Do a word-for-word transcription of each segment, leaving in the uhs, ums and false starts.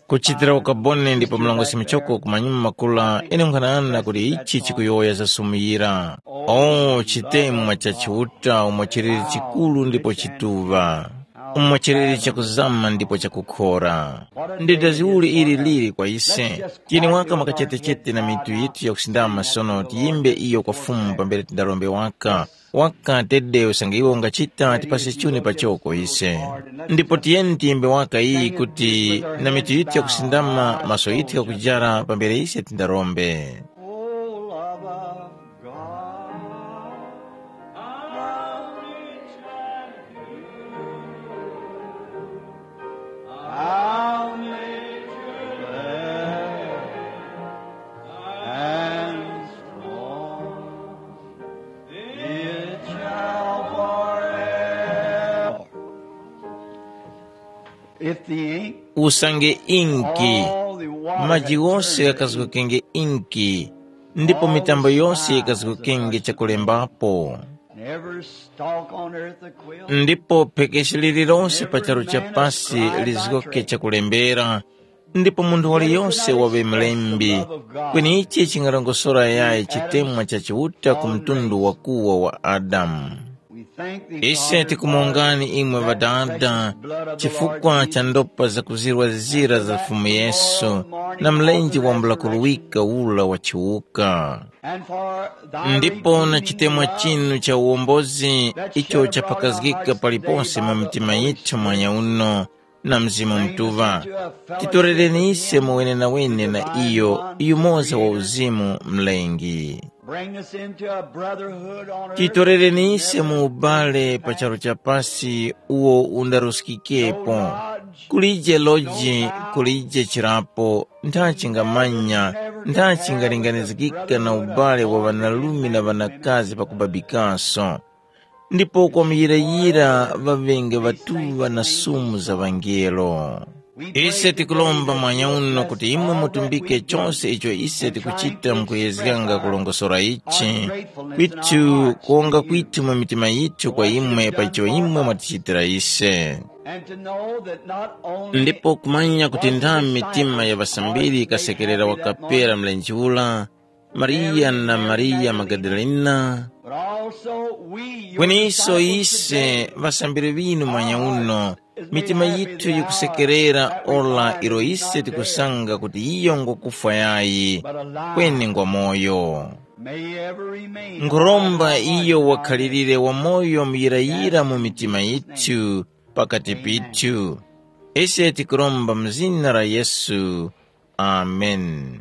Kuchitira ukaboni ndipo mlongosi muchoko kumanyuma makula ine nkhanana kuti ichi chikuyowoya zasumuyira. O chitemwa cha Chiuta umo chiliri chikulu ndipo chituŵa, umo chiliri chakuzama ndipo chakukhora. Ndi dazi uli ili lili kwa ise? Tiyeni waka makachetechete na mitu yitu yakusindama sono tiyimbe iyo kwa Fumu pambere tindarombe waka. Waka tede usange iwe ungachita tipase chuni pachoko ise. Ndipo tiyeni tiyimbe waka iyi kuti na mitu yitu yakusindama maso yitu ghakujara pambere ise tindarombe. Oh, love of God, how rich and pure, how nature glad and strong, it shall forever. If the ink Usange inki, all the water maji had ghose turned ghakazgokenge inki, ndipo mitambo yose yikazgokenge chakulembapo. And every stalk on earth a quill. Ndipo phekeshi lililonse pa charu cha pasi lizgoke chakulembera, ndipo munthu waliyose waŵe mlembi. Kweni ichi chingarongosora yayi chitemwa cha Chiuta ku mtundu wakuwa wa Adamu. Ise tikumongani imwe ŵadada chifukwa cha ndopa zakuzirwa zira za Fumu Yesu na mlenje wambula kuruwika ula wa chiwuka. Ndipo na chitemwa chinu cha uwombozi icho chapakazgika paliponse mu mitima yithu mwanya uno na Mzimu Mutuŵa, titorereni ise mu wenenawene na iyo yumoza wa uzimu mlengi. Bring us into a brotherhood on earth. Titorereni ise mu ubale pa charu cha pasi uwo undaruskikepo. Kulije loji, kulije chirapo, ntha chingamanya, ntha chingalinganizgika na ubale wa ŵanarume na ŵanakazi pakubabikaso. Ndipo kwa muyirayira ŵaŵenge ŵatuŵa na sumu za ŵangelo. Ise tikuromba mwanya uno kuti imwe mutumbike chose icho ise tikuchita mukuyezganga kulongosora ichi, kwitu kuwonga kwithu mu mitima yithu kwa imwe pa icho imwe mwatichitira ise. And to know that not only ndipo kumanya kuti ndami mitima ya ŵasambiri ikasekerera wakapera mlenje ula, Mariya na Mariya Magadalena, but also we, your kweni iso disciples ise today, ŵasambiri ŵinu mwanya uno, mitima yithu yikusekerera ora ilo ise tikusanga kuti iyo ngokufwa yayi, kweni ngwa moyo. May he ever remain. Nkhuromba iyo wakhalirire wamoyo muyirayira mu mitima yithu pakati pithu. Ise tikuromba mu zina la Yesu. Amen.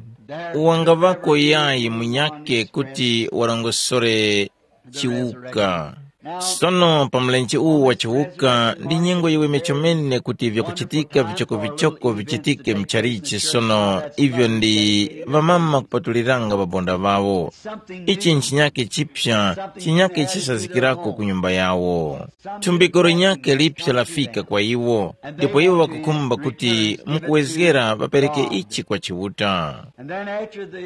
Wangavako yayi munyake kuti warongosore chiwuka. Sono pa mlenje uwu wa chiwuka ndi nyengo yiweme chomene kuti vyakuchitika vichokovichoko vichitike mchalichi sono ivyo ndi ŵamama kupatuliranga ŵabonda ŵawo. Ichi nchinyake chipya chinyake chisazikirako ku nyumba yawo. Thumbiko linyakhe liphya lafika kwa iwo, ndipo iwo ŵakukhumba kuti mukuwezgera ŵapereke ichi kwa Chiuta.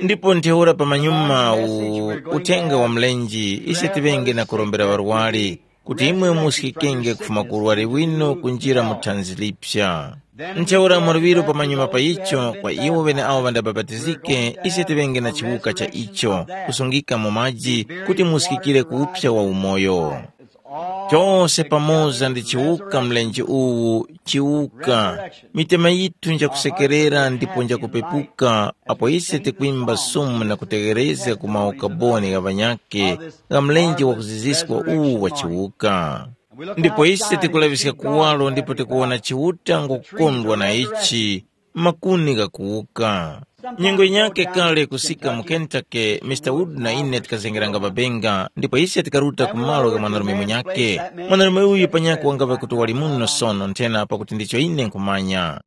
Ndipo ntheura pamanyuma u uthenga wa mlenje, ise tiŵenge na kurombera ŵarwari, kuti imwe muskikenge kufuma ku urwari winu kunjira mu thanzi liphya. Ntheura mwaluŵiro pamanyuma pa icho, kwa iwo ŵeneawo ŵandabapatizike, ise tiŵenge na chiwuka cha icho, kusungika mu maji, kuti muskikire ku uphya wa umoyo. Chose pamoza ndi chiwuka mlenje uwu, chiwuka. Mitema yithu njakusekerera ndipo njakupepuka apo ise tikwimba sumu na kutegherezga ku maukaboni gha ŵanyakhe gha mlenje wakuziziska uwu wa chiwuka. Ndipo ise tikulaŵiska kuwaro ndipo tikuwona Chiuta ngukukondwa na ichi, makuni ghakuwuka. Nyengo yinyakhe kale kusika mu Kentucky, Mister Wood na ine tikazengeranga mabenga, ndipo ise tikaruta ku malo gha mwanarume munyakhe. Mwanarume uyu panyakhe wangava kuti wali muno sono nthena pakuti ndicho ine nkhumanya.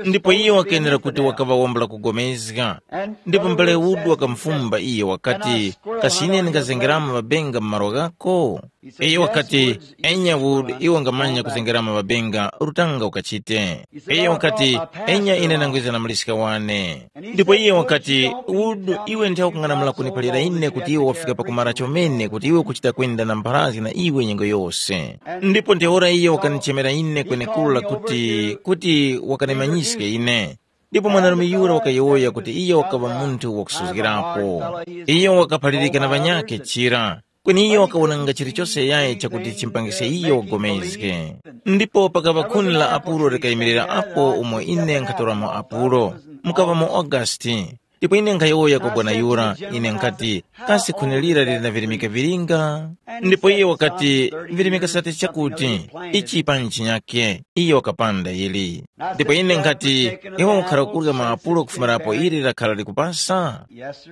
Ndipo iyo wakenera kuti wakaŵa wambula kugomezga. Ndipo mbale Wood wakamufumba iyo wakati, kasi ine ndingazengeramo mabenga mu malo ghako? Iyo wakati, enya Wood, iwe ungamanya kuzengeramo mabenga, rutanga ukachite. Iyo wakati, enya ine ndangwiza na muliska wane. Ndipo iye wakati, Wood, iwe nthawe ukung'anamula kuniphalira ine kuti iwe wafika pakumara chomene kuti iwe ukuchita kwenda na mpharazgi na iwe nyengo yose. Ndipo ntheura iye wakanichemera ine kwenekura kuti, kuti wakanimanyiske ine. Ndipo mwanarume yura wakayowoya kuti iyo wakaŵa munthu wakusuzgirapo. Iyo wakaphalirika na ŵanyakhe chira, kweni iyo wakawonanga chilichose yayi chakuti chimpangise iyo wagomezge. Ndipo pakaŵa khuni la Apulo likayimirira apo umo ine nkhatoramo Apulo, mukaŵamo Augasti. Ndipo ine nkhayowoya kwa bwana yura, ine nkhati, kasi khuni lira lili na virimika vilinga? Ndipo iye wakati, virimika sati chakuti, ichi panyi chinyakhe. Iye wakapanda yili. Ndipo ine nkhati, iwe ukhara kurya maapulo kufumirapo ili lakhala likupasa?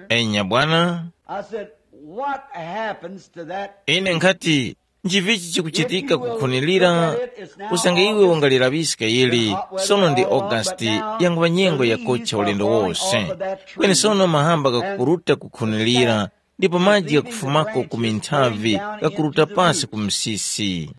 Enya bwana. I said, what happens to that? Ine nkhati, nchivichi chikuchitika kukhunilira? Usange iwe ungalilaŵiska ili, sono ndi August, yanguŵa nyengo yakucha ulendo wose. Kweni sono mahamba ghakukuruta kukhunilira, ndipo maji ghakufumako ku minthavi ghakuruta pasi ku msisi.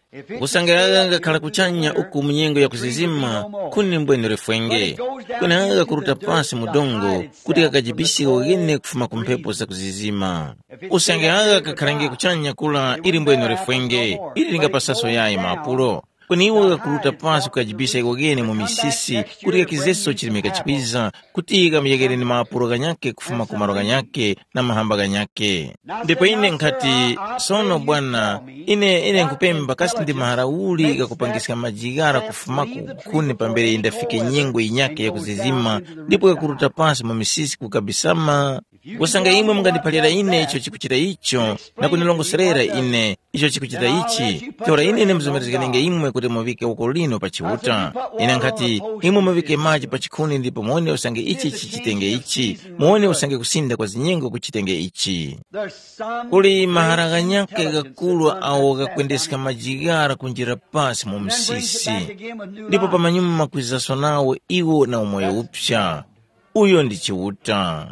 Usange agha ghakhala kuchanya uku mu nyengo ya kuzizima, khuni mbwene lifwenge. Kweni agha ghakuruta pasi mu dongo kuti ghakajibisike ghene kufuma ku mphepo zakuzizima. Usange agha kakhalange kuchanya kula ili mbwene lifwenge, ili lingapasaso yayi maapulo. Kweni iwo ghakuruta pasi kukajibisa iko kene mu misisi kuti ghakizeso chirimika chikwiza, kuti ghamuyekere ni maapulo ghanyakhe kufuma ku malo ghanyakhe na mahamba ghanyakhe. Ndipo ine nkhati, sono bwana, ine ine nkupemba kasi ndi mahara uli ghakupangiska maji ghara kufumako kukhuni pambere yindafike nyengo yinyakhe yakuzizima, ndipo ghakuruta pasi mu misisi kukabisama? Kusanga imwe mungandiphalira ine icho chikuchita icho, na kunilongoserera ine icho chikuchita ichi, ntheura ine ndimuzomezgeranenge imwe kuti muŵike uko lino pa Chiuta. Ine nkhati, imwe muŵike maji pa chikhuni ndipo muwone usange ichi chichitenge ichi, muwone usange kusinda kwa zinyengo kuchitenge ichi. Kuli mahara ghanyakhe ghakulu awo ghakwendeska maji ghara kunjira pasi mu msisi, ndipo pamanyuma makwizaso nawo iwo na umoyo upsa. Uyo ndi Chiuta.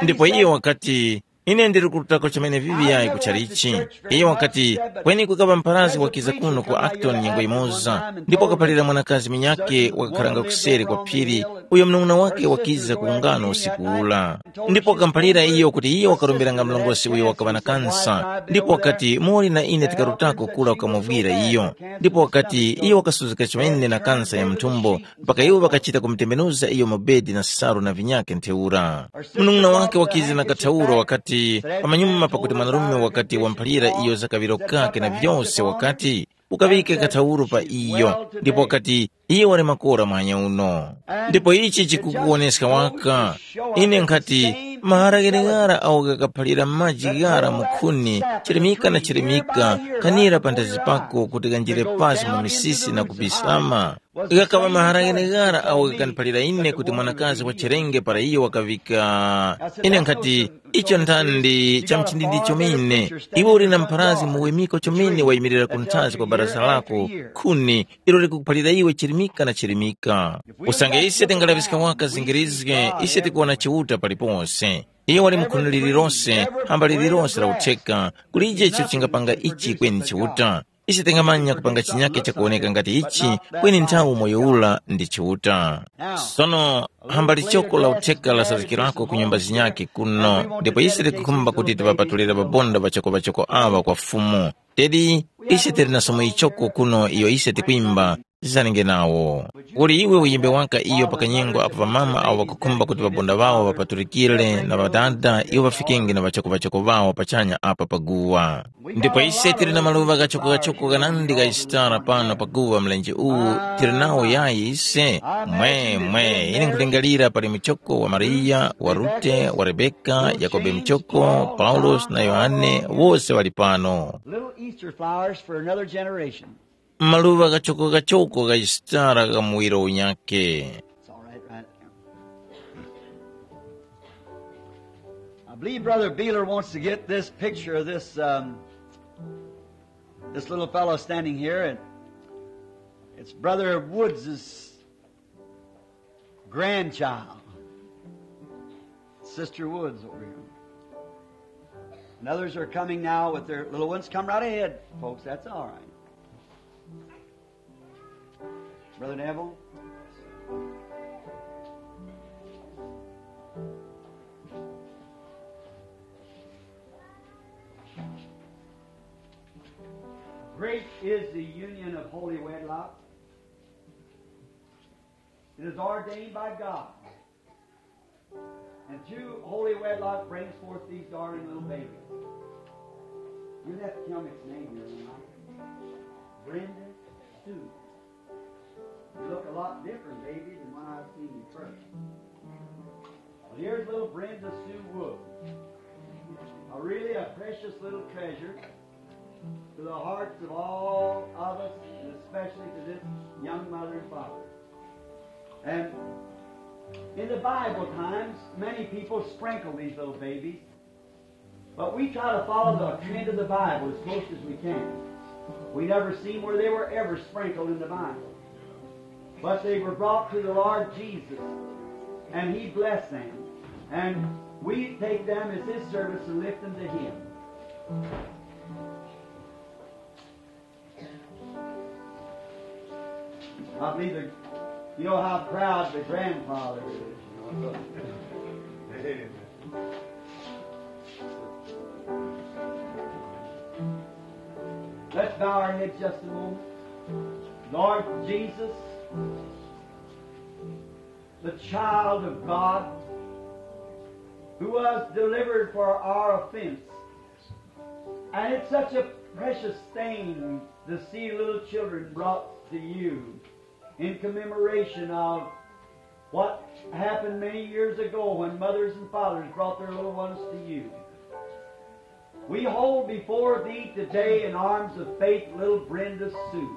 Ndipo iye wakati, ine ndili kurutako chomene vivi yayi kuchalichi. Iye wakati, kweni kukaŵa mparazi wakiza kuno ku Acton nyengo yimoza, ndipo wakaphalira mwanakazi munyakhe wakakharanga kuseri kwa phiri, uyo mnung'una wake wakiza ku ungano usiku ula. Ndipo wakamuphalira iyo kuti iyo wakarombera nga mlongosi uyo wakaŵa na kansa, ndipo wakati, muli na ine tikarutako kura kukamuvwira iyo. Ndipo wakati, iyo wakasuzgika chomene na kansa ya mthumbo, mpaka iwo ŵakachita kumutembenuza iyo mu bedi na salu na vinyakhe ntheura. Munung'una wake wakiza na kathauro wakati, pamanyuma pakuti mwanarume wakati wamphalira iyo za kaŵiro kakhe na vyose wakati, ukaŵike kathauro pa iyo, ndipo wakati, iye wali makora muhanya uno. Ndipo ichi chikukuwoneska waka. Ine nkhati, mahara gheneghara awo ghakaphalira maji ghara mu khuni, chirimika na chirimika, kanira panthazi pako kuti ghanjire pasi mu misisi na kubisama. Ghakaŵa mahara gheneghara awo ghakaniphalira ine kuti mwanakazi wa cherenge para iyo wakaŵika. Ine nkhati, icho nthandi cha mchindindi chomene. Iwe uli na mpharazgi muwemiko chomene wayimirira kunthazi kwa baraza lako, khuni, ilo likukuphalira iwe chirimika na chirimika. Usange ise tingalaŵiska waka zingirizge, ise tikuwona Chiuta palipose. Iye wali mu khuni lililose, hamba lililose la utheka, kulije icho chingapanga ichi kweni Chiuta. Ise tingamanya kupanga chinyakhe chakuwoneka ngati ichi, kweni nthawi umoyo ula ndi Chiuta. Sono, hamba lichoko la utheka lasazgikirako ku nyumba zinyakhe kuno, ndipo ise tikukhumba kuti tiŵapatulire ŵabonda ŵachoko-ŵachoko aŵa kwa Fumu. Tedi, ise tili na somo yichoko kuno iyo ise tikwimba, zizanenge nawo. Kuli iwe uyimbe waka iyo pa kanyengo apo ŵamama awo ŵakukhumba kuti ŵabonda ŵawo ŵapatulikire na ŵadada iwo ŵafikenge na ŵachoko-ŵachoko ŵawo pachanya apa pa guwa. Ndipo ise tili na maluŵa ghachoko-ghachoko ghanandi gha Yisitara pano pa guwa mlenje uwu, tili nawo yayi ise? Mwe, mwe, ine nkhulingalira pali muchoko wa Mariya, wa Rute, wa Rebeka, Yakobe muchoko, Paulosi na Yohane, wose ŵali pano. Little Easter flowers for another generation. Maluŵa ghachoko-ghachoko gha Yisitara gha muwiro unyakhe. It's all right, right there. I believe Brother Beeler wants to get this picture of this, um, this little fellow standing here, and it's Brother Woods's grandchild, Sister Woods over here. And others are coming now with their little ones. Come right ahead, folks. That's all right. Brother Neville. Great is the union of holy wedlock. It is ordained by God And two holy wedlock brings forth these darling little babies. You have to tell me its name here tonight. Brenda Sue. You look a lot different, baby, than when I seen you first. Well, here's little Brenda Sue Wood. A really a precious little treasure to the hearts of all of us, and especially to this young mother and father. And in the Bible times, many people sprinkle these little babies, but we try to follow the trend of the Bible as close as we can. We never seen where they were ever sprinkled in the Bible. But they were brought to the Lord Jesus, and He blessed them. And we take them as His servants and lift them to Him. I believe that you know how proud the grandfather is. You know, so. Let's bow our heads just a moment. Lord Jesus, the child of God, who was delivered for our offense. And it's such a precious thing to see little children brought to you in commemoration of what happened many years ago when mothers and fathers brought their little ones to you. We hold before thee today in arms of faith little Brenda Sue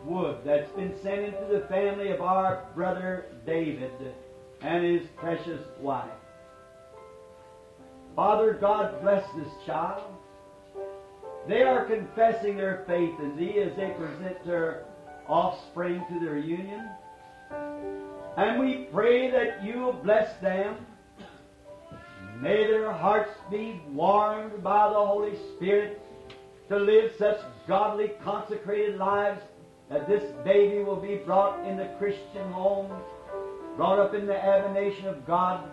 Wood that's been sent into the family of our brother David and his precious wife. Father God, bless this child. They are confessing their faith in thee as they present their offspring to their union. And we pray that you will bless them. May their hearts be warmed by the Holy Spirit to live such godly, consecrated lives that this baby will be brought in the Christian home, brought up in the admonition of God,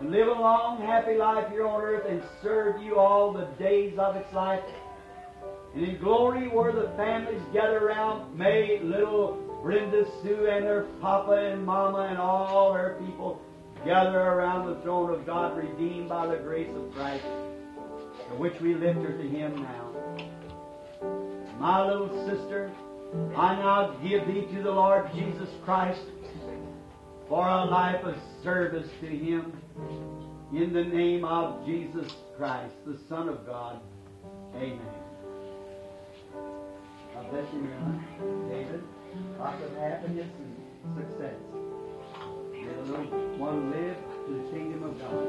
and live a long, happy life here on earth and serve you all the days of its life. And in glory, where the families gather around, may little Brenda Sue and her papa and mama and all her people gather around the throne of God, redeemed by the grace of Christ, for which we lift her to Him now. My little sister, I now give thee to the Lord Jesus Christ for a life of service to Him, in the name of Jesus Christ, the Son of God. Amen. God bless you, Miriam. David, lots of happiness and success. May the little one live to the kingdom of God.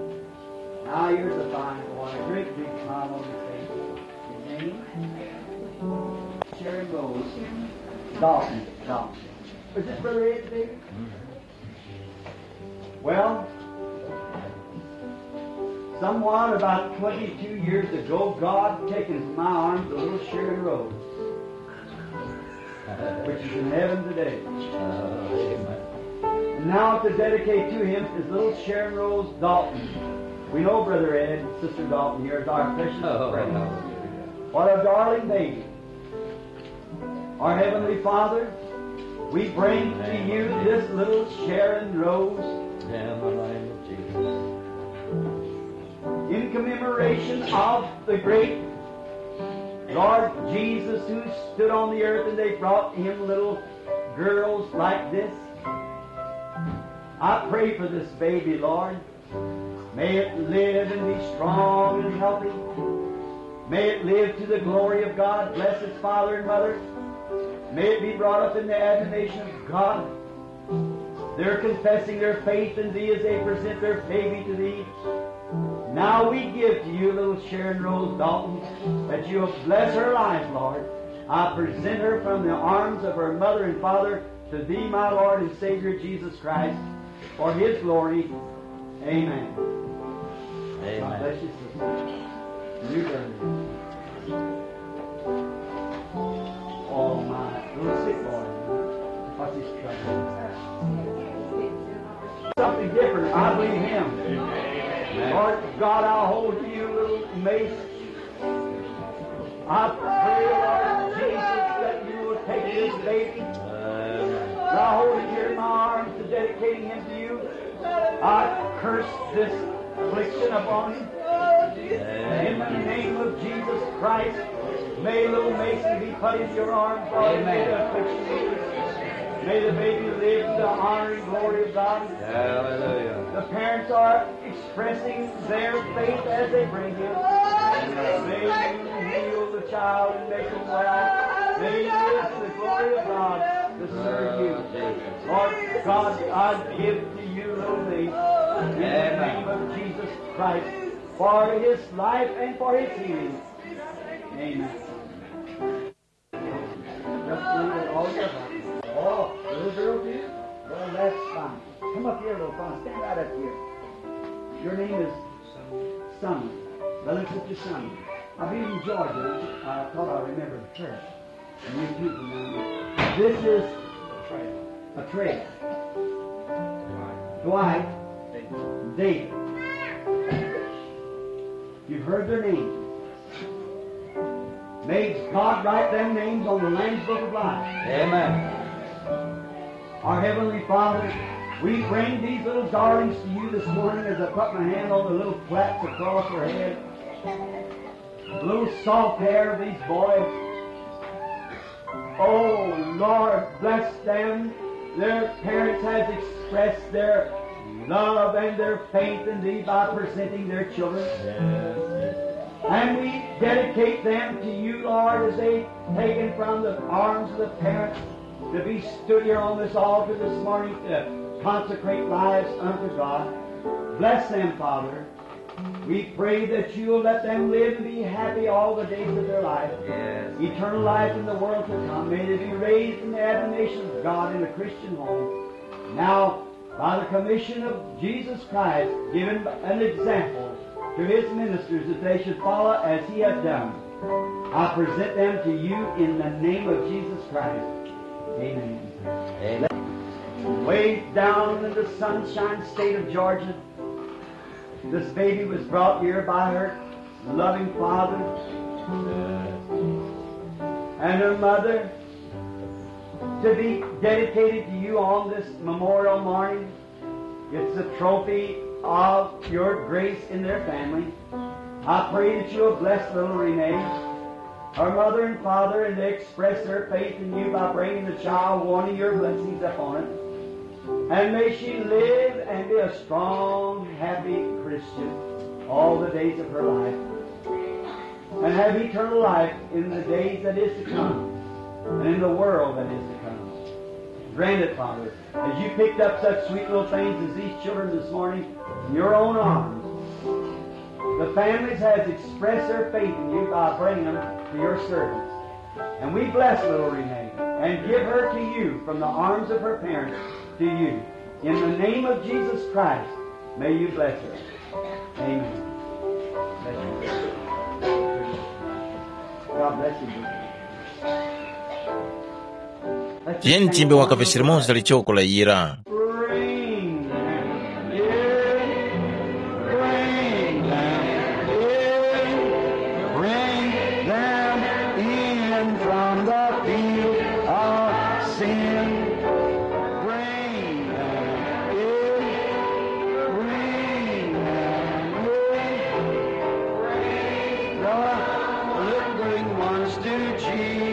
Now here's a fine boy, a great big smile on his face. His name? Sharon Rose Dalton. Dalton. Is this Brother Ed, David? Well, someone about twenty-two years ago, God taken from my arms the little Sharon Rose, which is in heaven today. And now to dedicate to him is little Sharon Rose Dalton. We know Brother Ed and Sister Dalton here is our precious friend. What a darling baby. Our Heavenly Father, we bring to you this little Sharon Rose in commemoration of the great Lord Jesus who stood on the earth and they brought to him little girls like this. I pray for this baby, Lord. May it live and be strong and healthy. May it live to the glory of God. Bless its father and mother. May it be brought up in the admonition of God. They're confessing their faith in thee as they present their baby to thee. Now we give to you little Sharon Rose Dalton, that you will bless her life, Lord. I present her from the arms of her mother and father to thee, my Lord and Savior Jesus Christ, for his glory. Amen. Amen. God bless you, sister. You, brother. Oh, my. Little sick boy. What's his trouble? Something different. I believe him. Amen. Lord God, I'll hold to you, little Mace. I pray, Lord Jesus, that you will take this baby. Amen. And I hold it here in my arms to dedicating him to you. I curse this affliction upon him. In the name of Jesus Christ, may little Mason be put in your arms. Lord, may the affliction be. May the baby live to the honor and glory of God. Hallelujah. The parents are expressing their faith as they bring him. May you heal the child and make him well. May he live to the glory of God to serve you. Lord God, I give to you little things in the name of Jesus Christ for his life and for his healing. Amen. Just leave it all together. Oh, little girl, dear? Well, that's fine. Come up here, little fine. Stand right up here. Your name is Summer. Well, it's just Summer. I'll be in Georgia. I thought I remembered her. And you too, Fernando. This is a trade. Dwight, David. You've heard their names. May God write them names on the Lamb's Book of Life. Amen. Our Heavenly Father, we bring these little darlings to you this morning as I put my hand on the little plaits across her head. The little soft hair of these boys. Oh, Lord, bless them. Their parents has expressed their love and their faith in thee by presenting their children. And we dedicate them to you, Lord, as they taken from the arms of the parents to be stood here on this altar this morning to consecrate lives unto God. Bless them, Father. We pray that you will let them live and be happy all the days of their life. Yes. Eternal life in the world to come. May they be raised in the admonition of God in a Christian home. Now, by the commission of Jesus Christ, given an example to his ministers that they should follow as he had done, I present them to you in the name of Jesus Christ. Amen. Amen. Way down in the Sunshine State of Georgia, this baby was brought here by her loving father and her mother to be dedicated to you on this memorial morning. It's the trophy of your grace in their family. I pray that you will bless little Renee, her mother and father, and they express their faith in you by bringing the child, wanting your blessings upon it. And may she live and be a strong, happy Christian all the days of her life. And have eternal life in the days that is to come and in the world that is to come. Grant it, Father, as you picked up such sweet little things as these children this morning in your own arms. The families has expressed their faith in you by bringing them to your servants. And we bless little Renee and give her to you from the arms of her parents to you. In the name of Jesus Christ, may you bless her. Amen. Bless you. God bless you, dear. Tiyeni tiyimbe wakape chilimoza lichoko la yira. Bring them in, bring them in, bring them in from the field of sin. Bring them in, bring them in, bring the lingering ones to Jesus.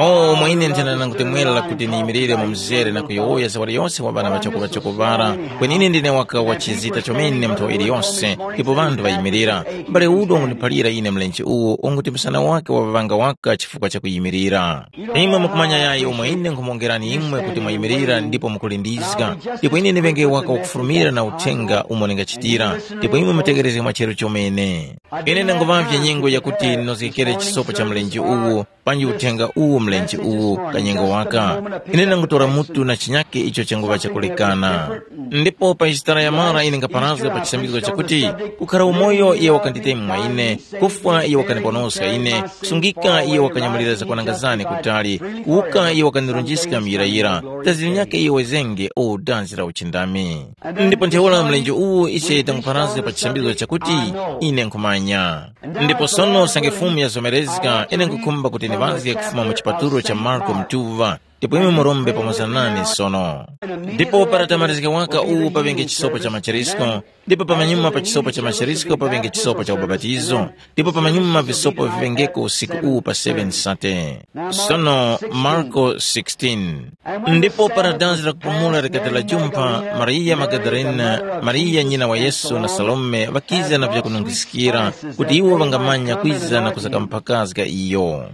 O mwa ine nthena nangutemwerera kuti niyimirire mu mzere na kuyowoya zawali yose wa ŵana ŵachoko-ŵachoko ŵara. Kweni ine ndine waka wa chizita chomene mu nthawi iliyose, ndipo ŵanthu ŵayimirira. M'bale udo wangundiphalira ine mlenje uwo unguti msana wake waŵaŵanga waka chifukwa cha kuyimirira. Imwe mukumanya yayi umo ine nkhumuwongerani imwe kuti mwayimirira ndipo mukulindizga. Ndipo ine ndiŵenge waka wakufulumira na uthenga umo ndingachitira. Ndipo imwe mutegerezge mwacheru chomene. Ine ndanguŵavye nyengo yakuti ndinozgekere chisopo cha mlenje uwu, panji uthenga uwu mlenje uwu kanyengo waka. Ine ndangutora mutu na chinyake icho changuŵa chakulekana. Ndipo pa chitara ya mara ine ngaparazga pa chisambizgo chakuti, kukhara umoyo iye wakanditema mwa ine, kufwa iye wakandiponoska ine, kusungika iye wakanyamulira zakwananga zane kutali, kuwuka iye wakandirunjiska muyirayira, dazi linyakhe iye wezenge o dazi la uchindami. Ndipo ntheura mlenje uwu ise tanguparazga pa chisambizgo chakuti, ine nkhumanya. Ndipo sono usange Fumu yazomerezga, ine nkhukhumba kuti ndiŵazge kufuma mu chipatulo cha Marko Mtuŵa, Ndipo imwe murombe pamoza nane sono. Ndipo para tamalizika waka uwu paŵenge chisopo cha macherisko, ndipo pamanyuma pa chisopo cha macherisko paŵenge chisopo cha ubapatizo, ndipo pamanyuma visopo viŵengeko usiku uwu pa seven sate. Sono Marko sixteen. Ndipo para danzi la kupumula likati lajumpha, Mariya Magadalena, Mariya nyina wa Yesu na Salome ŵakiza na vyakunungiskira, kuti iwo ŵangamanya kwiza na kuzakamphakazga iyo.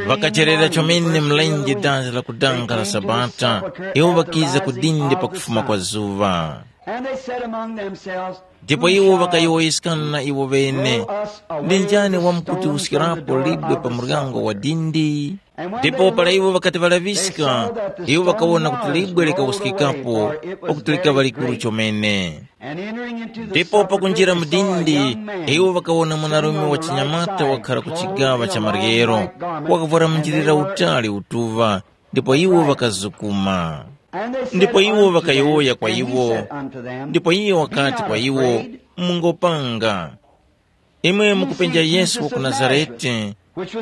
Ŵakacherera chomene mlenje danzi la kudanga la Sabata, iwo ŵakiza ku dindi pakufuma kwa zuŵa. And they said among themselves, ndipo iwo ŵakayowoyeskana iwo ŵene, "Ndi njani wamkutiwuskirapo libwe pa muryango wa dindi?" Ndipo para iwo ŵakati ŵalaŵiska, iwo ŵakawona kuti libwe likawuskikapo, pakuti likaŵa likuru chomene. Ndipo pakunjira mu dindi, iwo ŵakawona mwanarume wa chinyamata wakhara ku chigaŵa cha maryero, wakavwara munjilira utali utuŵa, ndipo iwo ŵakazukuma. Ndipo iwo ŵakayowoya kwa iwo, ndipo iye wakati kwa iwo, "Mungopanga. Imwe mukupenja Yesu wa ku Nazarete,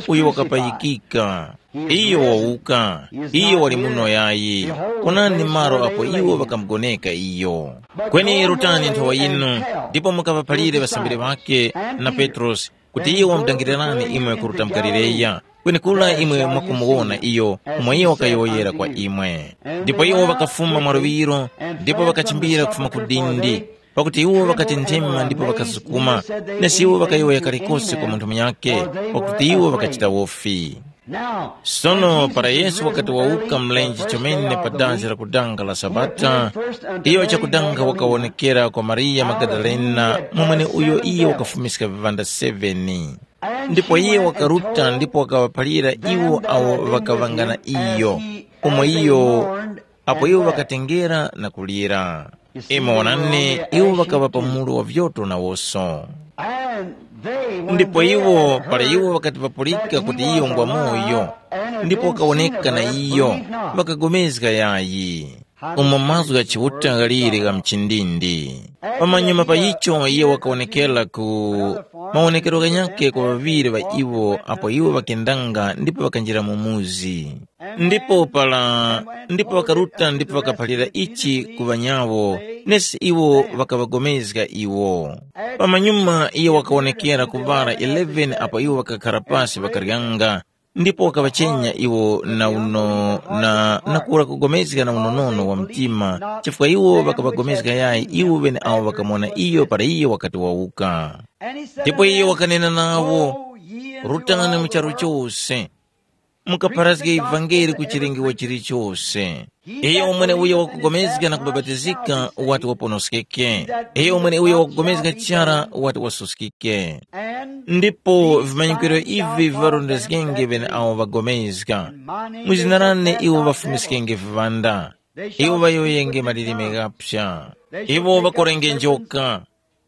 uyo wakapayikika. Iyo wawuka, iyo wali muno yayi. Onani malo apo iwo ŵakamugoneka iyo. Kweni rutani nthowa yinu, ndipo mukaŵaphalire ŵasambiri ŵakhe na Petrosi, kuti iyo wamudangirani imwe kuruta mu Galileya, kwenekura imwe mwakumuwona iyo, umo iyo wakayowoyera kwa imwe." Ndipo iwo ŵakafuma mwaluŵiro, ndipo ŵakachimbira kufuma ku dindi, pakuti iwo ŵakatenthema ndipo ŵakasukuma, nesi iwo ŵakayowoya kalikose kwa munthu munyakhe, pakuti iwo ŵakachita wofi. Sono para Yesu wakati wawuka mlenje chomene pa dazi la kudanga la Sabata, iyo chakudanga wakawonekera kwa Mariya Magadalena, mwamwene uyo iye wakafumiska viŵanda seveni. Ndipo iye wakaruta ndipo wakaŵaphalira iwo awo ŵakaŵangana iyo, umo iyo apo iwo ŵakatengera na kulira. Imwe wonani, iwo ŵakaŵa pa mulu wa vyoto nawoso. Ndipo iwo, para iwo ŵakati ŵapulika kuti iyo ngwa moyo, ndipo wakawoneka na iyo, ŵakagomezga yayi. Umo mazgu gha Chiuta ghaliri gha mchindindi. Pamanyuma pa icho iye wakawonekera ku mawonekero ghanyakhe kwa ŵaŵiri ŵa iwo apo iwo ŵakendanga ndipo ŵakanjira mu muzi. Ndipo para ndipo ŵakaruta ndipo ŵakaphalira ichi ku ŵanyawo, nesi iwo ŵakaŵagomezga iwo. Pamanyuma iye wakawonekera ku ŵara eleven apo iwo ŵakakhara pasi ŵakaryanga, ndipo wakaŵachenya iwo na uno na, na kura kugomezga na unonono wa mtima, chifukwa iwo ŵakaŵagomezga yayi iwo ŵeneawo ŵakamuwona iyo para iyo wakati wawuka. Ndipo iyo wakanena nawo, "Rutani mu charu chose, mukapharazge ivangeli ku chilengewa chilichose. Iyo umwene uyo wakugomezga na kubapatizika wati waponoskeke. Iyo umwene uyo wakugomezga chara wati wasuskike." Ndipo vimanyikiro ivi viŵarondezgenge ŵeneawo ŵagomezga. Mu zina lane iwo ŵafumiskenge viŵanda. Iwo ŵayowoyenge malilime ghaphya. Iwo ŵakorenge njoka.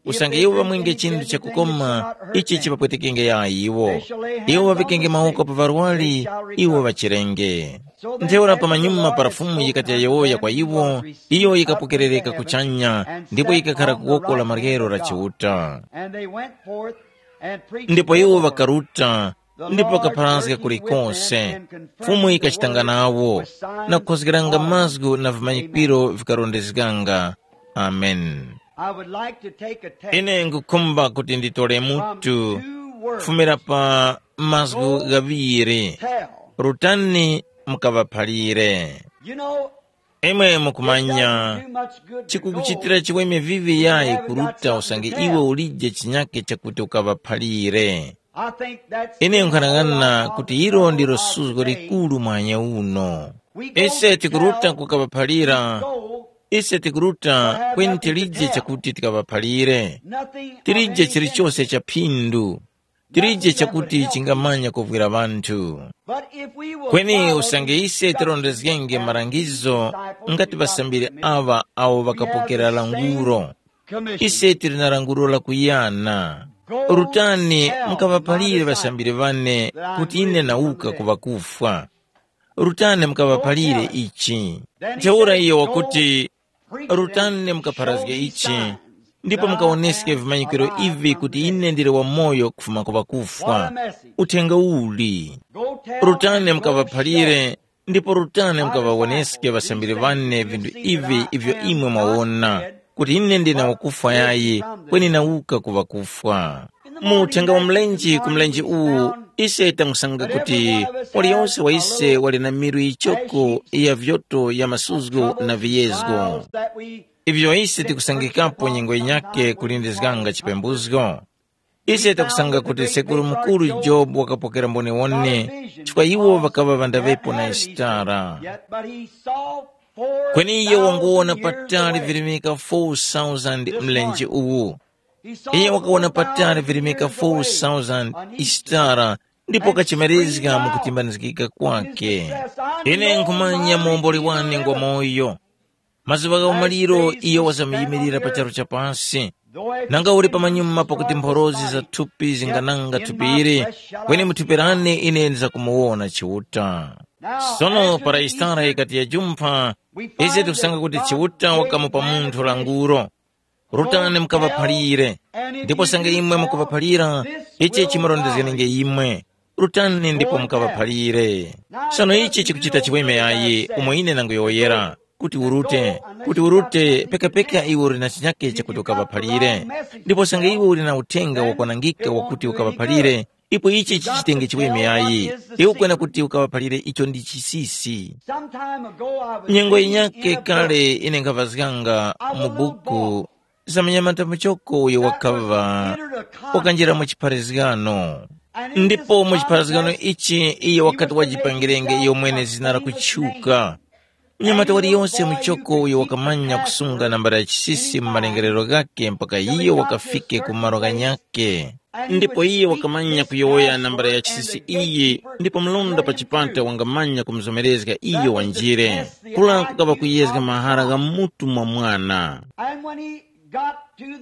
Usange iwo ŵamwenge chinthu chakukoma, ichi chiŵapwetekenge yayi iwo. Iwo ŵaŵikenge mawoko pa ŵarwari, iwo ŵachirenge. Ntheura pamanyuma para Fumu yikati yayowoya kwa iwo, iyo yikapokerereka kuchanya, ndipo yikakhara ku woko la maryero la Chiuta. And they went forth and preached Ndipo iwo ŵakaruta, ndipo ŵakapharazga kulikose. Fumu yikachitanga nawo, na kukhozgeranga mazgu na vimanyikiro vikarondezganga. Amen. I would like to take a text Ine ngukhumba kuti nditole from mutu two words. Kufumira pa mazgu ghaŵiri. Tell. Rutani mukaŵaphalire. You know, imwe mukumanya, chikukuchitira chiweme vivi yayi kuruta usange iwe ulije chinyake chakuti ukaŵaphalire. Ine nkhanang'ana kuti ilo ndilo suzgo likuru mwanya uno. Ise tikuruta kukaŵaphalira. Ise tikuruta kweni tilije chakuti tikaŵaphalire. Tilije chilichose cha phindu. Tilije chakuti chingamanya kuvwira ŵanthu. Kweni usange ise tirondezgenge malangizo ngati ŵasambiri aŵa awo ŵakapokera languro, ise tili na languro lakuyana. Rutani mukaŵaphalire ŵasambiri ŵane kuti ine nawuka ku ŵakufwa. Rutani mukaŵaphalire ichi. Ntheura iyo wakuti, rutani mukapharazge ichi, ndipo mukawoneske vimanyikiro ivi kuti ine ndili wamoyo kufuma ku ŵakufwa. Uthenga uli? Rutani mukaŵaphalire Ndipo rutani mukaŵawoneske ŵasambiri ŵane vinthu ivi ivyo imwe mwawona, kuti ine ndine wakufwa yayi, kweni nawuka ku ŵakufwa. Mu uthenga wa mlenje ku mlenje uwu, ise tamusanga kuti waliyose wa ise wali na milu yichoko ya vyoto ya masuzgo na viyezgo. Ivyo ise tikusangikapo nyengo yinyakhe kulindizganga chipembuzgo. Ise takusanga kuti sekuru mukuru Jobu wakapokera mboniwone, chifukwa iwo ŵakaŵa ŵandaŵepo na Yisitara. Kweni iye wanguwona patali virimika four thousand mlenje uwu. Iye wakawona patali virimika four thousand Yisitara, ndipo kachimerezga mu kutimbanizgika kwake. Ine nkhumanya muomboli wane ngwa moyo. Mazuŵa gha umaliro iyo wazamuyimilira pa charu cha pasi. Nanga uli pamanyuma pakuti mphorozi za thupi zingananga thupi ili, kweni mu thupi lane ine ndizakumuwona Chiuta. Sono para Yisara yikati yajumpha, ise tikusanga kuti Chiuta wakamupa munthu languro. Rutani mukaŵaphalire, ndipo sanga imwe mukuŵaphalira, ichi chimarondezganenge imwe. Rutani ndipo mukaŵaphalire. Sono ichi chikuchita chiweme yayi umo ine nanguyowoyera, kuti urute, kuti urute pekapeka iwe uli na chinyake chakuti ukaŵaphalire. Ndipo sanga iwe uli na uthenga wakwanangika wakuti ukaŵaphalire, ipo ichi chichitenge chiweme yayi. Iwe kwena kuti ukaŵaphalire icho ndi chisisi. Some time ago, I was Nyengo reading yinyakhe in a kale book ine nkhavazganga mu about a young buku boy za munyamata muchoko uyo that was wakaŵa entered a conference wakanjira mu chipharizgano. And in ndipo this mu chipharizgano conference, ichi iye he wakati was to make wajipangirenge himself iyo mwene a zina la famous kutchuka name. Mnyamata waliyonse muchoko uyo wakamanya kusunga nambala ya chisisi mu malengerero ghakhe mpaka iyo wakafike ku malo ghanyakhe. Ndipo iye wakamanya kuyowoya nambala ya chisisi iyi, ndipo mlonda pa chipata wangamanya kumuzomerezga iyo wanjire. Kula kukaŵa kuyezga mahara gha mutu mwa mwana.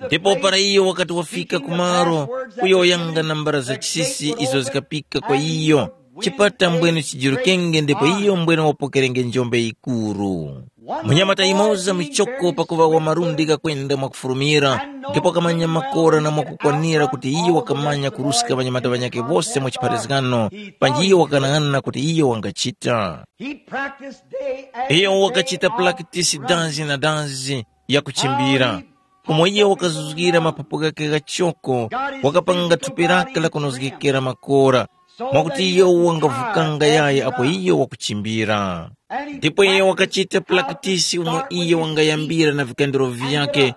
Ndipo para iyo wakati wafika kumaro kuyowoyanga nambala za chisisi izo zikapika kwa iyo, chipata mbwene chijurukenge ndipo iyo mbwene wapokerenge njombe yikuru. Munyamata yumoza muchoko pakuŵa wa malundi ghakwenda mwakufurumira, ndipo wakamanya makora na mwakukwanira kuti iyo wakamanya kuruska ŵanyamata ŵanyakhe wose mu chipharazgano, panji iyo wakanang'ana kuti iyo wangachita. He practiced day after Iyo day wakachita on pulakitisi dazi na dazi ya kuchimbira, umo iyo wakazuzgira mapapo ghakhe ghachoko, wakapanga thupi lake la kunozgekera makora, mwakuti iyo wangavukanga yayi apo iyo wakuchimbira. Ndipo iyo wakachita pulakitisi umo iyo wangayambira na vikandiro vyakhe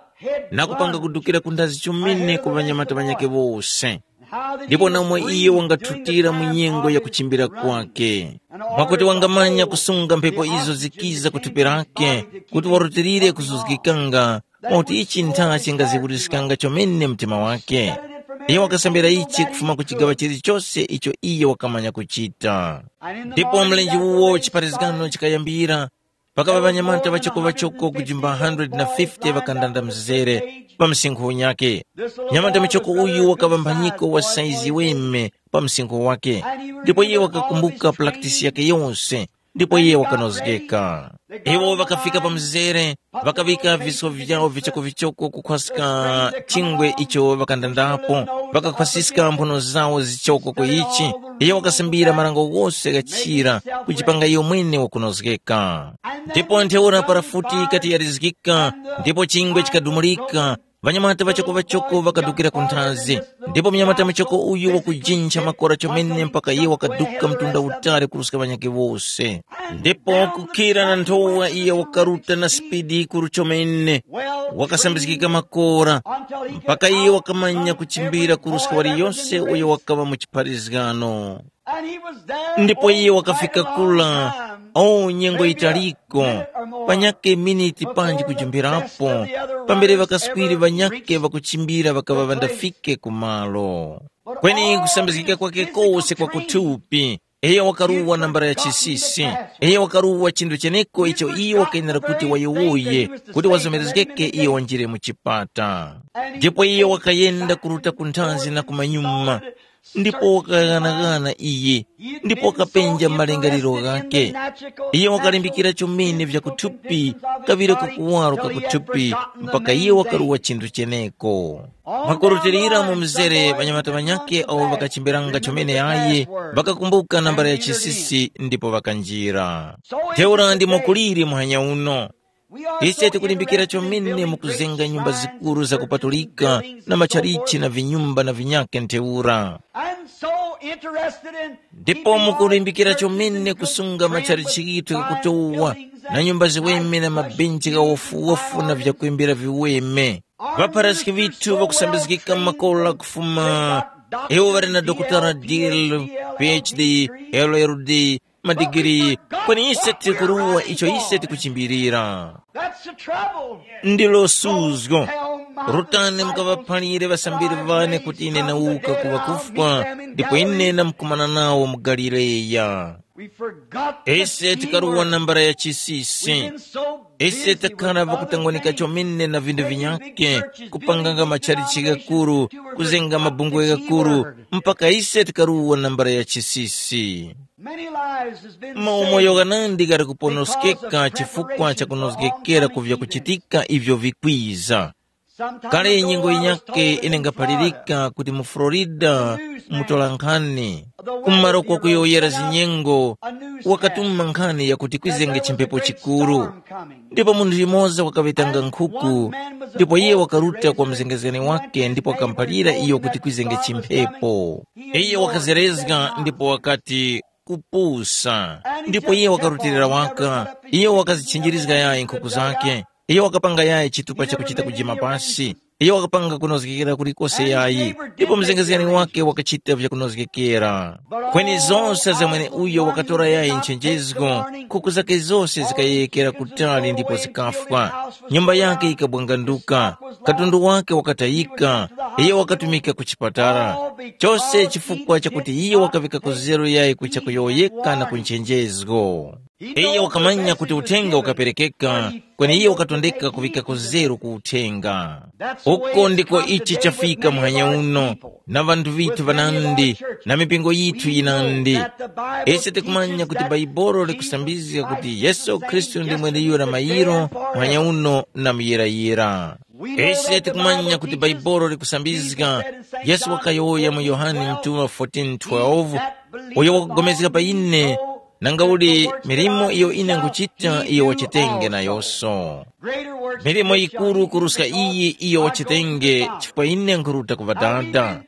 na kupanga kudukira ku ndazi chomene ku ŵanyamata ŵanyakhe wose. Ndipo namwe iyo wangathutira mu nyengo ya kuchimbira kwake, mwakuti wangamanya kusunga mphepo izo zikiza ku thupi lake, kuti warutilire kuzuzgikanga, mwakuti ichi ntha chingaziwuriskanga chomene mtima wake. Iyo wakasambira ichi kufuma ku chigaŵa chilichose icho iyo wakamanya kuchita. Ndipo mlenje uwo chipharazgano chikayambira, pakaŵa ŵanyamata ŵachoko-ŵachoko kujimba one hundred na fifty ŵakandanda mzere pa msinkhu unyakhe. Nyamata muchoko uyu wakaŵa mphanyiko wa saizi weme pa msinkhu wakhe, ndipo iye wakakumbuka pulakitisi yakhe yose, ndipo iye wakanozgeka. Iwo ŵakafika pa mzere, ŵakaŵika viso vyawo vichoko-vichoko kukhwaska chingwe icho ŵakandandapo, ŵakakhwasiska mphuno zawo zichoko ku ichi. Iye wakasambira marango ghose ghachira, kujipanga iyo mwene wakunozgeka. Ndipo ntheura para futi yikati yarizgika, ndipo chingwe chikadumulika, ŵanyamata ŵachoko-ŵachoko ŵakadukira ku nthazi. Ndipo munyamata muchoko uyu wakujincha makora chomene mpaka iye wakaduka mtunda utali kuruska ŵanyakhe wose. Ndipo kukhira na nthowa iye wakaruta na sipidi yikuru chomene, wakasambizgika makora, mpaka iye wakamanya kuchimbira kuruska waliyose uyo wakaŵa mu chipharizgano. Ndipo iye wakafika kula, o nyengo yitaliko, panyakhe miniti panji kujumbirapo, pambere ŵakaswiri ŵanyakhe ŵakuchimbira ŵakaŵa ŵandafike ku malo. Kweni kusambizgika kwake kose kwa kuthupi, iyo wakaruwa nambala ya chisisi. Iyo wakaruwa chinthu cheneko icho iyo wakayenera kuti wayowoye, kuti wazomerezgeke iyo wanjire mu chipata. Ndipo iyo wakayenda kuruta ku nthanzi na kumanyuma, ndipo wakaghanagana iye, ndipo wakapenja malingaliro ghakhe. Iye wakalimbikira chomene vya kuthupi, kaŵireko kuwaro ka kuthupi, mpaka iye wakaruwa chinthu cheneko. Mwakurutilira mu mzere ŵanyamata ŵanyakhe awo ŵakachimbiranga chomene aye, ŵakakumbuka nambala ya chisisi ndipo ŵakanjira. Ntheura ndimo kuliri muhanya uno. Ise tikulimbikira chomene mu kuzenga nyumba zikuru zakupatulika na matchalichi na vinyumba na vinyakhe ntheura. I'm so interested in ndipo mukulimbikira chomene kusunga matchalichi ghithu ghakutowa na nyumba ziweme na mabenchi ghawofuwofu na vyakwembera viweme. Ŵapharasiki vithu vakusambizgika makola kufuma iwo ŵali na dokotala dl, phd, llld, madigiri. Kweni ise tikuruwa icho ise tikuchimbirira. That's the trouble. Ndilo suzgo. Rutani mukaŵaphalire ŵasambiri ŵane kuti ine nawuka ku ŵakufwa, ndipo ine namkumana nawo mu Galileya. We forgot the ise tikaruwa nambala ya chisisi. Ise takhala vakutangwanika chomene na vindu vinyake, kupanganga matchalichi ghakuru, kuzenga mabungwe ghakuru, mpaka ise tikaruwa nambala ya chisisi. Many lives has been maumoyo ghanandi ghali kuponoskeka chifukwa cha kunozgekera ku vyakuchitika ivyo vikwiza. Kale nyengo yinyakhe ine ngaphalirika kuti mu Florida mutola nkhani, kumaro kwakuyowoyera zinyengo, wakatuma nkhani yakuti kwizenge chimphepo chikuru. Ndipo munthu yumoza wakaŵetanga nkhuku, ndipo iye wakaruta kwa mzengezgani wake ndipo wakamuphalira iyo kuti kwizenge chimphepo. Iye wakazerezga ndipo wakati, kupusa. Ndipo iye wakarutilira waka, iye wakazitchinjirizga yayi nkhuku zake, iye wakapanga yayi chitupa chakuchita kujima pasi, iye wakapanga kunozgekera kulikose yayi. Ndipo mzengezgani wake wakachita vyakunozgekera. Kweni zose za mweneuyo wakatora yayi nchenjezgo, nkhuku zake zose zikayeyekera kutali ndipo zikafwa. Nyumba yake yikabwanganduka, katundu wake wakatayika, iye wakatumika ku chipatala. Chose chifukwa chakuti iye wakavika kuzeru yayi kucha kuyowoyeka na ku nchenjezgo. Iye wakamanya kuti uthenga ukaperekeka, kweni iye wakatondeka kuvika kuzeru ku uthenga. Uko ndiko ichi chafika muhanya uno, na ŵanthu vithu ŵanandi, na mipingo yithu yinandi. Ise tikumanya kuti Baibolo likusambizga kuti Yesu Khristu ndi mweneyura mayiro, muhanya uno na muyirayira. Ise tikumanya kuti Bhaibuli likusambizga. Yesu wakayowoya mu Yohane mutuŵa fourteen twelve, uyo wakugomezga pa ine, nangauli milimo iyo ine nkuchita iyo wachitenge nayonso. Milimo yikuru kuruska iyi iyo wachitenge, chifukwa ine nkhuruta ku Ŵadada.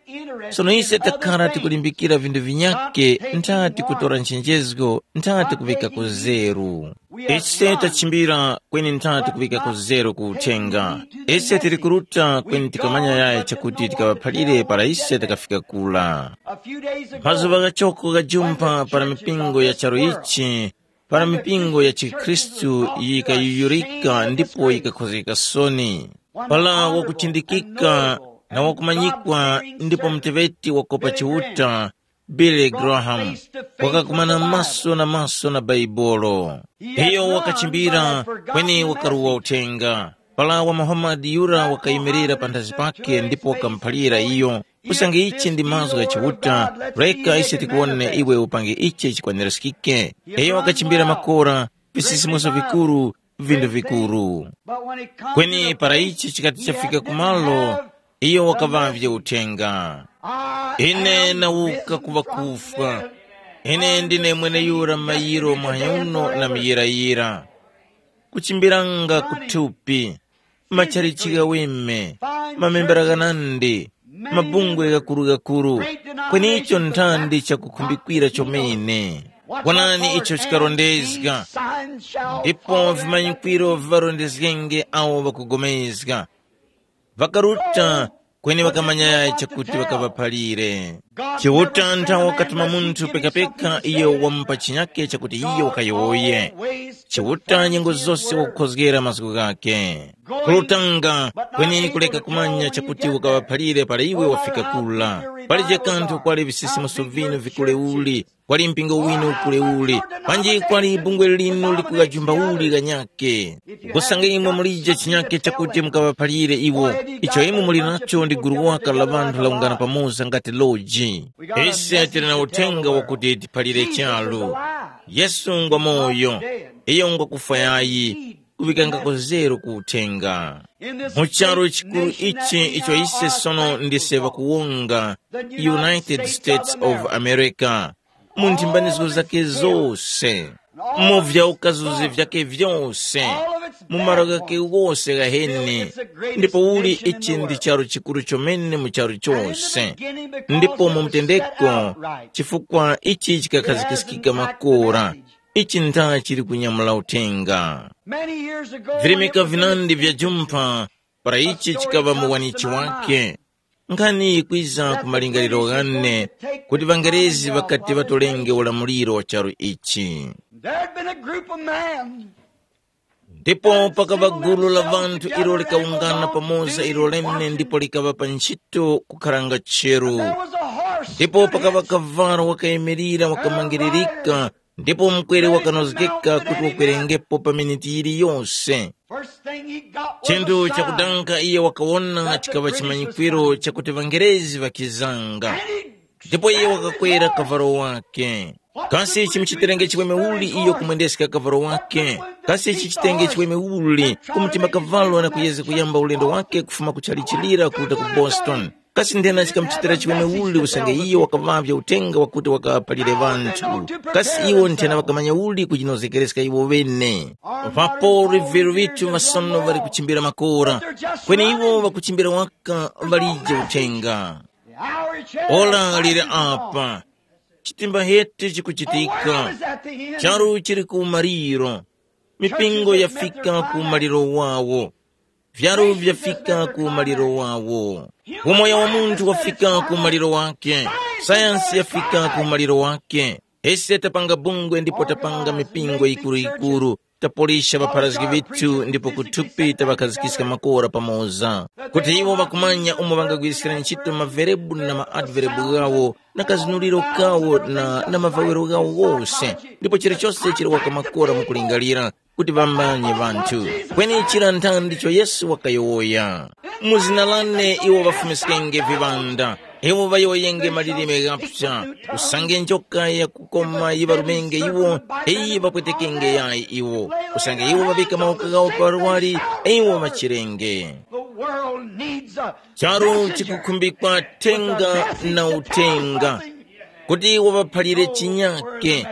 Sono ise takhala tikulimbikira vinthu vinyakhe, ntha tikutora nchenjezgo, ntha tikuŵika kuzeru. Ise tachimbira kweni ntha tikuŵika kuzeru ku uthenga. Ise tili kuruta kweni tikamanya yayi chakuti tikaŵaphalire para ise takafika kula. Mazuŵa ghachoko ghajumpha para mipingo ya charu ichi, para mipingo ya chikhristu yikayuyurika ndipo yikakhozgeka soni. Para wakuchindikika na wakumanyikwa ndipo muteŵeti wakopa Chiuta, Billy Graham, wakakumana maso na maso na Baibolo. Iyo wakachimbira kweni wakaruwa uthenga. Para wa Muhammad yura wakayimirira panthazi pake ndipo wakamuphalira iyo, usange ichi ndi mazgu gha Chiuta, reka ise tikuwone iwe upange ichi chikwanirizgike. Iyo wakachimbira makora, visisimuso vikuru, vinthu vikuru. Kweni para ichi chikati chafika kumalo, iyo wakaŵavye uthenga. Ine nawuka ku ŵakufwa. Ine ndine mweneyura mayiro mwanyuno na muyirayira. Kuchimbiranga kuthupi, machalichi ghaweme, mamembera ghanandi, mabungwe ghakuru-ghakuru, kweni icho nthandi chakukhumbikira chomene. Wonani icho chikarondezga, ndipo vimanyikwiro viŵarondezgenge awo ŵakugomezga. Ŵakaruta, kweni ŵakamanya yayi chakuti ŵakaŵaphalire. Chiuta nthawe wakatuma munthu pekapeka iyo wamupa chinyake chakuti iyo wakayowoye. Chiuta nyengo zose wakukhozgera mazgu ghakhe. Kulutanga, kweni kuleka kumanya chakuti wakaŵaphalire para iwe wafika kula. Palije kanthu kwali visisimuso vinu vikule uli, kwali mpingo winu ukule uli, panji kwali bungwe linu likugajumba uli ghanyake. Kusanga imwe mulije chinyake chakuti mukaŵaphalire iwo, icho imwe muli nacho ndi gulu waka la ŵanthu laungana pamoza ngati loji. Ise tili na uthenga wakuti tiphalire charu. Yesu ngwa moyo, iyo ngwa kufwa yayi, kuŵikangako zeru ku uthenga. Mu charu chikuru ichi icho ise sono ndise ŵakuwonga, United States of America, mu nthimbanizgo zake zose, mu vyaukazuzi vyake vyose, mu malo ghake wose ghaheni, ndipo uli ichi ndi charu chikuru chomene mu charu chose. Ndipo mu mutendeko, chifukwa ichi chikakhazikikika makora, ichi ntha chili kunyamula uthenga. Virimika vinandi vya jumpha, para ichi chikaŵa muwanichi wake, nkhani yikwiza ku malingaliro ghane, kuti ŵangerezi ŵakati ŵatolenge ulamuliro wa charu ichi. There had been a group of men. Ndipo pakaŵa gulu la ŵanthu ilo likawungana pamoza ilo lene ndipo likaŵa pa ntchito kukharanga cheru. There was a horse. Ndipo stood pakaŵa kavalo wakayimirira wakamangiririka, ndipo mukwere wakanozgeka kuti wakwerengepo pa miniti yiliyose. First thing he got was chinthu a sign. Chakudanga iye wakawona chikaŵa chimanyikwiro chakuti ŵangerezi ŵakizanga. Ndipo iye wakakwera kavalo wake. Kasi chimuchiterenge chiweme uli iyo kumwendeska kavalo wake? Kasi chichitenge chiweme uli kumutima kavalo na kuyeza kuyamba ulendo wake kufuma kuchalichilira kuruta ku Boston? Kasi nthena chikamuchitira chiweme uli usange iyo wakaŵavya uthenga wakuti wakaphalire ŵanthu? Kasi iwo nthena ŵakamanya uli kujinozekereska iwo ŵene? Papo viru vithu ŵasono ŵali kuchimbira makora, kweni iwo ŵakuchimbira waka ŵalije uthenga. Ora liri apa. Chitimba heti chikuchitika. Charu chiri ku maliro. Mipingo yafika ku maliro wawo. Vyaru vyafika ku maliro wawo. Umoyo wa munthu wafika ku maliro wake. Sayansi yafika ku maliro wake. Ise tapanga bungwe ndipo tapanga mipingo yikuru-yikuru. Tapolisha ŵapharazgi vithu ndipo kuthupi taŵakhazikiska makora pamoza, kuti iwo ŵakumanya umo ŵangagwiriskira ntchito maverebu na maadverebu ghawo na kazunuliro kawo na, na mavawiro ghawo wose, ndipo chilichose chili waka makora mukulingalira kuti ŵamanye ŵanthu. Kweni chira nthandi icho Yesu wakayowoya, mu zina lane iwo ŵafumiskenge viŵanda, iwo ŵayowoyenge malilime ghapsa, usange njoka yakukoma yiŵarumenge iwo, iyi ŵapwetekenge yayi iwo, usange iwo ŵavika mawoko ghawo pa luwali, iwo ŵachirenge. The world needs a Charu message. Chikukhumbikwa thenga na uthenga, kuti iwo ŵaphalire chinyake,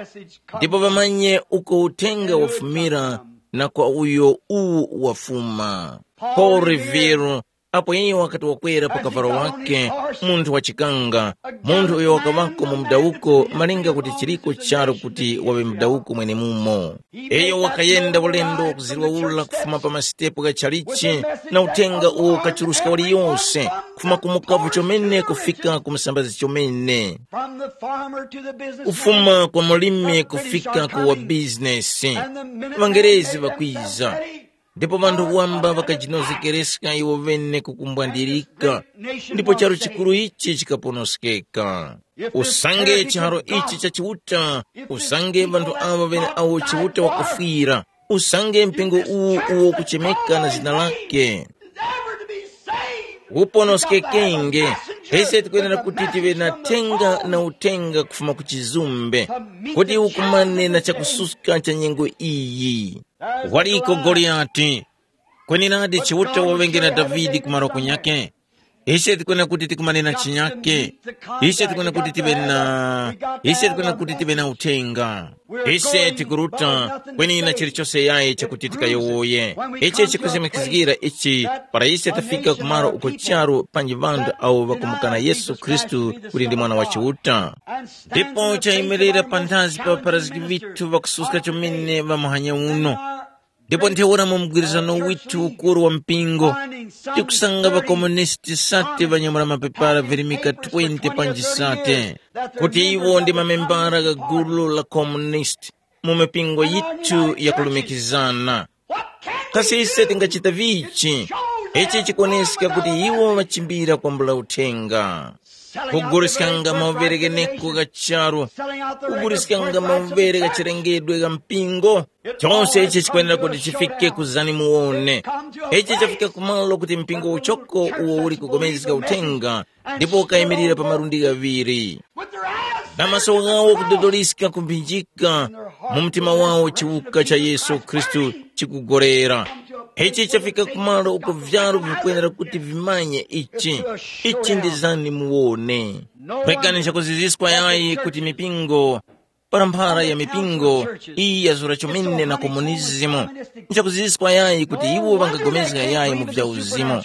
ndipo ŵamanye uko uthenga wafumira na kwa uyo uwu wafuma. Paul Revere, apo iyo wakati wakwera pa kavalo wake, munthu wachikanga, munthu uyo wakaŵako mu mudawuko malinga kuti chiriko charu kuti waŵe mudawuko mwenemumo. Iyo wakayenda ulendo wakuzirwa ula kufuma pa masitepo gha chalichi na uthenga uwo ukachuruska waliyose, kufuma ku mukavu chomene kufika ku musambazi chomene, From the farmer to the business kufuma kwa mulimi kufika ku wa bizinesi. Ŵangerezi ŵakwiza, ndipo ŵanthu wamba ŵakajinozekereska iwo ŵene kukumbwandirika, ndipo charu chikuru ichi chikaponoskeka. Usange chiharo ichi cha Chiuta, usange ŵanthu awo ŵene awo Chiuta wakufwira, usange mpingo uwu uwo ukuchemeka na zina lake, uponoskekenge, ise tikwenera kuti tive na thenga na uthenga kufuma ku chizumbe, kuti ukumane na chakususka cha nyengo iyi. Waliko Goliyati, kweni nadi Chiuta waŵenge na Davide kumaro kunyakhe? Ise tikwena kuti tikumane na chinyakhe. Ise tikwena kuti tive na ise tikwena kuti tive na uthenga. Ise tikuruta, kweni na chilichose yayi chakuti tikayowoye. Ichi chikuzimikizgira ichi, para ise tafika kumaro uko charu panji ŵanthu awo ŵakumukana Yesu Khristu kuti ndi Mwana wa Chiuta. Ndipo chayimirira panthazi pa ŵapharazgi ŵithu ŵakususka chomene ŵa muhanya uno. Ndipo ntheura mu mgwirizano withu ukuru wa mpingo, tikusanga ŵakomunisti sate ŵanyamula mapepala virimika twenty panji sate, kuti iwo ndi mamembara gha gulu la komunisti mu mipingo yithu yakulumikizana. Kasi ise tingachita vichi? Ichi chikuoneska kuti iwo ŵachimbira kwambula uthenga. Kuguliskanga mauvere gheneko gha charu, kuguliskanga mauvere gha chilengedwe gha mpingo. Chose ichi chikwenera kuti chifike ku zani muwone. Ichi chafika kumalo kuti mpingo uchoko uwo uli kugomezga uthenga ndipo ukayimirira pa malundi ghaŵiri, na maso ghawo kudodoliska kumphinjika, mu mtima wawo chiwuka cha Yesu Khristu chikugorera. Ichi chafika kumalo uko vyalu vikwenera kuti vimanye ichi. Ichi ndi zani muwone. Pekani nchakuziziswa yayi kuti mipingo para mphara ya mipingo iyi yazura chomene na komunizimu. Nchakuziziswa yayi kuti iwo ŵangagomezga yayi mu vya uzimu.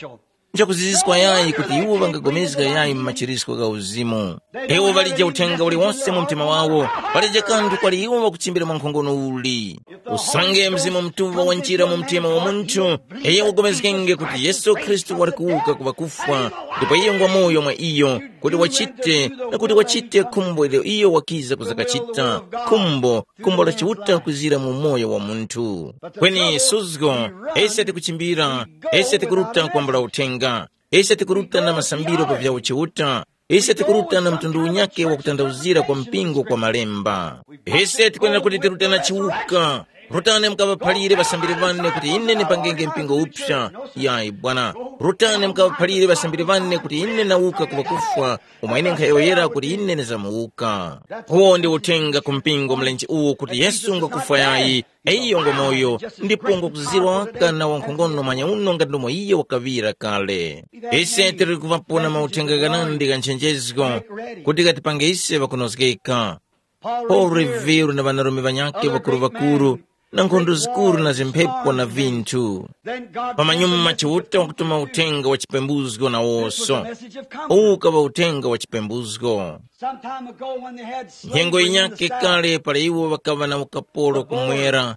Nchakuziziswa yayi kuti iwo ŵangagomezga yayi mu machirisko gha uzimu. Iwo ŵalije uthenga uliwonse mu mtima wawo, palije kanthu kwali iwo ŵakuchimbira mwa nkhongono uli. Usange Mzimu Mutuŵa wanjira mu mtima wa munthu, iyo wagomezgenge kuti Yesu Khristu wali kuwuka ku ŵakufwa, ndipo iyo ngwa moyo mwa iyo, kuti wachite, na kuti wachite khumbo ilyo iyo wakiza kuzakachita, khumbo, khumbo la Chiuta kwizira mu moyo wa munthu. Kweni suzgo, ise tikuchimbira, ise tikuruta kwambula uthenga, ise tikuruta na masambiro pa vya uchiuta, ise tikuruta na mtundu unyake wa kutanthauzira kwa mpingo kwa malemba. Ise tikwenera kuti tiruta na chiwuka. Rutani mukaŵaphalire ŵasambiri ŵane kuti ine ndipangenge mpingo upsa. Yayi bwana, rutani mukaŵaphalire ŵasambiri ŵane kuti ine nawuka ku ŵakufwa, umo ine nkhayowoyera kuti ine ndizamuwuka. Uwo ndi uthenga ku mpingo mlenje uwu kuti Yesu ngwakufwa yayi, iyo ngwa moyo, ndipo ngwakuzirwa waka na wankhongono manyauno ngati ndomwe iyo wakaŵira kale. Ise tili kuŵapona mauthenga ghanandi gha nchenjezgo kuti ghatipange ise ŵakunozgeka. Paulo Revere na ŵanarume ŵanyakhe ŵakuru-ŵakuru na nkhondo zikuru na zimphepo na vinthu. Pamanyuma Chiuta wakutuma uthenga wa chipembuzgo nawoso. Uwu ukaŵa uthenga wa chipembuzgo. Nyengo yinyakhe kale para iwo ŵakaŵa na ukapolo kumwera,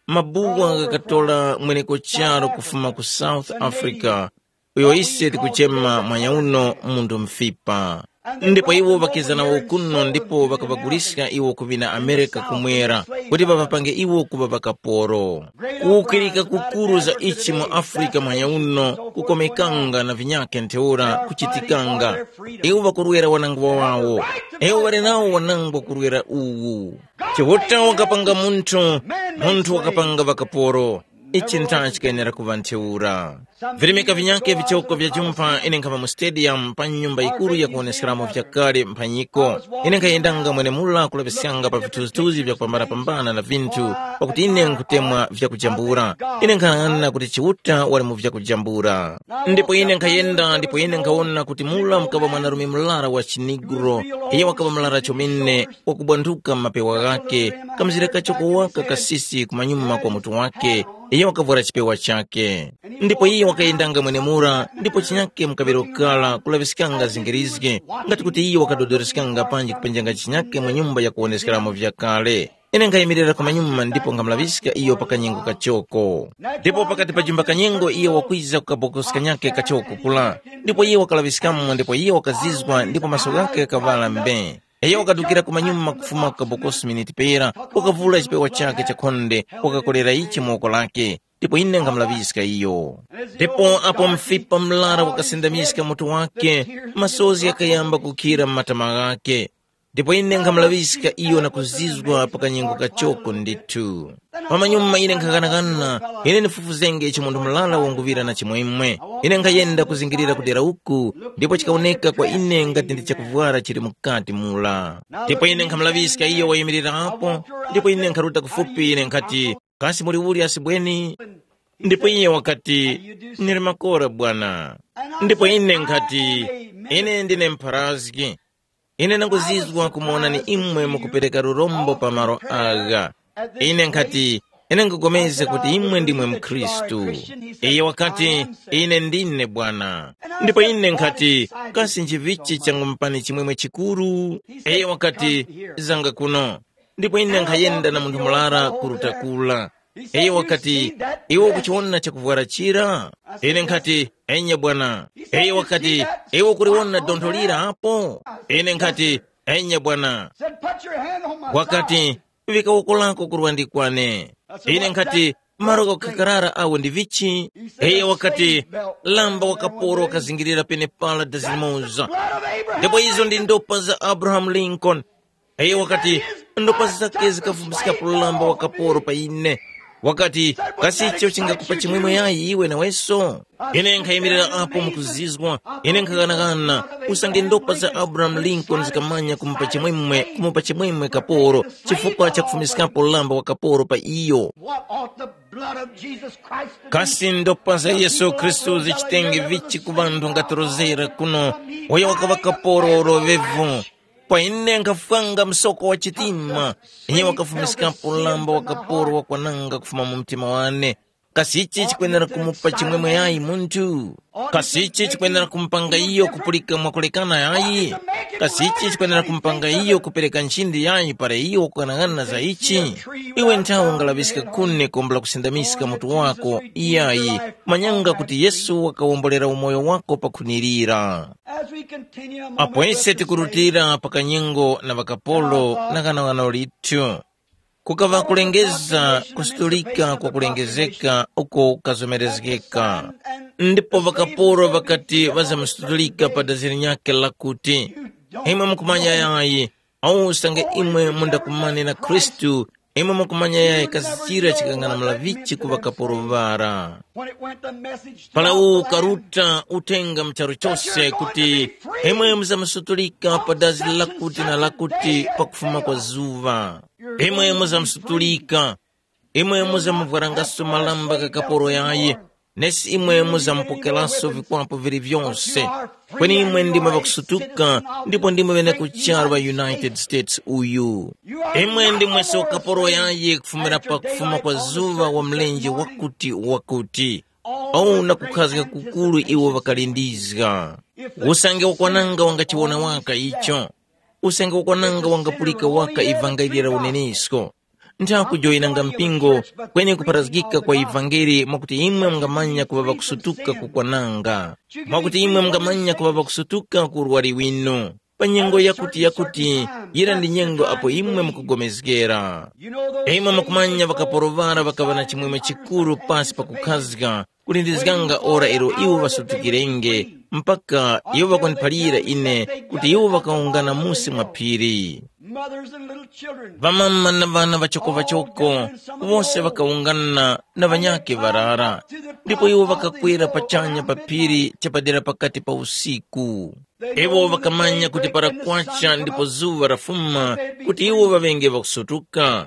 mabuwa ghakatora mweneko charu kufuma ku South Africa, uyo ise tikuchema mwanyauno mundu mfipa. Ndipo iwo ŵakiza nawo kuno ndipo ŵakaŵaguliska iwo ku ŵina Amerika kumwera, kuti ŵaŵapange iwo kuŵa ŵakaporo. Kuwukirika kukuru za ichi mu Afrika mwanyauno kukomekanga na vinyakhe ntheura kuchitikanga. Iwo ŵakurwera wanangwa wawo. Iwo ŵali nawo wanangwa kurwera uwu. Chiuta wakapanga munthu, munthu wakapanga ŵakaporo. Ichi ntha chikayenera kuŵa ntheura. Virimika vinyakhe vichoko vya jumpha ine nkhama mu stadium pa nyumba yikuru yakuwoneskeramo vyakale mphanyiko. Ine nkhayendanga mwenemura kulaŵiskanga pa vithunzithunzi vyakupambanapambana na vinthu, pakuti ine nkhutemwa vyakujambula. Ine nkhanang'ana kuti Chiuta wali mu vyakujambula. Ndipo ine nkhayenda ndipo ine nkhawona kuti mura mukaŵa mwanarume murara wa chiniguro, iyo wakaŵa murara chomene, wakubwanthuka mu mapewa ghakhe, kamzira kachoko waka kasisi kumanyuma kwa mutu wake, iyo wakavwara chipewa chake. Ndipo iyo wakayendanga mwenemura, ndipo chinyake mukaŵiro kara kulaŵiskanga zingirizgi, ngati kuti iyo wakadodoreskanga panji kupenjanga chinyake mu nyumba yakuwoneskeramo vyakale. Ine nkhayimirira kumanyuma ndipo nkhamulaŵiska iyo pa kanyengo kachoko. Ndipo pakati pa jumba kanyengo iyo wakwiza ku kabokosi kanyakhe kachoko kula, ndipo iyo wakalaŵiskamo ndipo iyo wakazizwa ndipo maso ghakhe ghakaŵala mbe. Iyo wakadukira kumanyuma kufuma ku kabokosi miniti pera, wakavula chipewa chakhe chakhonde, wakakolera ichi mu woko lakhe, ndipo ine nkhamulaŵiska iyo. Ndipo apo mfipa mlara wakasindamiska mutu wake, masozi ghakayamba kukhira m'matama ghakhe. Ndipo ine nkhamulaŵiska iyo na kuzizwa pa kanyengo kachoko ndithu. Pamanyuma ine nkhaghanaghana, ine ndifufuzenge icho munthu murara wanguŵira na chimwemwe. Ine nkhayenda kuzingirira ku dera uku, ndipo chikawoneka kwa ine ngati ndi chakuvwara chili mukati mura. Ndipo ine nkhamulaŵiska iyo wayimirira apo, ndipo ine nkharuta kufupi ine nkhati, kasi muli uli asibweni? Ndipo iye wakati, nili makora bwana. Ndipo ine nkhati, ine ndine mpharazgi. Ine ndanguzizwa kumuwonani imwe mukupereka lurombo pa malo agha. Ine nkhati, ine nkupulikana kuti imwe ndimwe mkhristu. Iye wakati, ine ndine bwana. Ndipo ine nkhati, kasi nchivichi changumupani chimwemwe chikuru? Iye wakati, zanga kuno. Ndipo ine nkhayenda na munthu murara kuruta kula. Iye wakati, iwe ukuchiwona chakuvwara chira? Ine nkhati, enya bwana. Iye wakati, iwe ukuliwona dontho lira apo? Ine nkhati, enya bwana. Wakati, vika woko lako kurwandi kwane. Ine nkhati, malo kakharara awo ndi vichi? Iye wakati, lamba wa kaporo wakazingirira penepara dazi limoza. Ndipo izo ndi ndopa za Abrahamu Lincoln. Iye wakati, ndopa zake zikafumbisikapo lamba wa kaporo pa ine. Wakati, kasi icho chingakupa chimwemwe yayi iwe naweso? Ine nkhayimirira apo mukuzizwa. Ine nkhaghanagana, usange ndopa za Abrahamu Lincoln zikamanya kumupa chimwemwe kumupa chimwemwe kaporo, chifukwa cha kufumiskapo lamba wa kaporo pa iyo. What ought the blood of Jesus Christ to do? Kasi ndopa za Yesu Khristu zichitenge vichi ku ŵanthu ngatorozera kuno, uyo wakaŵa kaporo ulovevu? Kwa ine nkhafwanga msoko wa chitima, iye wakafumiskapo lamba wa kaporo wakwananga kufuma mu mtima wane. Kasi ichi chikwenera kumupa chimwemwe yayi munthu? Kasi ichi chikwenera kumupanga iyo kupulika mwakulekana yayi? Kasi ichi chikwenera kumupanga iyo kupereka nchindi yayi para iyo wakughanagana za ichi? Iwe nthawe ungalaŵiska khuni kombola kusindamiska mutu wako iyayi, manyanga kuti Yesu wakawombolera umoyo wako pa khuni lira. As we continue a moment, apo ise let's just say, tikurutira pa kanyengo na ŵakapolo na kanawano lithu, kukaŵa kulengeza kusutulika kwa kulengezeka uko kukazomerezgeka. Ndipo ŵakapolo ŵakati ŵazamusutulika pa dazi linyakhe lakuti, imwe mukumanya yayi, au usange imwe mundakumane na Khristu, imwe mukumanya yayi kasi chira chikang'anamula vichi ku ŵakapolo ŵara. When it went the message throughout the land, ukaruta uthenga mu charu chose kuti, imwe muzamusutulika pa dazi lakuti na lakuti pakufuma kwa zuŵa. Imwe muzamusutulika, imwe muzamuvwarangaso malamba gha kaporo yayi, nesi imwe muzamupokeranso vikwapo vili vyose. Kweni imwe ndimwe ŵakusutuka, ndipo ndimwe ŵene ku charu ŵa United States uyu. Imwe ndimweso kaporo yayi kufumira pa kufuma kwa zuŵa wa mlenje wakuti wakuti. Au na kukhazga kukuru iwo ŵakalindizga. Usange wakwananga wangachiwona waka icho. Usange wakwananga wangapulika waka ivangeli la unenesko. Ntha kujoyinanga mpingo, kweni kupharazgika kwa ivangeli mwakuti imwe mungamanya kuŵa ŵakusutuka kukwananga, mwakuti imwe mungamanya kuŵa ŵakusutuka ku urwari winu. Pa nyengo yakuti yakuti, yira ndi nyengo apo imwe mukugomezgera. Imwe mukumanya ŵakaporo ŵara ŵakaŵa na chimwemwe chikuru pasi pakukhazga, kulindizganga ora ilo iwo ŵasutukirenge, mpaka iwo ŵakundiphalira ine kuti iwo ŵakawungana musi mwa phiri. Mothers and little children. Ŵamama na ŵana ŵachokoŵachoko, wose ŵakawungana na ŵanyakhe ŵarara, ndipo iwo ŵakakwera pachanya pa phiri chapadera pakati pa usiku. Iwo ŵakamanya kuti para kwacha ndipo zuŵa lafuma, kuti iwo ŵaŵenge ŵakusutuka.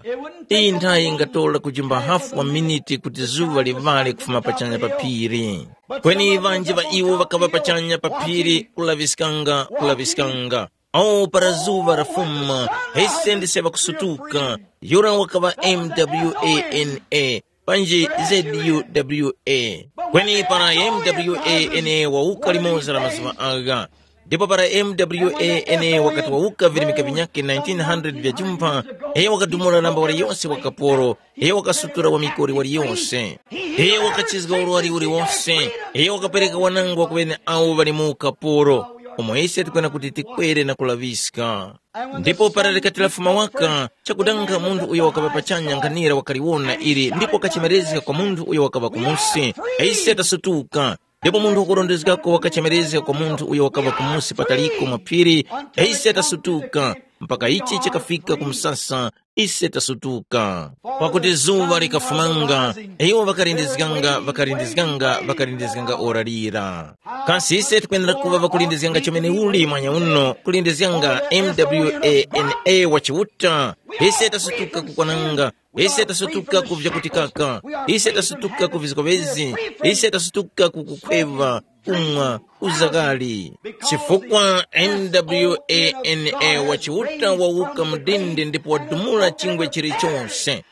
Iyi nthayi ingatora kujimba hafu wa miniti kuti zuŵa livale kufuma pachanya pa phiri. Kweni ŵanji ŵa iwo ŵakaŵa pachanya pa phiri kulaŵiskanga, kulaŵiskanga. Awo para zuŵa lafuma, ise ndise ŵakusutuka. Yura wakaŵa M W A N A, panji Z U W A. Kweni para M W A N A wawuka limoza la mazuŵa agha, ndipo para M W A N A wakati wawuka virimika vinyakhe nineteen hundred vya jumpha, iyo wakadumula namba waliyose wa kaporo, iyo wakasutura wa mikori waliyose, iyo wakachizga urwari uliwose, iyo wakapereka wanangwa ku ŵene awo ŵali mu ukaporo, umo ise tikwena kuti tikwere na kulaŵiska. Ndipo para likati lafuma waka, chakudanga munthu uyo wakaŵa pachanya nkhanira wakaliwona ili ndipo kachemerezga kwa munthu uyo wakaŵa kumusi, ise tasutuka. Ndipo munthu wakurondezgako wakachemerezga kwa munthu uyo wakaŵa kumusi pataliko mwa phiri, ise tasutuka, mpaka ichi chikafika ku msasa, ise tasutuka. Pakuti zuŵa likafumanga, iwo ŵakalindizganga, ŵakalindizganga, ŵakalindizganga ora lira. Kasi ise tikwenera kuŵa ŵakulindizganga chomene uli mwanya uno, kulindizganga M W A N A wa Chiuta? Ise tasutuka kukwananga, ise tasutuka ku vyakutikaka, ise tasutuka ku vizgowezi, ise tasutuka ku kukhweva, kumwa, uzakali. Chifukwa M W A N A wa Chiuta wawuka mudindi ndipo wadumula chingwe chilichonse.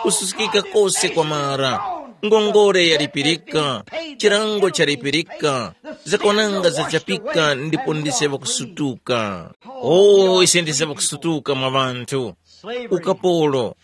Kususkika kose kwamara, ngongole yalipirika, chilango chalipirika, zakwananga zachapika ndipo ndise ŵakusutuka. O, ise ndise ŵakusutuka mwa ŵanthu. Ukapolo,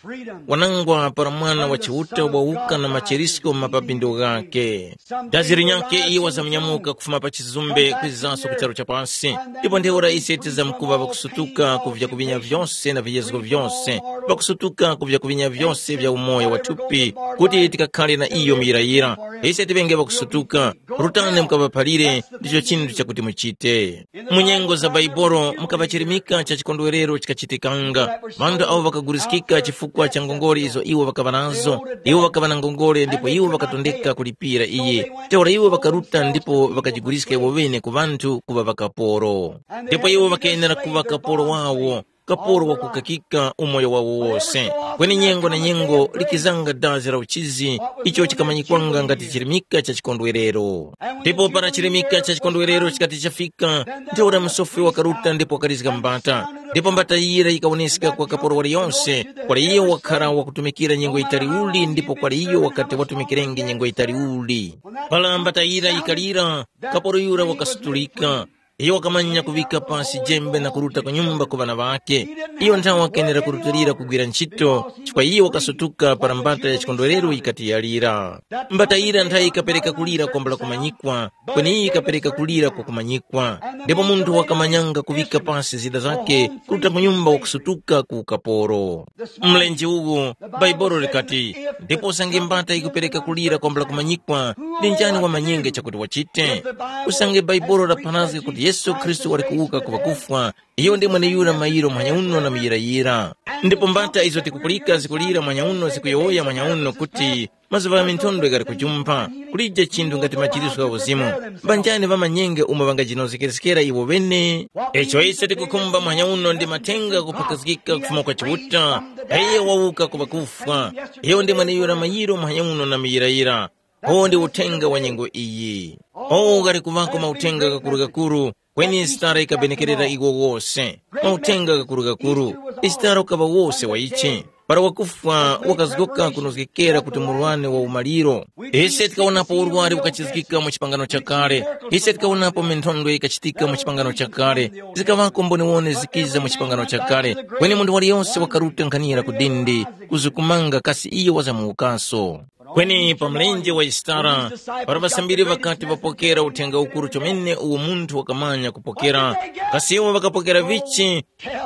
wanangwa para mwana wa Chiuta wawuka na machirisko mu mapapindo ghake. Dazi linyakhe iye wazamunyamuka kufuma pa chizumbe kwizanso ku charu cha pasi. Ndipo ntheura ise tizamkuŵa ŵakusutuka ku vyakuŵinya vyose na viyezgo vyose, ŵakusutuka ku vyakuŵinya vyose vya umoyo wa thupi, kuti tikakhale na iyo muyirayira. Ise tiŵenge ŵakusutuka. Rutani mukaŵaphalire, ndicho chinthu chakuti muchite. Mu nyengo za Baibolo mukaŵa chirimika cha chikondwerero chikachitikanga. Ŵanthu awo ŵakaguliskika chifukwa cha ngongole izo iwo ŵakaŵa nazo. Iwo ŵakaŵa na ngongole ndipo iwo ŵakatondeka kulipira iyi. Ntheura iwo ŵakaruta ndipo ŵakajiguliska iwo ŵene ku ŵanthu kuŵa ŵakaporo. Ndipo iwo ŵakayenera kuŵa kaporo wawo, kaporo wakukakika umoyo wawo wose. Kweni nyengo na nyengo likizanga dazi la uchizi, icho chikamanyikwanga ngati chirimika cha chikondwerero. Ndipo para chirimika cha chikondwerero chikati chafika, ntheura musofi wakaruta ndipo wakalizga mbata. Ndipo mbata yira yikawoneska kwa kaporo waliyonse, kwali iyo wakhara wakutumikira nyengo yitali uli ndipo kwali iyo wakati watumikirenge nyengo yitali uli. Para mbata yira yikalira, kaporo yura wakasutulika. Iyo wakamanya kuŵika pasi jembe na kuruta ku nyumba ku ŵana ŵakhe. Iyo nthawe wakenera kurutilira kugwira ntchito, chifukwa iyo wakasutuka para mbata ya chikondwerero yikati yalira. Mbata yira nthawe yikapereka kulira kwambula kumanyikwa, kweni iyi yikapereka kulira kwa kumanyikwa. Ndipo munthu wakamanyanga kuŵika pasi zida zakhe kuruta ku nyumba wakusutuka ku ukaporo. Mlenje uwu, Baibolo likati, ndipo usange mbata yikupereka kulira kwambula kumanyikwa, ndi njani wamanyenge chakuti wachite? Usange Baibolo lapharazga kuti Yesu Khristu wali kuwuka ku ŵakufwa, iyo ndi mweneyura mayiro muhanya uno na muyirayira. Ndipo mbata izo tikupulika zikulira muhanya uno zikuyowoya muhanya uno kuti, mazuŵa gha minthondwe ghali kujumpha, kulije chinthu ngati majiriswa gha uzimu. Mbanjani ŵamanyenge umo ŵangajinozgerekeskera iwo ŵene? Icho ise tikukhumba muhanya uno ndi mathenga kuphakazgika kufuma kwa Chiuta, iyo wawuka ku ŵakufwa. Iyo ndi mweneyura mayiro muhanya uno na muyirayira. Uwo ndi uthenga wa nyengo iyi. O ghali kuŵako mauthenga ghakurugakuru, kweni Yisitara yikabenekerera iwo wose. Mauthenga ghakurugakuru, Yisitara ukaŵa wose wa ichi. Para wakufwa wakazgoka kunozgekera kuti murwane wa umaliro. Ise tikawonapo urwari ukachizgika mu chipangano chakale. Ise tikawonapo minthondwe ikachitika mu chipangano chakale. Zikaŵako mboniwone zikiza mu chipangano chakale. Kweni munthu waliyose wakaruta nkhanira ku dindi, kuzukumanga kasi iyo wazamuwukaso. Kweni pa mlenje wa Yisitara, para ŵasambiri ŵakati ŵapokera uthenga ukuru chomene uwo munthu wakamanya kupokera, kasi iwo ŵakapokera vichi?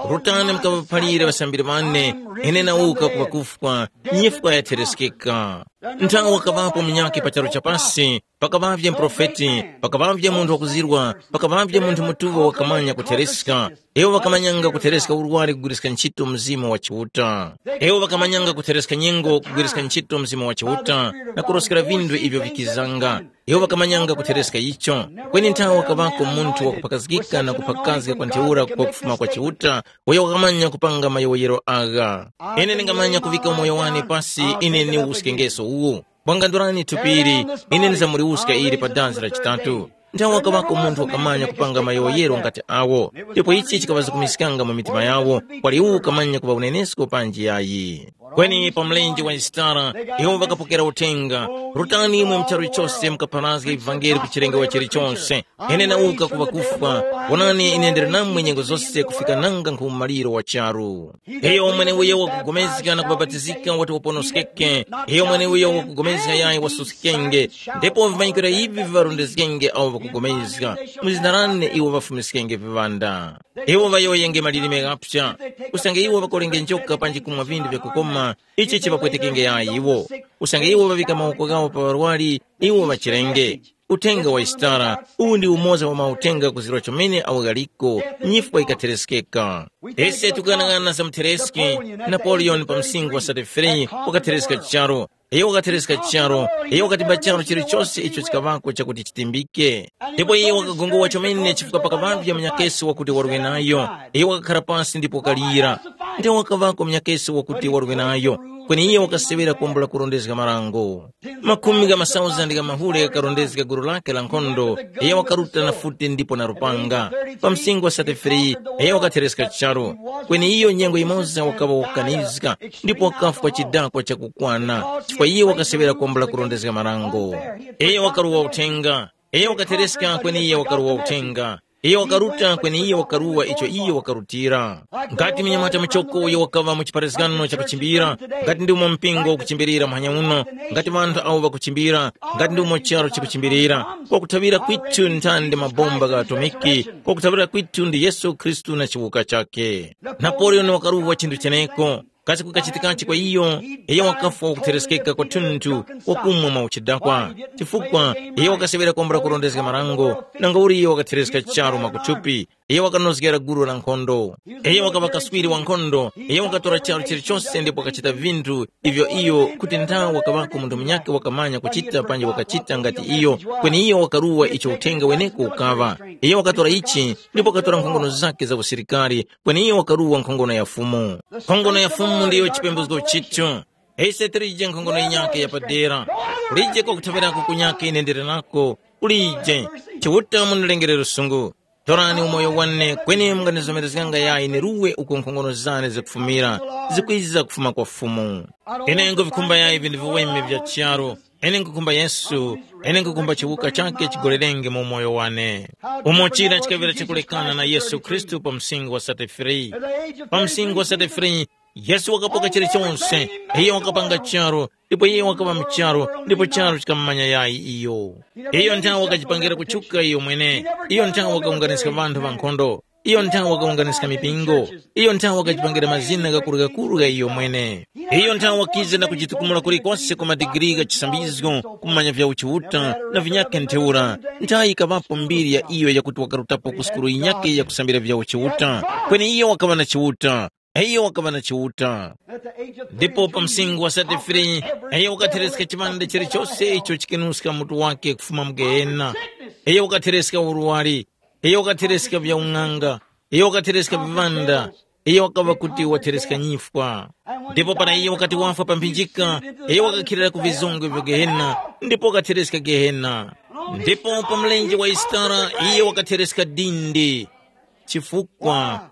Rutani mukaŵaphalire ŵasambiri ŵane, ine nawuka ku ŵakufwa, nyifwa yathereskeka. Nthawe wakaŵapo munyakhe pa charu cha pasi, pakaŵavye muprofeti, pakaŵavye munthu wakuzirwa, pakaŵavye munthu mutuŵa wakamanya kuthereska. Iwo ŵakamanyanga kuthereska urwari kugwiriska ntchito Mzimu wa Chiuta. Iwo ŵakamanyanga kuthereska nyengo kugwiriska ntchito Mzimu wa Chiuta na kuroskera vinthu ivyo vikizanga. Iwo ŵakamanyanga kuthereska icho. Kweni nthawe wakaŵako munthu wakuphakazgika na kuphakazga kwa ntheura kwa kufuma kwa Chiuta, uyo wakamanya kupanga mayowoyero agha. Ine ndingamanya kuvika umoyo wane pasi ine ni uskengeso uwu. Bwangandurani thupiri, ine ndizamuriwuska ili pa danzi la chitatu. Nthawe wakaŵako munthu wakamanya kupanga mayowoyero ngati awo, ndipo ichi chikaŵazukumiskanga mu mitima yawo, kwali uwo ukamanya kuŵa unenesko panji yayi. Kweni pa mlenje wa Yisitara, iwo ŵakapokera uthenga, rutani imwe mu charu chose mukapharazge ivangeli ku chilengewa chilichonse. Ine nawuka ku ŵakufwa, wonani ine ndili namwe nyengo zose kufika nanga nkhu maliro wa charu. Iyo mweneuyo wakugomezga na kubapatizika wati waponoskeke, iyo mweneuyo wakugomezga yayi wasuskenge, ndipo vimanyikiro ivi viŵarondezgenge awo ŵakugomezga. Mu zina lane iwo ŵafumiskenge viŵanda. Iwo ŵayowoyenge malilime ghapsa, usange iwo ŵakolenge njoka panji kumwa vinthu vyakukoma, ichi chiŵapwetekenge yayi iwo. Usange iwo ŵaŵika mawoko ghawo pa ŵarwari, iwo ŵachirenge. Uthenga wa Yisitara, uwu ndi umoza wa mauthenga kuzirwa chomene awo ghaliko, nyifwa yikathereskeka. Ise tikuyang'ana za muthereski, Napoleon pa msinkhu wa thirty-three wakathereska charu. Iyo wakathereska charu, iyo wakatimba charu chilichose icho chikaŵako chakuti chitimbike. Ndipo iyo wakagongowa chomene chifukwa pakaŵavye munyakesi wakuti warwe nayo. Iyo wakakhara pasi ndipo wakalira. Ndipo wakaŵako munyakesi wakuti warwe nayo, kweni iyo wakaseŵera kwambula kurondezga marango. Makhumi gha masauzandi gha mahule ghakarondezga gulu lake la nkhondo, iyo wakaruta na futi ndipo na lupanga. Pa msinkhu wa thirty-three, iyo wakathereska charu, kweni iyo nyengo yimoza wakaŵa wakukanizga, ndipo wakafwa chidakwa chakukwana, chifukwa iyo wakaseŵera kwambula kurondezga marango. Iyo wakaruwa uthenga, iyo wakathereska kweni iyo wakaruwa uthenga. Iyo wakaruta kweni iyo wakaruwa icho iyo wakarutira. Ngati mnyamata muchoko uyo wakaŵa mu chipharazgano chakuchimbira, ngati ndimo mpingo ukuchimbirira muhanya uno, ngati ŵanthu awo ŵakuchimbira, ngati ndimo charo chikuchimbirira, kwakuthaŵira kwithu nthandi mabomba gha atomiki, kwakuthaŵira kwithu ndi Yesu Khristu na chiwuka chakhe. Napoleon wakaruwa chinthu cheneko. Kasi kukachitikachi kwa iyo? Iyo wakafwa wakuthereskeka kwathunthu, wakumwa mwa uchidakwa, chifukwa iyo wakaseŵera kwambula kurondezga marango, nanga uli iyo wakathereska charu mwakuthupi. Iyo wakanozgera gulu la nkhondo. Iyo wakaŵa kaswiri wa nkhondo. Iyo wakatora charu chilichose ndipo wakachita vinthu ivyo iyo kuti nthawi wakaŵako munthu munyakhe wakamanya kuchita panji wakachita ngati iyo. Kweni iyo wakaruwa icho uthenga weneko ukaŵa. Iyo wakatora ichi ndipo wakatora nkhongono zake za usilikari, kweni iyo wakaruwa nkhongono ya Fumu. Nkhongono ya Fumu ndiyo chipembuzgo chicho. Ise tilije nkhongono yinyakhe yapadera. Kulije kwakuthaŵirako kunyakhe ine ndili nako. Kulije. Chiuta munilengere lusungu. Torani umoyo wane kweni munganizomerezganga yayi niruwe uko nkhongono zane zikufumira, zikwiza kufuma kwa Fumu. Ine nkuvikhumba yayi vinthu viweme vya charu. Ine nkukhumba Yesu. Ine nkukhumba chiwuka chake chigolerenge mu umoyo wane. Umo chira chikaŵira chakulekana na Yesu Khristu pa msingo wa thirty-three. Pa msingo wa thirty-three, Yesu wakapoka chilichonse. Iyo wakapanga charu, ndipo iyo wakaŵa mu charu, ndipo charu chikammanya yayi iyo. Iyo nthawe wakajipangira kutchuka iyo mwene. Iyo nthawe wakawunganiska ŵanthu ŵankhondo. Iyo nthawe wakawunganiska mipingo. Iyo nthawe wakajipangira mazina ghakurughakurugha iyo mwene. Iyo nthawe wakiza na kujitukumula kulikose ku madigiri gha chisambizgo, kumanya vya uchiuta na vinyakhe ntheura. Nthawe yikaŵapo mbiri ya iyo yakuti wakarutapo ku sukulu yinyakhe yakusambira vya uchiuta. Kweni iyo wakaŵa na chiuta. Iyo wakaŵa na Chiuta. Ndipo pa msinkhu wa thirty-three, iyo wakathereska chipande chilichose icho chikenuska mutu wake kufuma mu Gehena. Iyo wakathereska urwari. Iyo wakathereska vyaung'anga. Iyo wakathereska viŵanda. Iyo wakaŵa kuti wathereska nyifwa. Ndipo para iyo wakati wafwa pa mphinjika, iyo wakakhilira ku vizongwe vya Gehena, ndipo wakathereska Gehena. Ndipo pa mlenje wa Yisitara, iyo wakathereska dindi. Chifukwa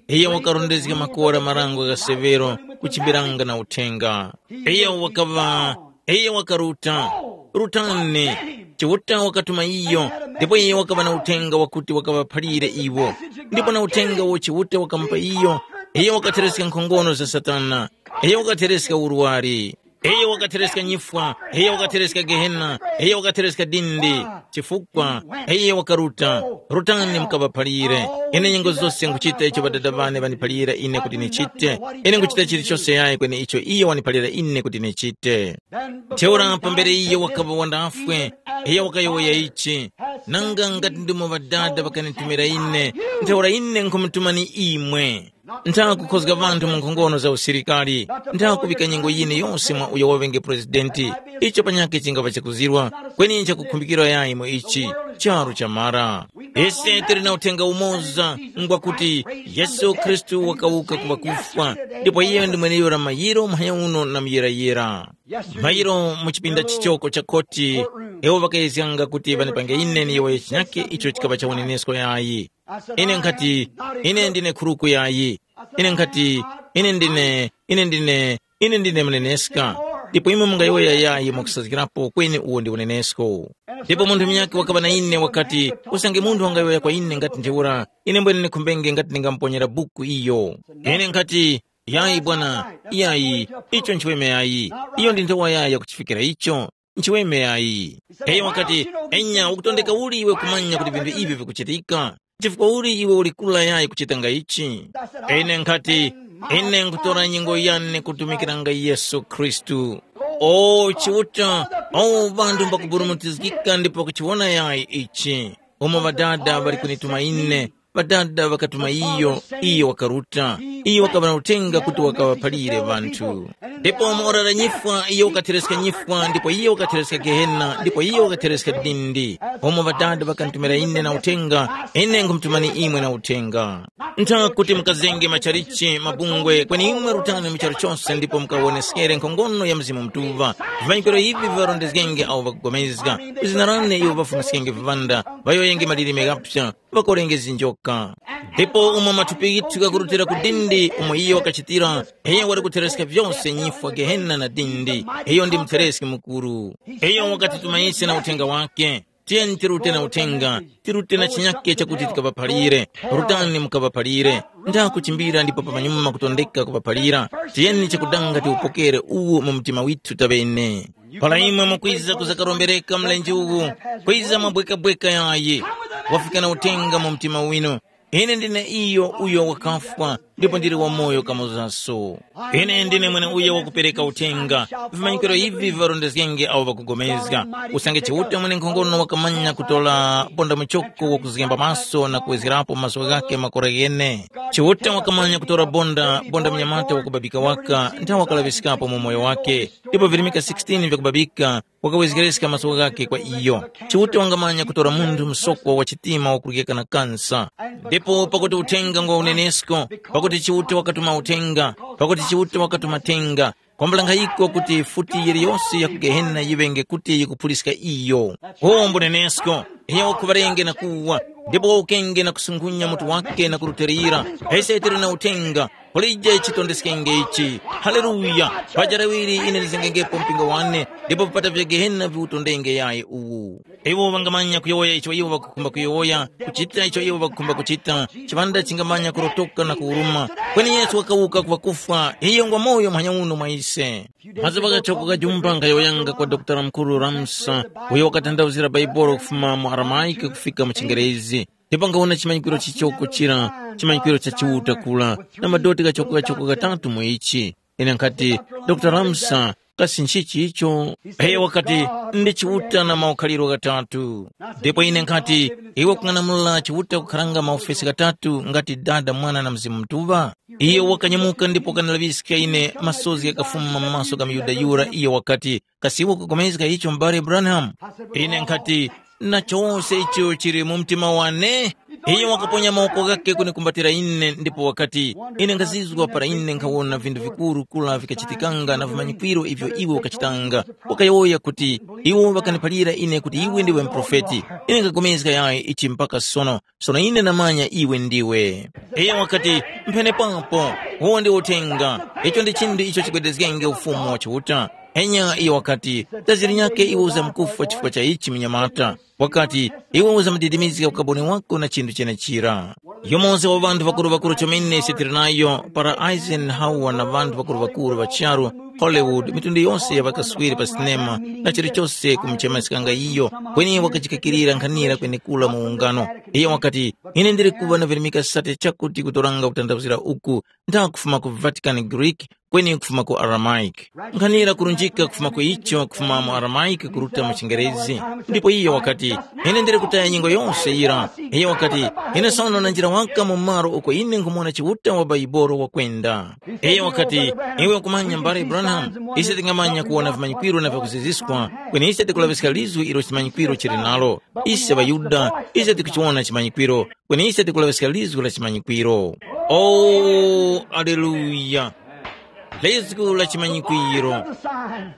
iyo wakarondezga makora marango gha severo kuchimbiranga na uthenga. Iyo wakaŵa, iyo wakaruta. Rutani. Chiuta wakatuma iyo, ndipo iyo wakaŵa na uthenga wakuti wakaŵaphalire iwo. Ndipo na uthenga uwo Chiuta wakamupa iyo, iyo wakathereska nkhongono za Satana. Iyo wakathereska urwari. Iyo wakathereska nyifwa. Iyo wakathereska Gehena. Iyo wakathereska dindi. Chifukwa iyo wakaruta. Rutani mukaŵaphalire. Ine nyengo zose nkuchita icho Ŵadada ŵane ŵandiphalira ine kuti nichite. Ine nkuchita chilichose yayi kweni icho iyo wandiphalira ine kuti nichite. Ntheura pambere iyo wakaŵa wandafwe, iyo wakayowoya ichi, nanga ngati ndimo Ŵadada ŵakanitumira ine, ntheura ine nkhumutumani imwe. Nthakukhozga ŵanthu mu nkhongono za usilikali, nthakuŵika nyengo yine yose mwa uyo waŵenge purezidenti. Icho panyakhe chingapa chakuzirwa, kweni nchakukhumbikira yayi mu ichi, charu chamara. Ise tili na uthenga umoza, ngwakuti Yesu Khristu wakawuka ku ŵakufwa, ndipo iye ndi mweneyura mayiro muhanya uno na muyirayira. Mayiro mu chipinda chichoko cha khoti, iwo ŵakayezganga kuti ŵanipange ine niyowoye chinyakhe icho chikaŵa cha unenesko yayi. Ine nkhati, ine ndine khuruku yayi. Ine nkhati, ine ndine, ine ndine, ine ndine muneneska. Ndipo imwe mungayowoya yayi mwakusazgirapo kweni uwo ndi unenesko. Ndipo munthu munyakhe wakaŵa na ine wakati, usange munthu wangayowoya kwa ine ngati ntheura, ine mbwene ndikhumbenge ngati ndingamuponyera buku iyo. Ine nkhati, yayi bwana, yayi, icho nchiweme yayi. Iyo ndi nthowa yayi yakuchifikira icho. Nchiweme yayi. Iyo wakati, enya ukutondeka uli iwe kumanya kuti vinthu ivi vikuchitika? Chifukwa uli iwe uli kula yayi kuchitanga ichi? Ine nkhati, ine nkutora nyengo yane kutumikiranga Yesu Khristu. O Chiuta, o ŵanthu mbakuburumutizgika ndipo kuchiwona yayi ichi. Umo ŵadada ŵali kunituma ine, ŵadada ŵakatuma iyo, iyo wakaruta. Iyo wakaŵa na uthenga kuti wakaŵaphalire ŵanthu. Ndipo mu ora la nyifwa iyo wakathereska nyifwa ndipo iyo wakathereska gehena ndipo iyo wakathereska dindi. Umo ŵadada ŵakantumira ine na uthenga, ine nkhumutumani imwe na uthenga. Ntha kuti mukazenge machalichi mabungwe kweni imwe rutani mu charu chose ndipo mukawoneskere nkhongono ya Mzimu Mutuŵa. Vimanyikiro ivi viŵarondezgenge awo ŵakupulikana. Mu zina lane iwo ŵafumiskenge viŵanda, ŵayowoyenge malilime ghaphya, ŵakorenge zinjoka. Ndipo umo mathupi ghithu ghakurutira ku dindi umo iyo wakachitira, iyo wali kuthereska vyose nyifwa, gehena na dindi. Iyo ndi muthereski mukuru. Iyo wakatituma ise na uthenga wake. Tiyeni tirute na uthenga, tirute na chinyake chakuti tikaŵaphalire. Rutani mukaŵaphalire. Ndakuchimbira ndipo pamanyuma kutondeka kuŵaphalira. Tiyeni chakudanga tiwupokere uwu mu mtima withu taŵene. Para imwe mukwiza kuzakarombereka mlenje uwu, kwiza mwabwekabweka yayi. Wafika na uthenga mu mtima winu. Ine ndine iyo uyo wakafwa, ndipo ndili wamoyo kamozaso. Ine ndine mwene uyo wakupereka uthenga. Vimanyikiro ivi viŵarondezgenge awo ŵakugomezga. Usange Chiuta mwenenkhongono wakamanya kutora bonda muchoko wakuzgemba maso na kuwezgerapo maso ghake makora ghene. Chiuta wakamanya kutora bonda, bonda mnyamata wakubabika waka, nthawe wakalaŵiskapo mu moyo wake. Ndipo virimika sixteen vyakubabika, wakawezgereska maso ghakhe kwa iyo. Chiuta wangamanya kutora munthu msokwa wa chitima wakuryeka na kansa. Ndipo pakuti uthenga ngwa unenesko, pakuti Chiuta wakatuma uthenga, pakuti Chiuta wakatuma thenga, kwambula nkhayiko kuti futi yiliyose ya ku Gehena yiŵenge kuti yikuphuliska iyo. Uwo mbunenesko, iyo wakhuŵarenge na kuwa, ndipo wawukenge na kusungunya mutu wake na kurutilira. Ise tili na uthenga, kulije chitondeskenge ichi. Haleluya! Paja laŵiri ine ndizengenge mpingo wane, ndipo vipata vya Gehena viwutondenge yayi uwu. Iwo ŵangamanya kuyowoya icho iwo ŵakukhumba kuyowoya, kuchita icho iwo ŵakukhumba kuchita. Chiŵanda chingamanya kurotoka na kuwuruma. Kweni Yesu wakawuka ku ŵakufwa, iyo ngwa moyo muhanya uno mwa ise. Mazuŵa ghachoko ghajumba nkhayowoyanga kwa Dokotala Mukuru Ramsa, uyo wakatanthauzira Baibolo kufuma mu Aramaike kufika mu Chingerezi. Ndipo nkawona chimanyikiro chichoko chira, chimanyikiro cha Chiuta kula, na madoti ghachoko-ghachoko ghatatu mu ichi. Ine nkhati, Dokotala Ramsa, kasi nchichi icho? Iyo wakati, ndi Chiuta na maukhaliro ghatatu. Ndipo ine nkhati, iwe kung'anamula Chiuta kukharanga maofesi ghatatu ngati Dada, Mwana na Mzimu Mutuŵa? Iyo wakanyamuka ndipo wakandilaŵiska ine, masozi ghakafuma mu maso gha muYuda yura, iyo wakati, kasi iwe ukupulikana icho, m'bale Branham? Ine nkhati, na chose icho chili mu mtima wane. Iyo wakaponya mawoko ghakhe kunikumbatira ine ndipo wakati, ine nkhazizwa para ine nkhawona vinthu vikuru kura vikachitikanga na vimanyikwiro ivyo iwe ukachitanga. Wakayowoya kuti, iwo ŵakaniphalira ine kuti iwe ndiwe muprofeti. Ine nkhapulikana yayi ichi mpaka sono. Sono ine ndamanya iwe ndiwe. Iyo wakati, mphenepapo, uwo ndi uthenga. Icho ndi chinthu icho chigwedezgenge ufumu wa Chiuta. Enya iyo wakati, tazirinyake iwe uzamkufwa chifukwa cha ichi munyamata. Wakati, iwe uzamudidimizga ukaboni wako na chinthu chenechira. Yumoza wa ŵanthu ŵakuru-ŵakuru chomene ise tili nayo para Eisenhower na ŵanthu ŵakuru-ŵakuru ŵa charu, Hollywood, mitundu yose ya ŵakaswiri pa sinema na chilichose kumuchemeskanga iyo, kweni wakachikakirira nkhanira kwenekura mu ungano. Iyo wakati, ine ndili kuŵa na virimika sate chakuti kutoranga kutanthauzira uku, nda kufuma ku Vatican Greek, kweni kufuma ku Aramaic. Nkhanira kurunjika kufuma ku icho kufuma mu Aramaic kuruta mu Chingerezi. Ndipo iyo wakati, ine ndili kutaya nyengo yose yira. Iyo wakati, ine sono nanjira waka mu malo uko ine nkhumona Chiuta wa Baibolo wakwenda. Iyo wakati, iwe ukumanya mbale Branham, ise tingamanya kuwona vimanyikwiro na vyakuziziswa, kweni ise tikulaŵiska lizwi ilo chimanyikwiro chili nalo. Ise ŵaYuda, ise tikuchiwona chimanyikwiro, kweni ise tikulaŵiska lizgu la chimanyikwiro. O, aleluya! Lizgu la chimanyikwiro.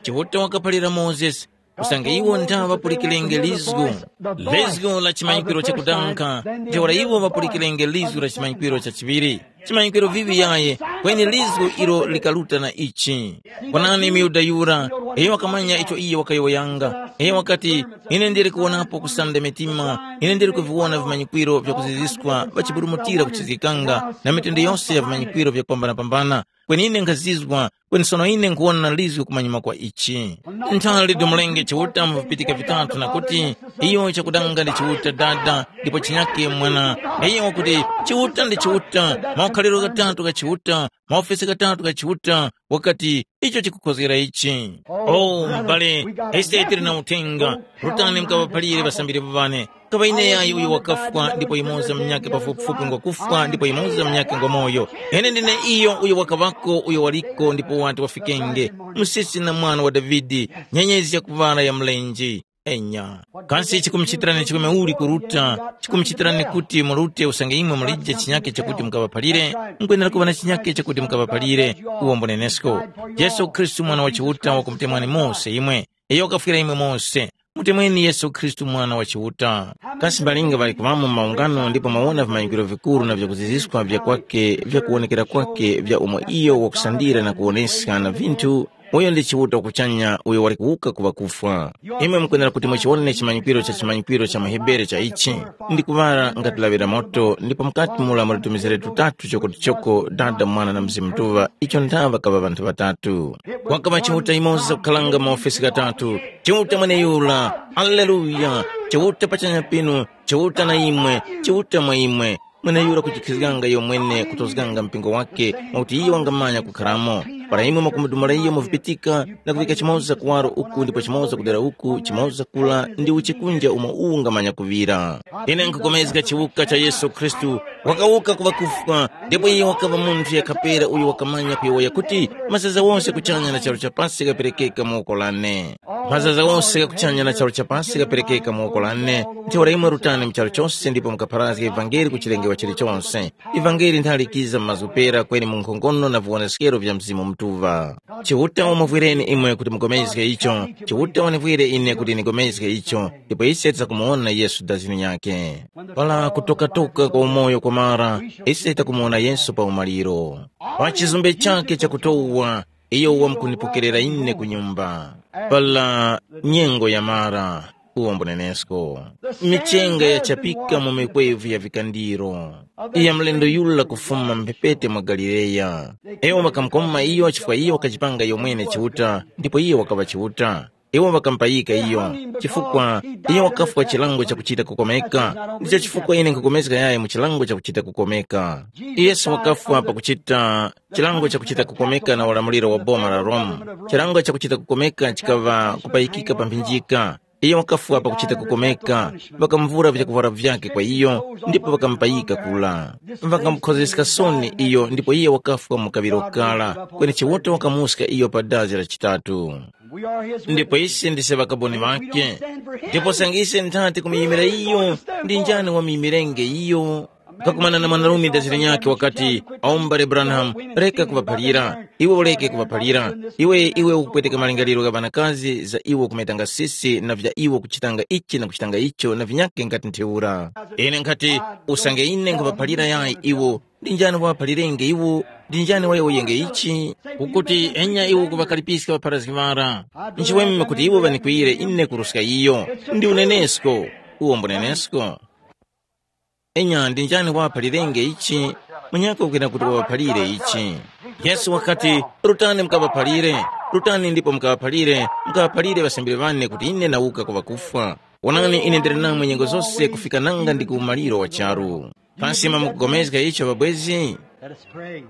Chiuta wakaphalira Mozesi, usange iwo nthaŵa ŵapulikirenge lizgu, lizgu la chimanyikwiro chakudanga, ntheura iwo ŵapulikirenge lizgu la chimanyikwiro chachiŵiri. Chimanyikwiro vivi yaye, kweni lizgu ilo likaruta na ichi. Kwanani myuda yura, iyo wakamanya icho iye wakayowoyanga. Iyo wakati, ine ndili kuwonapo kusanda mitima, ine ndili kuviwona vimanyikwiro vyakuziziskwa ŵachiburumutira kuchizgikanga na mitundu yose ya vimanyikwiro vyakupambanapambana, kweni ine nkhazizwa, kweni sono ine nkhuwona na lizgu kumanyuma kwa ichi. Nthali dumulenge Chiuta mu vipitika vitatu na kuti, iyo chakudanga ndi Chiuta Dada, ndipo chinyake Mwana. Iyo wakuti, Chiuta ndi Chiuta, maukhaliro ghatatu gha Chiuta, maofesi ghatatu gha Chiuta, wakati, icho chikukhozgera ichi. O, m'bale, ise tili na uthenga, rutani mukaŵaphalire ŵasambiri ŵane. Kaŵa ine yayi uyo wakafwa ndipo yumoza munyakhe pafupifupi ngwakufwa ndipo yumoza munyakhe ngwamoyo. Ine ndine iyo uyo wakaŵako uyo waliko ndipo wati wafikenge, msisi na mwana wa Davide, nyenyezi yakuŵala ya mlenje. Enya. Kasi chikumuchitirani chikome uli kuruta? Chikumuchitirani kuti murute usange imwe mulije chinyakhe chakuti mukaŵaphalire? Mukwenera kuŵa na chinyakhe chakuti mukaŵaphalire. Uwo mbunenesko. Yesu Khristu mwana wa Chiuta wakumutemwani mose imwe. Iyo wakafwira imwe mose. Mutemweni Yesu Khristu Mwana wa Chiuta. Kasi mbalinga ŵali kuŵamo mu maungano ndipo mwawona vimanyikwiro vikuru na vyakuziziskwa vya kwake vya kuwonekera kwake vya umo iyo wakusandira na kuwoneska na vinthu Uyo ndi Chiuta kuchanya uyo wali kuwuka ku ŵakufwa. Imwe mukwenera kuti muchiwone chimanyikiro cha chimanyikiro cha muHebere cha ichi, ndi kuŵala ngati lawi la moto, ndipo mukati mula muli tumizere tutatu choko tuchoko, Dada, Mwana na Mzimu Mutuŵa, icho nthaŵa kaŵa ŵanthu ŵatatu. Kwakaŵa Chiuta yumoza kukhalanga maofesi ghatatu, Chiuta mweneyura, Aleluya, Chiuta pachanya pinu, Chiuta na imwe, Chiuta mwa imwe, mweneyura kujikhizganga iyo mwene kutozganga mpingo wake, mwakuti iyo wangamanya kukharamo. Para imwe mwakumudumula iyo mu vipitika, na kuvika chimoza kuwaro uku ndipo chimoza kudera uku, chimoza kula, ndi uchikunja umo uwu ungamanya kuŵira. Ine nkhukomezga chiwuka cha Yesu Khristu, wakawuka ku ŵakufwa, ndipo iye wakaŵa munthu yakhapera uyo wakamanya kuyowoya kuti, mazaza wonse kuchanya na charu cha pasi ghaperekeka mu woko lane. Mazaza wonse ghakuchanya na charu cha pasi ghaperekeka mu woko lane, ntheura imwe rutani mu charu chose ndipo mukapharazge ivangeli ku chilengewa chilichonse. Ivangeli nthali likiza mu mazgu pera kweni mu nkhongono na viwoneskero vya Mzimu Mutuŵa. Chiuta wamuvwireni imwe kuti mugomezge icho, Chiuta wanivwire ine kuti nigomezge icho, ndipo ise tidzakumuwona Yesu dazini nyakhe. Para kutokatoka kwa umoyo kwamara, ise takumuwona Yesu pa umaliro. Pa chizumbe chakhe chakutowa, iyo wamkunipokerera ine ku nyumba. Para nyengo yamara, uwo mbunenesko. Michenga yachapika mu mikwevu ya vikandiro, iya mlendo yura kufuma mphepete mwa Galileya. Iwo ŵakamukoma iyo chifukwa iyo wakachipanga iyo mwene Chiuta, ndipo iyo wakaŵa Chiuta. Iwo ŵakamupayika iyo, chifukwa iyo wakafwa chilango chakuchita kukomeka. Ndicho chifukwa ine nkhukomezga yayi mu chilango chakuchita kukomeka. Yesu wakafwa pakuchita chilango chakuchita kukomeka na ulamuliro wa boma la Roma. Chilango chakuchita kukomeka chikaŵa kupayikika pa mphinjika. Iyo wakafwa pakuchita kukomeka, ŵakamuvura vyakuvwara vyakhe kwa iyo, ndipo ŵakamupayika kula. Ŵakamukhozeska soni iyo, ndipo iye wakafwa mu kaŵiro kara, kweni Chiuta wakamuska iyo pa dazi la chitatu. Ndipo ise ndise ŵakaboni ŵakhe. Ndipo sangise nthati kumuyimira iyo, ndi njani wamuyimirenje iyo? Kakumana na mwanarume dazira nyakhe wakati, awo m'bale Branham, reka kuŵaphalira, iwe ureke kuŵaphalira. Iwe iwe ukupweteka malingaliro gha ŵanakazi za iwo kumetanga sisi na vya iwo kuchitanga ichi na kuchitanga icho na vinyakhe ngati ntheura. Ine nkhati, usange ine nkhuŵaphalira yayi iwo, ndi njani waŵaphalirenge iwo? Ndi njani wayowoyenge ichi? Ukuti enya iwo kuŵakalipiska ŵapharazgi ŵara. Nchiweme kuti iwo ŵanikwiyire ine kuruska iyo. Ndi unenesko. Uwo mbunenesko. Enya ndi njani waŵaphalirenge ichi? Munyakhe ukuyenda kuti waŵaphalire ichi. Yesu wakati, rutani mukaŵaphalire, rutani ndipo mukaŵaphalire, mukaŵaphalire ŵasambiri ŵane kuti ine nawuka ku ŵakufwa. Wonani ine ndili namwe nyengo zose kufika nanga ndi ku umaliro wa charu. Pansi mwa mukugomezga icho ŵabwezi? Let us pray.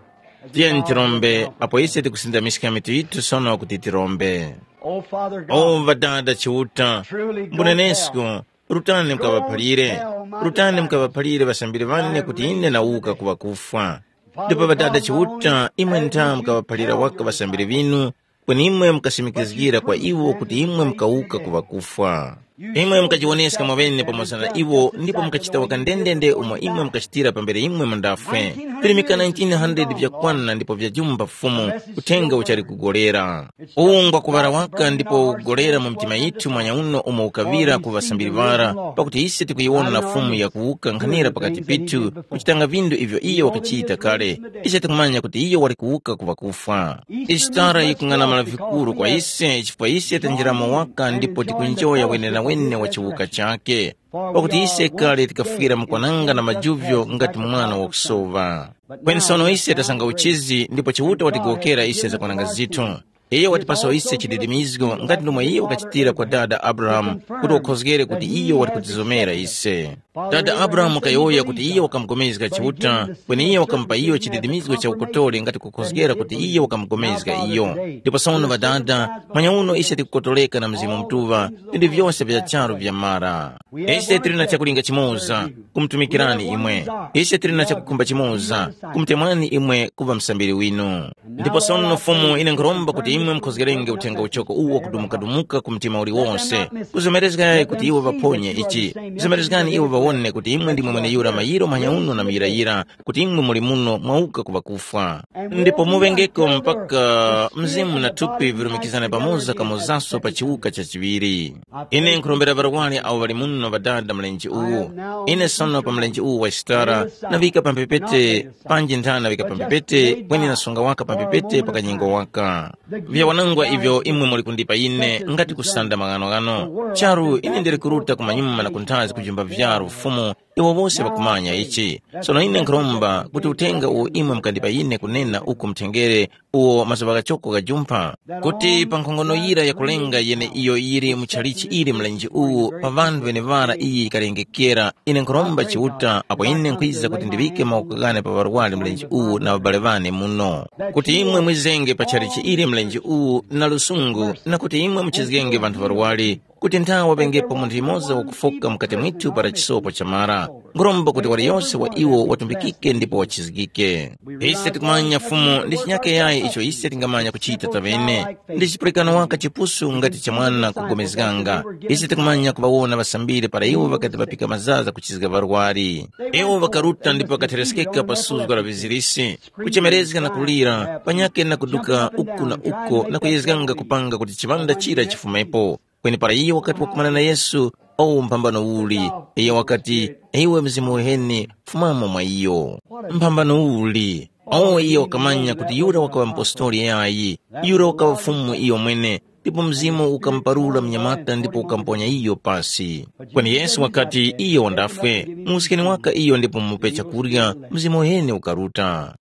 Tiyeni tirombe apo ise tikusindamiska mitu yitu sono kuti tirombe. Oh, Father God, o ŵadada chiuta, truly go mbunenesko, rutani mukaŵaphalire, rutani mukaŵaphalire ŵasambiri ŵane kuti ine nawuka ku ŵakufwa. Ndipo ŵadada chiuta, imwe ntha mukaŵaphalira waka ŵasambiri ŵinu, kweni imwe mukasimikizgira kwa iwo kuti imwe mukawuka ku ŵakufwa. Imwe mukajiwoneska mwaŵene pamoza na iwo ndipo mukachita waka ndendende umo imwe mukachitira pambere imwe mundafwe. Virimika nineteen hundred vyakwana ndipo vyajumba Fumu, uthenga uchali kugolera. Uwu ngwa kuŵala waka ndipo ukugolera mu mitima yithu mwanyauno umo ukaŵira ku ŵasambiri ŵara, pakuti ise tikuyiwona na Fumu yakuwuka nkhanira pakati pithu, kuchitanga vindu ivyo iyo wakachita kale. Ise tikumanya kuti iyo wali kuwuka ku ŵakufwa. Isitara yikung'anamala vikuru kwa ise chifukwa ise tanjiramo waka ndipo tikunjoya wenenawene wa chiwuka chakhe. Pakuti ise kale tikafwira mukwananga na majuvyo ngati mwana wakusowa. Kweni sono ise tasanga uchizi ndipo Chiuta watigowokera ise zakwananga zithu. Iyo watipasa ise chididimizgo ngati ndomwe iyo wakachitira kwa dada Abrahamu kuti wakhozgere kuti iyo wali kutizomera ise. Dada Abrahamu wakayowoya kuti iyo wakamupulikana Chiuta, kweni iyo wakamupa iyo chididimizgo cha ukotole ngati kukhozgera kuti iyo wakamupulikana iyo. Ndipo sono ŵadada, manyauno ise tikukotoleka na Mzimu Mutuŵa, vinthu vyose vya charu vyamara. Ise tili na chakulinga chimoza, kumutumikirani imwe. Ise tili na chakukhumba chimoza, kumutemwani imwe kuŵa musambiri winu. Ndipo sono Fumu, ine nkhuromba kuti imwe mukhozgerenge uthenga uchoko uwo kudumukadumuka ku mtima uliwonse. Kuzomerezga yayi kuti iwo ŵaphonye ichi. Zomerezgani iwo ŵawone kuti imwe ndimwe mweneyura mayiro manyauno na muyirayira, kuti imwe muli muno mwauka ku ŵakufwa. Ndipo muŵengeko mpaka mzimu na thupi vilumikizane pamoza kamozaso pa chiwuka cha chiŵiri. Ine nkhurombera ŵarwari awo ŵali muno ŵadada mlenje uwu. Ine sono pa mlenje uwu wa chitara, naŵika pamphepete, panji nthana naŵika pamphepete, kweni nasunga waka pamphepete pa kanyengo waka. Vyawanangwa ivyo imwe muli kundipa ine ngati kusanda maghanoghano. Charu ine ndili kuruta kumanyuma na kunthazi kujumba vyaru Fumu, iwo wose ŵakumanya ichi. Sono ine nkhuromba kuti uthenga uwo imwe mukandipa ine kunena uku mthengere uwo mazuŵa ghachoko ghajumpha, kuti pa nkhongono yira yakulenga yene iyo yili mu chalichi ili mlenje uwu pa ŵanthu ŵeneŵara iyi yikalengekera, ine nkhuromba Chiuta apo ine nkhwiza kuti ndiŵike mawoko ghane pa ŵarwari mlenje uwu na ŵabale ŵane muno, kuti imwe mwizenge pa chalichi ili mlenje uwu na lusungu na kuti imwe muchizgenge ŵanthu ŵarwari, kuti nthawe waŵengepo munthu yumoza wakufoka mukati mwithu para chisopo chamara. Nkhuromba kuti waliyose wa iwo watumbikike ndipo wachizgike. Ise tikumanya Fumu ndi chinyake yayi icho ise tingamanya kuchita taŵene. Ndi chipulikano waka chipusu ngati cha mwana kugomezganga. Ise tikumanya kuŵawona ŵasambiri para iwo ŵakati ŵapika mazaza kuchizga ŵarwari. Iwo ŵakaruta ndipo ŵakatheresekeka pa suzgo la vizirisi, kuchemerezga na kulira, panyake na kuduka uku na uko na kuyezganga kupanga kuti chiŵanda chira chifumepo. Kweni para iyo wakati wakumana na Yesu, o mphambano uli, iyo wakati, “Iwe Mzimu uheni, fumamo mwa iyo.” Mphambano uli! O iyo wakamanya kuti yura wakaŵa mupostoli yayi, yura wakaŵa Fumu iyo mwene, ndipo Mzimu ukamuparura mnyamata ndipo ukamuponya iyo pasi. Kweni Yesu wakati iyo wandafwe, mu uskini waka iyo ndipo mumupe chakurya, Mzimu uheni ukaruta.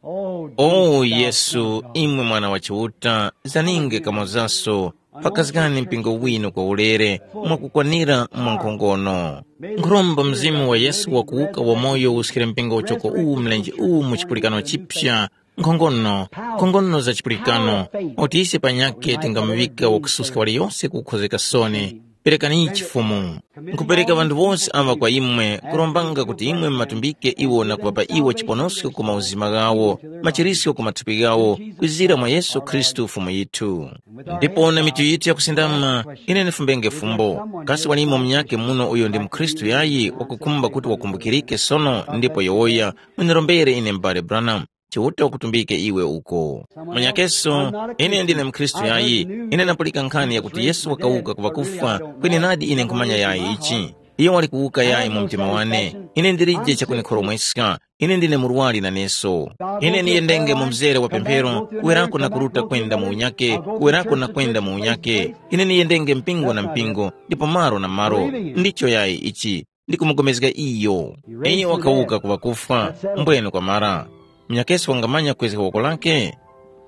O Yesu, imwe Mwana wa Chiuta, zaninge kamozaso, pakazgani mpingo winu kwa ulere, mwakukwanira mwa nkhongono. Nkhuromba Mzimu wa Yesu wakuwuka wamoyo uskire mpingo uchoko uwu mlenje uwu mu chipulikano chipya, nkhongono, nkhongono za chipulikano, kuti ise panyakhe tingamuŵika wakususka waliyose kukhozeka soni. Perekani Chifumu. Nkupereka ŵanthu wose aŵa kwa imwe, kurombanga kuti imwe mumatumbike iwo na kuŵapa iwo chiponosko ku mauzima ghawo, machirisko ku mathupi ghawo, kwizira mwa Yesu Khristu Fumu yithu. Ndipo na mitu yithu yakusindama, ine ndifumbenge fumbo. Kasi walimo munyakhe muno uyo ndi mukhristu yayi wakukhumba kuti wakumbukirike sono ndipo yowoya, mundirombere ine m'bale Branham. Chiuta wakutumbike iwe uko. Munyakeso, ine ndine mukhristu yayi. Ine ndapulika nkhani yakuti Yesu wakawuka ku ŵakufwa, kweni nadi ine nkhumanya yayi ichi. Iyo wali kuwuka yayi mu mtima wane. Ine ndilije chakunikhoromweska. Ine ndine murwari naneso. Ine niyendenge mu mzere wa pemphero, kuwerako na kuruta kwenda mu unyake, kuwerako na kwenda mu unyake. Ine niyendenge mpingo na mpingo, ndipo malo na malo. Ndicho yayi ichi. Ndi kumugomezga iyo. Iyo wakawuka ku ŵakufwa, mbwene kwamara. Munyakeso wangamanya kwezga woko lake?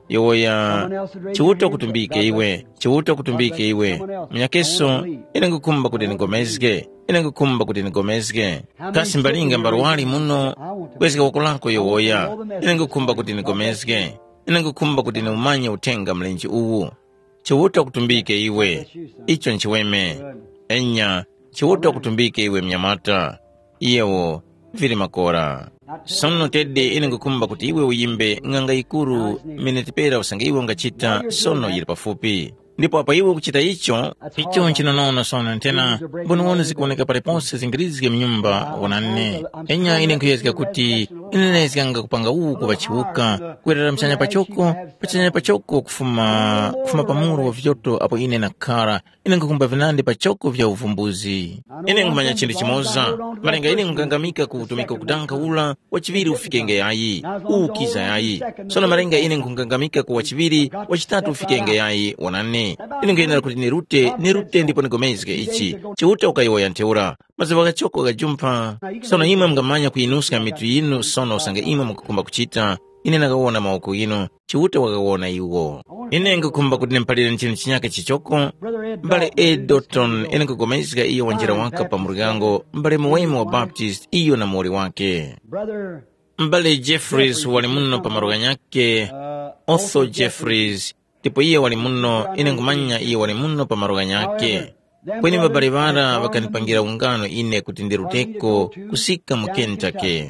Yowoya, Chiuta kutumbike iwe, Chiuta kutumbike iwe. Munyakeso, ine ngukhumba kuti ndigomezge, ine ngukhumba kuti ndigomezge. Kasi mbalinga mbarwali muno, kwezga woko lako yowoya, ine ngukhumba kuti ndigomezge. Ine ngukhumba kuti niumanye uthenga mlenje uwu. Chiuta kutumbike iwe. Icho nchiweme. Enya, Chiuta kutumbike iwe mnyamata. Iyewo vili makora. Sono tede ine ngukhumba kuti iwe uyimbe ng'anga yikuru miniti pera usange iwe ungachita sono yili pafupi. Ndipo apo iwe ukuchita icho, icho nchinonono sono nthena mboniwoni zikuwoneka paliponse zingirizge mnyumba wonani. Enya ine nkhuyezga kuti ine ndayezganga kupanga uwu kuŵa chiwuka, kwerera mchanya pachoko, pachanya pachoko kufuma kufuma pa muru wa vyoto apo ine nakhara. Ine nkhukumba vinandi pa choko vya uvumbuzi. Ine nkhumanya chinthu chimoza, malinga ine nkhukangamika ku utumiki ukudankha ula, wachiŵiri ufikenge yayi, uwu ukiza yayi. Sono malinga ine nkhukangamika ku wachiŵiri, wachitatu ufikenge yayi. Wonani, ine nkhuyenera kuti nirute nirute ndipo nigomezge ichi. Chiuta ukayowoya ntheura, mazuŵa ghachoko ghajumpha. Sono imwe mungamanya kuyinuska mitu yinu sono usange imwe mukukhumba kuchita. Ine nakawona mawoko ghinu. Chiuta wakawona iwo. Ine nkukhumba kuti ndimuphalire chinthu chinyake chichoko. Mbale Edoton ine nkupulikana iyo wanjira waka pa muryango, mbale Muweme wa Baptist iyo na muwoli wake. Mbale Jeffries wali muno pa malo ghanyake. Otho Jeffries, ndipo iye wali muno, ine nkhumanya iye wali muno pa malo ghanyake. Kweni ŵabale ŵara ŵakanipangira ungano ine kuti ndiruteko kusika mu Kentucky.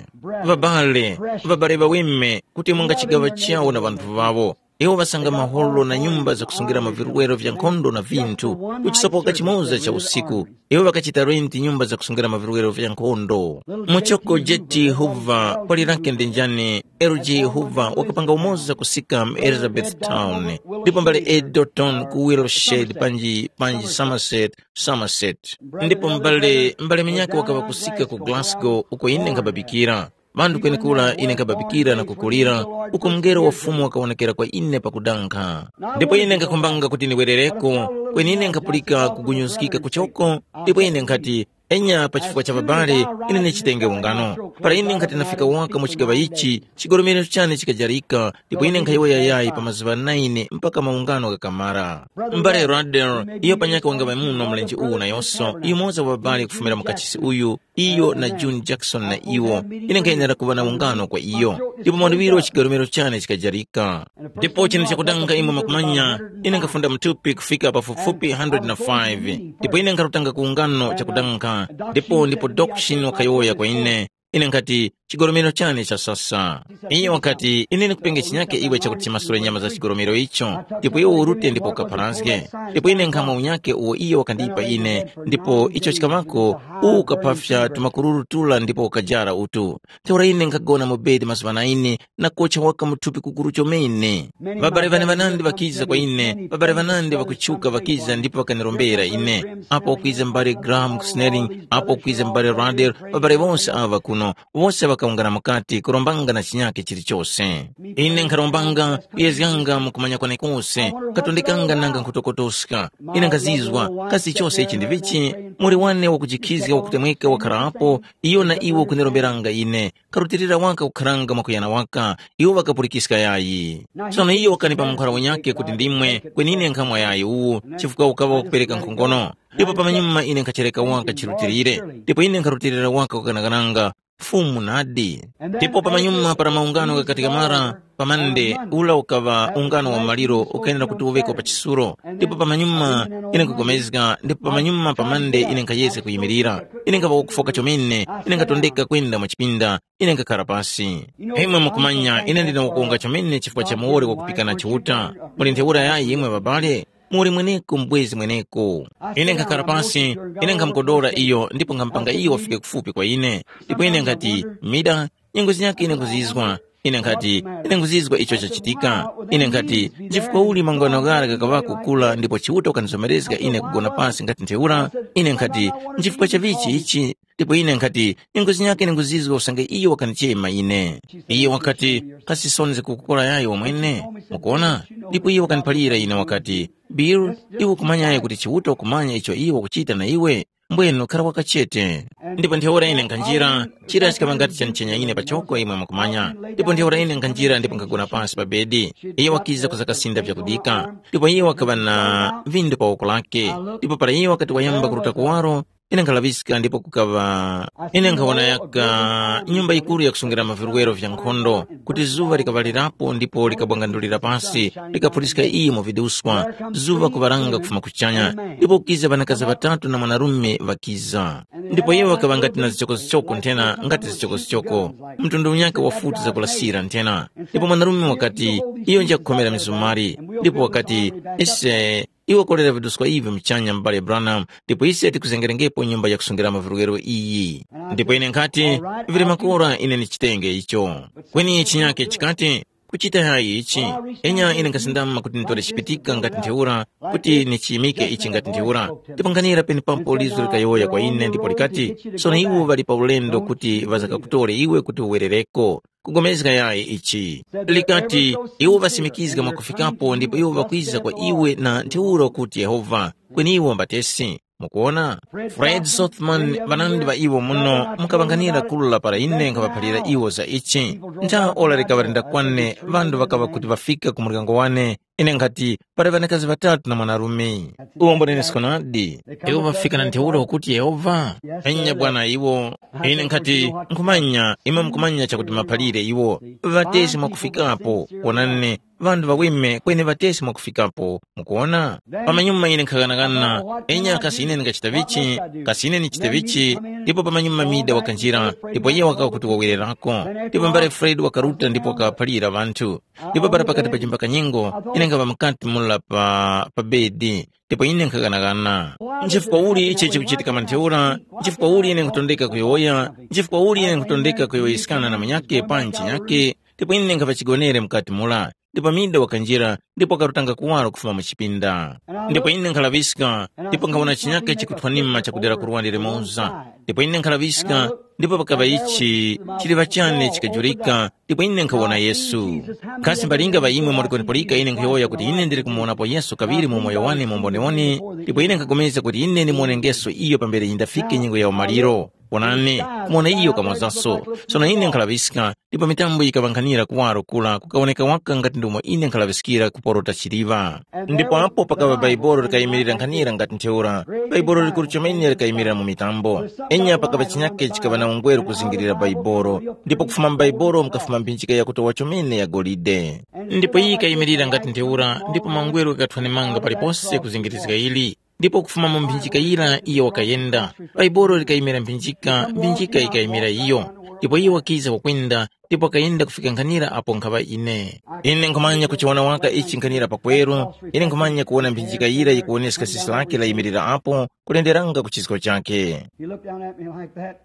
Ŵabale, ŵabale ŵaweme kuti mwa chigaŵa chawo na ŵanthu ŵawo. Iwo ŵasanga maholo na nyumba zakusungira mavirwero vya nkhondo na vinthu, kuchisopoka chimoza cha usiku. Iwo ŵakachita renti nyumba zakusungira mavirwero vya nkhondo. Muchoko J T Hoover, pali lake ndi njani? L G Hoover wakapanga umoza kusika mu Elizabethtown, ndipo mbale Edoton ku Willowshed panji panji Somerset, Somerset. Ndipo mbale mbale minyaka wakaŵa kusika ku Glasgow uko ine nkhababikira. Ŵanthu kwenekura ine nkhababikira na kukulira, uko mngelo wa Fumu wakawonekera kwa ine pakudankha. Ndipo ine nkakhumbanga kuti ndiwerereko, kweni ine nkhapulika kugunyuzgika kuchoko, ndipo ine nkhati, enya pa chifukwa cha babale, ine ndichitenge ungano. Para ine nkhati nafika waka mu chigaŵa ichi, chigolomero chane chikajarika, ndipo ine nkhayowoya yayi pa mazuŵa naine mpaka maungano ghakamara. M'bale Radel, iyo panyakhe wangaŵa muno mlenje uwu nayonso, yumoza wa babale kufumira mu kachisi uyu, iyo na June Jackson na iwo, ine nkhayenera kuŵa na ungano kwa iyo. Ndipo mwaluŵiro chigarumiro chane chikajarika. Ndipo chinthu chakudanga imwe mwakumanya, ine nkhafunda mthupi kufika pafupifupi one hundred na five, ndipo ine nkharutanga ku ungano chakudanga. Ndipo ndipo Dokshin wakayowoya kwa ine, ine nkhati, chigolomero chane chasasa. Iyo wakati, ine ndikupenge chinyake iwe chakuti chimasule nyama za chigolomero icho, ndipo iwe urute ndipo ukapharazge. Ndipo ine nkhamwa unyake uwo iyo wakandipa ine, ndipo icho chikaŵako, uwu ukaphafya tumakururu tula ndipo ukajara utu. Ntheura ine nkhagona mu bedi mazuŵa na ine, na kocha waka mu thupi kukuru chomene. Ŵabale ŵane ŵanandi ŵakiza kwa ine, ŵabale ŵanandi ŵakutchuka ŵakiza ndipo ŵakanirombera ine. Apo wakwiza m'bale Graham Snelling, apo wakwiza m'bale Radel, ŵabale wonse awa ŵakuno, wose ŵakawungana mukati kurombanga na chinyake chilichose. Ine nkharombanga, kuyezganga mu kumanya kwane kose, katondekanga nanga nkhutokotoska. Ine nkhazizwa, kasi chose ichi ndi vichi? Muli wane wakujikhizga wakutemweka wakharapo, iyo na iwo kuniromberanga ine, karutilira waka kukharanga mwakuyana waka, iwo ŵakapulikiska yayi. Sono iyo wakanipa mukhala wanyakhe kuti ndimwe, kweni ine nkhamwa yayi uwu, chifukwa ukaŵa wakupereka nkhongono. Ndipo pamanyuma ine nkhachereka waka chirutilire, ndipo ine nkharutilira waka kukanakananga, Fumu nadi. Ndipo pamanyuma para maungano ghakatika mara, pamande ula ukaŵa ungano wa maliro ukayenera kuti uŵeko pa chisulo. Ndipo pamanyuma ine nkugomezga, ndipo pamanyuma pamande ine nkhayeska kuyimirira. Ine nkhaŵa wakufoka chomene, ine nkhatondeka kwenda mu chipinda, ine nkhakhara pasi. Imwe mukumanya ine ndine wakuwonga chomene chifukwa cha muwoli wakupikana Chiuta. Muli ntheura yayi imwe ŵabale? Muli mweneko mbwezi mweneko. Ine nkhakhala pasi, ine nkhamukodora iyo ndipo nkhamupanga iyo wafike kufupi kwa ine. Ndipo ine nkhati, mida, nyengo zinyakhe ine nkhuzizwa. Ine nkhati, ine nkhuzizwa icho chachitika. Ine nkhati, nchifukwa uli mangano ghara ghakaŵako kukula ndipo Chiuta wakandizomerezga ine kugona pasi ngati ntheura? Ine nkhati, nchifukwa cha vichi ichi? Ndipo ine nkhati, nyengo zinyakhe ine nkhuzizwa usange iyo wakandichema ine. Iye wakati, kasi sonde kukukola yayo wamwene? Mukuona? Ndipo iye wakandiphalira ine wakati, Bill, iwe ukumanyayo kuti Chiuta ukumanya icho iwo wakuchita na iwe? Mbwenu khara wakachete. Ndipo ntheura ine nkhanjira, chira chikaŵa ngati chanichenya ine pachoko imwe mukumanya. Ndipo ntheura ine nkhanjira ndipo nkhagona pansi pa bedi. Iye wakiza kuzakasinda vyakudika. Ndipo iye wakaŵa na vindu pa woko lake. Ndipo para iye wakati wayamba kuruta kuwaro, ine nkhalaŵiska ndipo kukaŵa, ine nkhawona yaka nyumba yikuru yakusungira mavirwero vya nkhondo, kuti zuŵa likaŵalirapo ndipo likabwangandulira pasi, likaphuliska iyo mu viduswa, zuŵa kuŵaranga kufuma kuchanya. Ndipo kukiza ŵanakazi ŵatatu na mwanarume ŵakiza. Ndipo iwo ŵakaŵa ngati na zichokozichoko nthena ngati zichokozichoko, mtundu unyakhe wa futi zakulasira nthena. Ndipo mwanarume wakati, iyo njakukhomera mizumari. Ndipo wakati, ise, iwe kolera viduswa ivi muchanya m'bale Branham, ndipo ise tikuzengerengepo nyumba yakusungira mavirwero iyi. Ndipo ine nkhati, vili makora ine ndichitenge icho. Kweni chinyake chikati, kuchita yayi ichi, enya ine nkasindama kuti nditore chipitika ngati ntheura, kuti nichiyimike ichi ngati ntheura. Ndipo nkhanira penepapo lizo likayowoya kwa ine ndipo likati, sono iwo ŵali pa ulendo kuti ŵazakakutore iwe kuti uwerereko. Kugomezga yayi ichi. Likati, iwo ŵasimikizga mwakufikapo ndipo iwo ŵakwiza kwa iwe na ntheura kuti Yehova, kweni iwo mbatesi. Mukuona? Fred Sothman ŵanandi ŵa iwo muno mukaŵanganira kula para ine nkhaŵaphalira iwo za ichi. Ntha ora likaŵa lindakwane ŵanthu ŵakaŵa kuti ŵafika ku muryango wane, ine nkhati, pali ŵanakazi ŵatatu na mwanarume. Uwo mbonenesko nadi. Iwo ŵafika na ntheura ukuti Yehova? Enya bwana iwo. Ine nkhati, nkhumanya, imwe mukumanya chakuti maphalire iwo. Ŵatesi mwakufikapo, wonani, ŵanthu ŵaweme kweni ŵatesi mwakufikapo. Mukuona? Pamanyuma ine nkhaghanaghana, enya kasi ine ndingachita vichi, kasi ine ndichite vichi? Ndipo pamanyuma mida wakanjira, ndipo iye wakawa kuti wawererako. Ndipo mbale Fred wakaruta ndipo wakaphalira ŵanthu. Ndipo para pakati pa chimbakanyengo, ine nkhaŵa mukati mula pa, pa bedi. Ndipo ine nkhaghanaghana. Nchifukwa uli ichi chikuchitika mantheura? Nchifukwa uli ine nkutondeka kuyowoya? Nchifukwa uli ine nkutondeka kuyowoyeskana na munyakhe panji chinyakhe? Ndipo ine nkhaŵa chigonere mukati mula. Ndipo mida wakanjira, ndipo wakarutanga kuwaro kufuma mu chipinda. Ndipo ine nkhalaŵiska, ndipo nkhawona chinyakhe chikuthwanima chakudera ku luwande limoza. Ndipo ine nkhalaŵiska, ndipo pakaŵa ichi chiliŵa chane chikajurika, ndipo ine nkhawona Yesu. Kasi mbalinga ŵa imwe muli kwenepulika ine nkhuyowoya kuti ine ndili kumuwonapo Yesu kaŵiri mu umoyo wane mumbonewone, ndipo ine nkhapulikana kuti ine ndimuwonengeso iyo pambere yindafike nyengo ya umaliro. Wonani, kumuwona iyo kamwazaso. Sono ine nkhalaŵiska, ndipo mitambo yikaŵankhanira kuwaro kura kukawoneka waka ngati ndomwe ine nkhalaŵiskira kuporota chiliŵa. Ndipo apo pakaŵa Baibolo likayimirira nkhanira ngati ntheura, Baibolo likuru chomene likayimirira mu mitambo. Enya pakaŵa chinyake chikaŵa na ungweru kuzingirira Baibolo, ndipo kufuma mu Baibolo mukafuma mphinjika yakutowa chomene ya golide. Ndipo iyi ikayimirira ngati ntheura, ndipo mangweru ghakathwanimanga palipose kuzingirizga ili. Ndipo kufuma mu mphinjika yira iyo wakayenda, Baibolo likayimira mphinjika, mphinjika yikayimira iyo. Ndipo iyo wakiza wakwenda, ndipo wakayenda kufika nkhanira apo nkhaŵa ine. Ine nkhumanya kuchiwona waka ichi nkhanira pakweru, ine nkhumanya kuwona mphinjika yira yikuwoneska sisi lake layimirira apo, kulenderanga ku chisko chake. He looked down at me like that.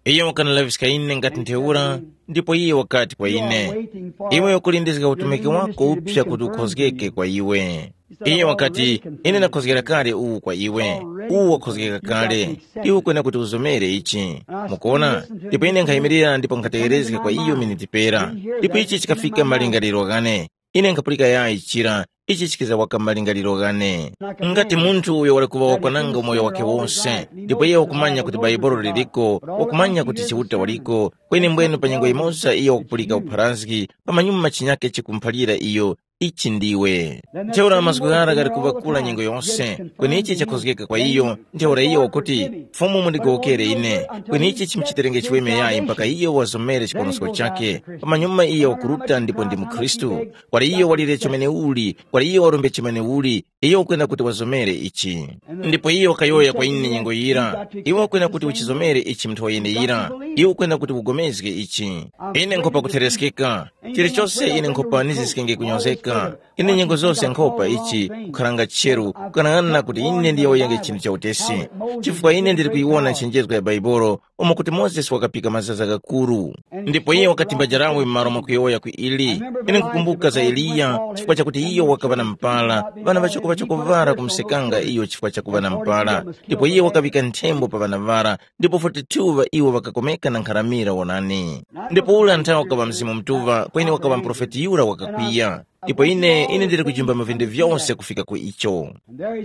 Iyo wakanalaŵiska ine ngati ntheura, ndipo iye wakati kwa ine, "Iwe ukulindizga utumiki wako uphya kuti ukhozgeke kwa iwe." Iye wakati, "Ine ndakhozgera kale uwu kwa iwe, uwu wakhozgeka kale, iwe ukwena kuti uzomere ichi." Mukuona? Ndipo ine nkhayimirira ndipo nkhategherezga kwa iyo miniti pera, ndipo ichi chikafika malingaliro ghane. Ine nkhapulika yayi chira, ichi chikiza waka malingaliro ghane. Ngati munthu uyo wali kuŵa wakwananga umoyo wake wose, ndipo iye wakumanya kuti Bhaibuli liliko, wakumanya kuti Chiuta waliko, kweni mbwenu pa nyengo yimoza iyo wakupulika upharazgi, pamanyuma chinyake chikumuphalira iyo, ichi ndiwe. Ntheura mazgu ghara ghali kuŵakula nyengo yose, kweni ichi chakhozgeka kwa iyo, ntheura iyo wakuti, Fumu mundigowokere ine, kweni ichi chimuchiterenge chiweme yayi mpaka iyo wazomere chiponosko chake, pamanyuma iyo wakuruta ndipo ndi mukhristu. Kwali iyo walire chomene uli, kwali iyo warombe chomene uli, iyo ukwenda kuti wazomere ichi. Ndipo iyo wakayowoya kwa ine nyengo yira, iwe ukwenda kuti uchizomere ichi munthu wayeneyira, iwe ukwenda kuti ugomezge ichi. Ine nkhopa kuthereskeka, chilichose ine nkhopa niziskenge kunyozeka. Ine nyengo zose nkhopa ichi kukharanga cheru, kukanang'ana kuti ine ndiyowoyenge chinthu cha utesi, chifukwa ine ndili kuyiwona nchenjezgo ya Bhaibuli, umo kuti Mozesi wakapika mazaza ghakuru. Ndipo iye wakatimba jarawe m'malo mwakuyowoya ku ili. Ine nkukumbuka za Eliya, chifukwa chakuti iyo wakaŵa na mpala, ŵana ŵachoko ŵachoko ŵara kumusekanga iyo chifukwa chakuŵa na mpala. Ndipo iye wakaŵika nthembo pa ŵana ŵara, ndipo forty-two ŵa iwo ŵakakomeka na nkharamira wonani. Ndipo ule nthawi wakaŵa Mzimu Mutuŵa, kweni wakaŵa muprofeti yura wakakwiya. Ndipo ine, ine ndili kujimba mavende vyose kufika ku icho.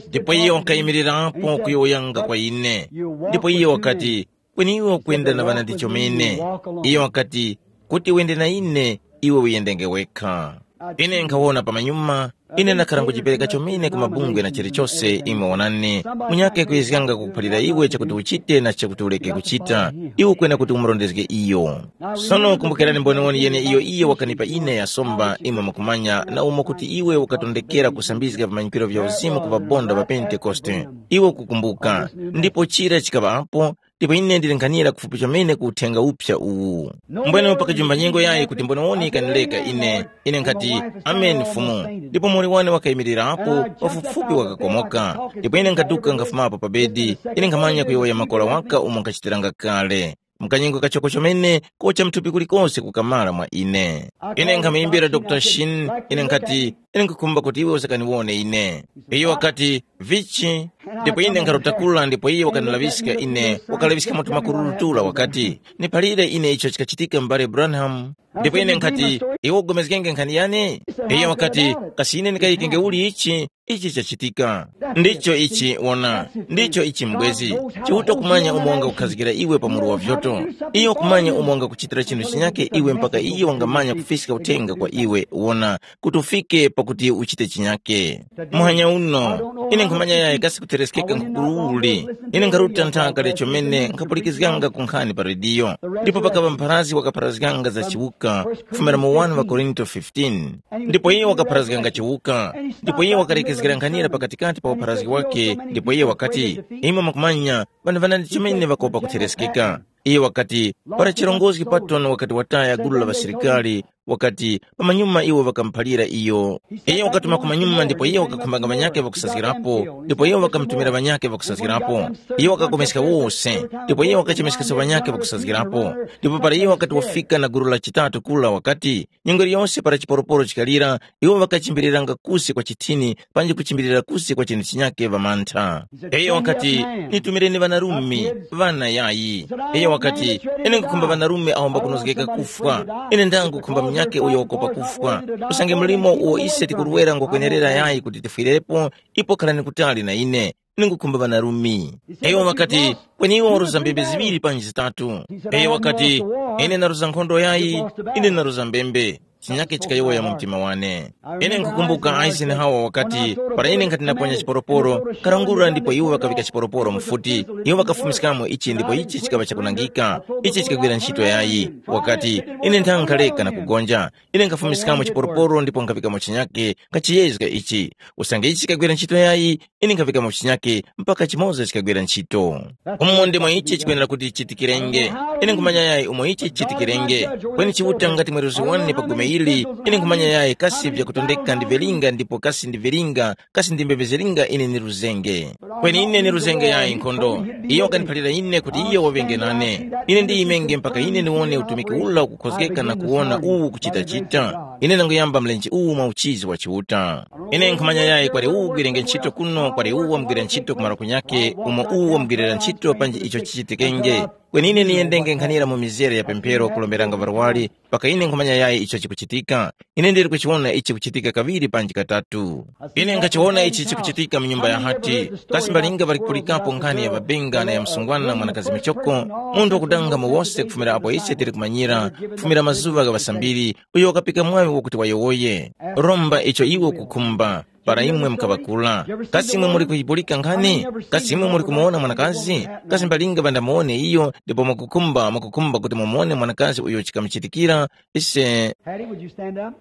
Ndipo iye wakayimirirapo kuyowoyanga kwa ine. Ndipo iye wakati, kweni iwe ukwenda na ŵanandi chomene. Iyo wakati, kuti wende na ine, iwe uyendenge wekha. Ine nkhawona pamanyuma, ine ndakhara nkujipereka chomene ku mabungwe na chilichose imwe wonani, munyakhe kuyezganga kukuphalira iwe chakuti uchite na chakuti uleke kuchita, iwe ukwena kuti umurondezge iyo. Sono kumbukirani mboniwoni yene iyo iye wakanipa ine yasomba imwe mukumanya na umo kuti iwe ukatondekera kusambizga vimanyikiro vya uzimu ku ŵabonda ŵa Pentekoste. Iwe ukukumbuka, ndipo chira chikaŵapo, ndipo ine ndili nkhanira kufupi chomene ku uthenga uphya uwu. Mbwene pakajumba nyengo yayi kuti mboniwoni ikanileka ine, ine nkhati, ameni Fumu. Ndipo muli wane wakayimirirapo, pafupifupi wakakomoka. Ndipo ine nkhaduka nkhafumapo pa bedi, ine nkhamanya kuyowoya makola waka umo nkhachitiranga kale. Mkanyengo kachoko chomene kocha mthupi kulikose kukamala mwa ine. Ine nkhamuyimbira Dr Shin, ine nkhati, ine nkhukhumba kuti iwe usakaniwone ine. Iyo wakati, vichi? Ndipo ine nkharutakula ndipo iye wakanilaŵiska ine, wakalaŵiska mutu makururutula wakati, niphalire ine icho chikachitika m'bale Branham. Ndipo ine nkhati, iwe ugomezgenge nkhani yani? Iyo wakati, kasi ine ndikayikenge uli ichi? Ichi chachitika. Ndicho ichi wona, ndicho ichi mbwezi. Chiuta kumanya umo wangakukhazikira iwe pa mulu wa vyoto. Iyo kumanya umo wangakuchitira chinthu chinyake iwe mpaka iyo wangamanya kufiska uthenga kwa iwe wona, kuti ufike pakuti uchite chinyake. Muhanya uno, ine nkhumanya yayi kasi kutereskeka nkhukululi. Ine nkharuta nthaka lya chomene nkhapulikizganga ku nkhani pa rediyo, ndipo pakaŵa mpharazgi wakapharazganga za chiwuka kufumira mu wani wa Korinto fifteen. Ndipo iye wakapharazganga chiwuka, ndipo iye wakalekezgera nkhanira pakatikati pa upharazgi wake, ndipo iye wakati, imwe mukumanya, ŵanthu ŵanandi chomene ŵakopa kuthereskeka. Iye wakati, para chirongozgi Patton wakati wataya gulu la ŵasilikali, wakati, pamanyuma iwo ŵakamuphalira iyo. Iyo wakatuma kumanyuma ndipo iyo wakakhumbanga ŵanyakhe ŵakusazgirapo, ndipo iyo wakamutumira ŵanyakhe ŵakusazgirapo. Iyo wakakomeska wose, ndipo iyo wakachemeskesa ŵanyakhe ŵakusazgirapo. Ndipo para iyo wakati wafika na gulu la chitatu kula wakati, nyengo yiliyonse para chiporoporo chikalira, iwo ŵakachimbiriranga kusi kwa chithini panji kuchimbirira kusi kwa chinthu chinyakhe ŵamantha. Iyo wakati, nitumireni ŵanarume, ŵana yayi. Iyo wakati, ine nkukhumba ŵanarume awo mbakunozgeka kufwa. Ine ndangukhumba munyakhe uyo wakopa kufwa. Usange mlimo uwo ise tikurwera ngwakwenerera yayi kuti tifwirepo, ipo kharani kutali na ine. Ine nkukhumba ŵanarume. Iyo wakati, kweni iwo waruza mbembe ziŵiri panji zitatu. Iyo wakati, ine naruza nkhondo yayi, ine naruza mbembe. Chinyakhe chikayowoya mu mtima wane. Ine nkukumbuka Eisenhower wakati, para ine nkhati naponya chiporoporo, karangurura ndipo iwo ŵakaŵika chiporoporo mufuti. Iwo ŵakafumiskamo ichi ndipo ichi chikaŵa chakunangika. Ichi chikagwira ntchito yayi. Wakati, ine nthanga nkhaleka na kugonja. Ine nkhafumiskamo chiporoporo ndipo nkhaŵikamo chinyakhe, nkhachiyezga ichi. Usange ichi chikagwira ntchito yayi, ine nkhaŵikamo chinyakhe mpaka chimoza chikagwira ntchito. Umo ndimo ichi chikwenera kuti chichitikirenge. Ine nkhumanya yayi umo ichi chichitikirenge. Kweni Chiuta ngati mweruzi wane pa gome ili, ine nkhumanya yayi kasi vyakutondeka ndivilinga ndipo kasi ndivilinga, kasi ndi mbembe zilinga ine niruzenge. Kweni ine niruzenge yayi nkhondo. Iyo wakaniphalira ine kuti iyo waŵenge nane. Ine ndiyimenge mpaka ine ndiwone utumiki ula ukukhozgeka na kuwona uwu kuchitachita. Ine ndanguyamba mlenje uwu mwa uchizi wa Chiuta. Ine nkhumanya yayi kwali uwu ugwirenge ntchito kuno, kwali uwu wamugwira ntchito kumaro kunyakhe, umo uwu wamugwirira ntchito panji icho chichitikenge. Kweni ine niyendenge nkhanira mu mizere ya pemphero kulomberanga varwari, mpaka ine nkhumanya yayi icho chikuchitika. Ine ndili kuchiwona ichi kuchitika kaŵiri panji katatu. Ine nkhachiwona ichi chikuchitika mu nyumba ya hati. Kasi mbalinga ŵali kupulikapo nkhani ya ŵabenga na ya msungwana mwanakazi michoko, munthu wakudanga mu wose kufumira apo ise tili kumanyira, kufumira mazuŵa gha ŵasambiri, uyo wakapika mwaŵi wakuti wayowoye. Romba icho iwe ukukhumba, para imwe mukaŵakula. Kasi imwe muli kuyipulika nkhani? Kasi imwe muli kumuwona mwanakazi? Kasi mbalinga ŵandamuwone iyo, ndipo mwakukhumba mwakukhumba kuti mumuwone mwanakazi uyo chikamuchitikira? Ise Hattie, would you stand up?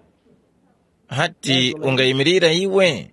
Hati ungayimirira iwe?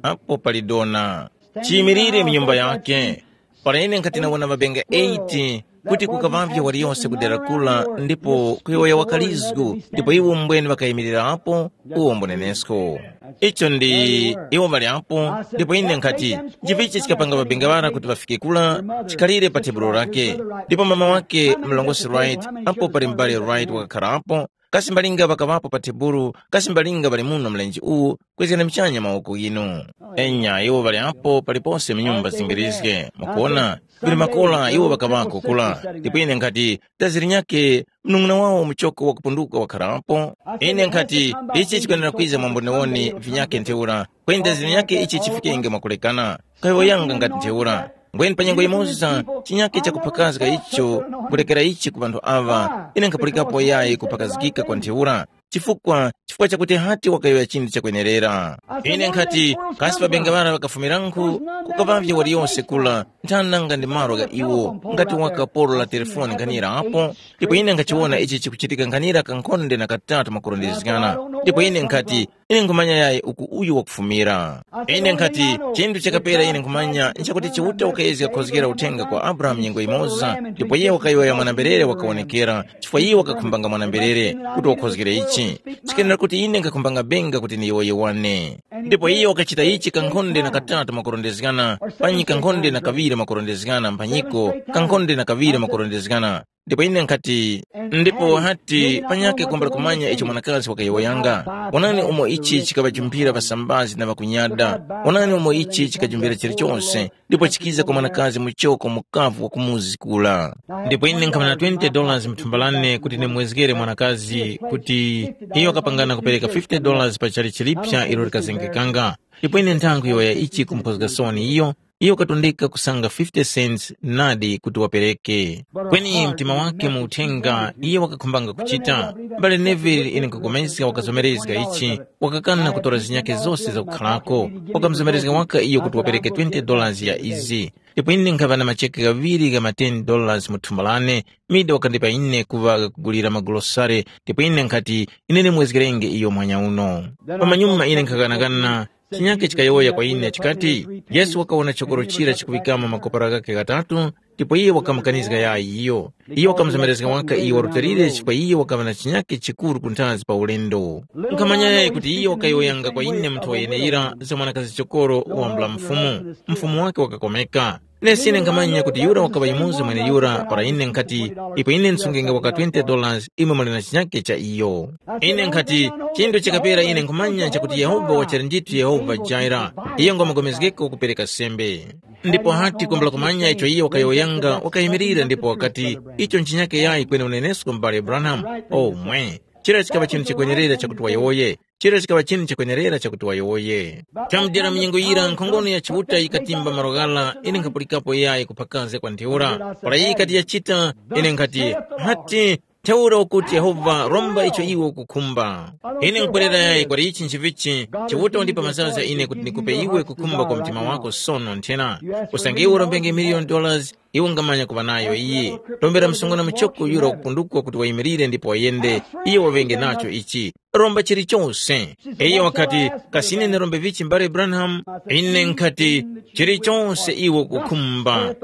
Apo pali dona. Chiyimirire mu nyumba yake. Para ine nkhati nawona mabenga eight, kuti kukapavye waliyose kudera kula, ndipo kuyowoya wakalizgu, ndipo iwo mbweni ŵakayimirira apo, uwo mbunenesko. Icho ndi, iwo ŵali apo, ndipo ine nkhati, nchivichi chikapanga mabenga ŵara kuti ŵafike kula, chikhalire pa tebulo lake. Ndipo mama wake, mlongosi Wright, apo pali m'bale Wright wakakharapo, kasi mbalinga ŵakaŵapo pa tebulu, kasi mbalinga ŵali muno mlenje uwu, kwezgani muchanya mawoko ghinu. Enya, iwo ŵali apo palipose mu nyumba zingirizge. Mukuona, kuli makola iwo ŵakaŵako kula. Ndipo ine nkhati, dazi linyakhe, mnung'una wawo muchoko wakupunduka wakharapo. Ine nkhati, ichi chikwenera kwiza mwamboniwoni vinyakhe ntheura, kweni dazi linyakhe ichi chifikenge mwakulekana. Kayowoyanga ngati ntheura. Ngweni pa nyengo yimoza, chinyakhe chakuphakazga icho, kulekera ichi ku ŵanthu aŵa, ine nkhapulikapo yayi kuphakazgika kwa ntheura, chifukwa, chifukwa chakuti hati wakayowoya chinthu chakwenerera. Ine nkhati, kasi ŵabenga ŵara ŵakafumiranku, kukaŵavye waliyose kula, nthana nanga ndi malo gha iwo, ngati waka polo la telefoni nkhanira apo, ndipo ine nkhachiwona ichi chikuchitika nkhanira kankhonde na katatu makurondezgana, ndipo ine nkhati, ine nkhumanya yayi uku uyu wakufumira. Ine nkhati, chinthu chakapera ine nkhumanya nchakuti Chiuta wakayezga kukhozgera uthenga kwa Abrahamu nyengo yimoza, ndipo iye wakayowoya mwana-mberere wakawonekera, chifukwa iye wakakhumbanga mwana-mberere kuti wakhozgere ichi. Chikenera kuti ine nkhakhumbanga benga kuti ndiyowoye wane. Ndipo iye wakachita ichi kankhonde na katatu makurondezgana, panyi kankhonde na kaŵiri makurondezgana mphanyiko, kankhonde na kaŵiri makurondezgana. Ndipo ine nkhati, ndipo hati panyakhe kumbali kumanya icho mwanakazi wakayowoyanga. Wonani umo ichi chikaŵajumphira ŵasambazi na ŵakunyada. Wonani umo ichi chikajumbira chilichonse, ndipo chikiza kwa mwanakazi muchoko mukavu wa kumuzi kula. Ndipo ine nkhamana twenty dollars mu thumba lane kuti ndimwezgere mwanakazi kuti iyo wakapangana kupereka fifty dollars pa chali chilipsa ilo likazengekanga. Ndipo ine nthankhu yowoya ichi kumphozga soni iyo, iyo wakatondeka kusanga fifty cents nadi kuti wapereke. Kweni mtima wake mu uthenga iye wakakhumbanga kuchita. M'bale Neville, ine nkupulikana wakazomerezga ichi, wakakana kutora zinyakhe zose zakukhalako. Wakamuzomerezga waka iyo kuti wapereke twenty dollars ya izi. Ndipo ine nkhaŵa na macheke ghaŵiri gha ma ten dollars mu thumba lane, Mida wakandipa ine kuŵa kugulira magulosale, ndipo ine nkhati, ine ndimwezgerenge iyo muhanya uno. Pamanyuma ine nkhakanakana, chinyakhe chikayowoya kwa ine chikati, Yesu wakawona chokoro chira chikuŵikamo makopera ghakhe ghatatu, ndipo iye wakamukanizga yayi iyo. Iye wakamuzomerezga waka iyo warutilire chifukwa iye wakaŵa na chinyake chikuru kunthazi pa ulendo. Nkhamanya yayi kuti iye wakayowoyanga kwa ine munthu wayeneyira za mwanakazi chokoro wambula mfumu. Mfumu wake wakakomeka. Nesi ine nkhamanya kuti yura wakaŵa yumoza mweneyura para ine nkhati, ipo ine nsungenge waka twenty dollars, imwe muli na chinyake cha iyo. Ine nkhati, chinthu chikapera ine nkhumanya chakuti Yehova wachali ndithu Yehova Jaira, iyo ngwamukomezgeko kupereka sembe. Ndipo hati kwambula kumanya icho iye wakayowoyanga, wakayimirira ndipo wakati, icho nchinyake yayi kweni unenesko m'bale Branham. Omwe, chira chikaŵa chinthu chikwenerera chakuti wayowoye. Chira chikaŵa chinthu chikwenerera chakuti wayowoye. Chamudera mnyengo yira nkhongono ya Chiuta yikatimba malo ghara, ine nkhapulikapo yayi kuphakaze kwa ntheura. Para iyi ikati yachita, ine nkhati, hati, ntheura ukuti Yehova romba icho iwe ukukhumba. Ine nkwerera yayi kwali ichi nchivichi, Chiuta wandipa mazaza ine kuti ndikupe iwe kukhumba kwa mtima wako sono nthena. Usange iwe urombenge miliyoni dollars, iwe ungamanya kuŵa nayo iyi. Rombera msungwana muchoko yura wakupundukwa kuti wayimirire ndipo wayende, iye waŵenge nacho ichi. Romba chilichonse. Iyo wakati, kasi ine ndirombe vichi mbale Branham? Ine nkhati, chilichonse iwe ukukhumba.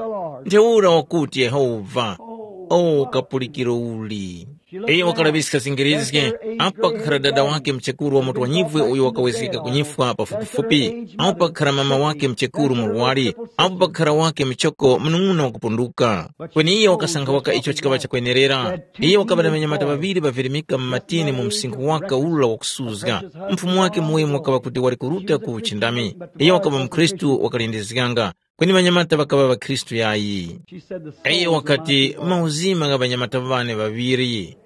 Ntheura wakuti Yehova. O kapulikiro uli. Iyo wakalaŵiska zingirizge, apo pakukhara dada wake mchekuru wa mutu wanyivwe uyo wakawezgeka kunyifwa pafupifupi, apo pakukhara mama wake mchekuru murwari, apo pakukhara wake mchoko munung'una wakupunduka. Kweni iyo wakasankha waka icho chikaŵa chakwenerera. Iyo wakaŵa na ŵanyamata ŵaŵiri ŵavirimika mu matini mu msinkhu waka ula wakusuzga. Mfumu wake muweme wakaŵa kuti wali kuruta ku uchindami. Iyo wakaŵa mukhristu wakalindizganga, kweni ŵanyamata ŵakaŵa ŵakhristu yayi. Iyo wakati, mauzima gha ŵanyamata ŵane ŵaŵiri.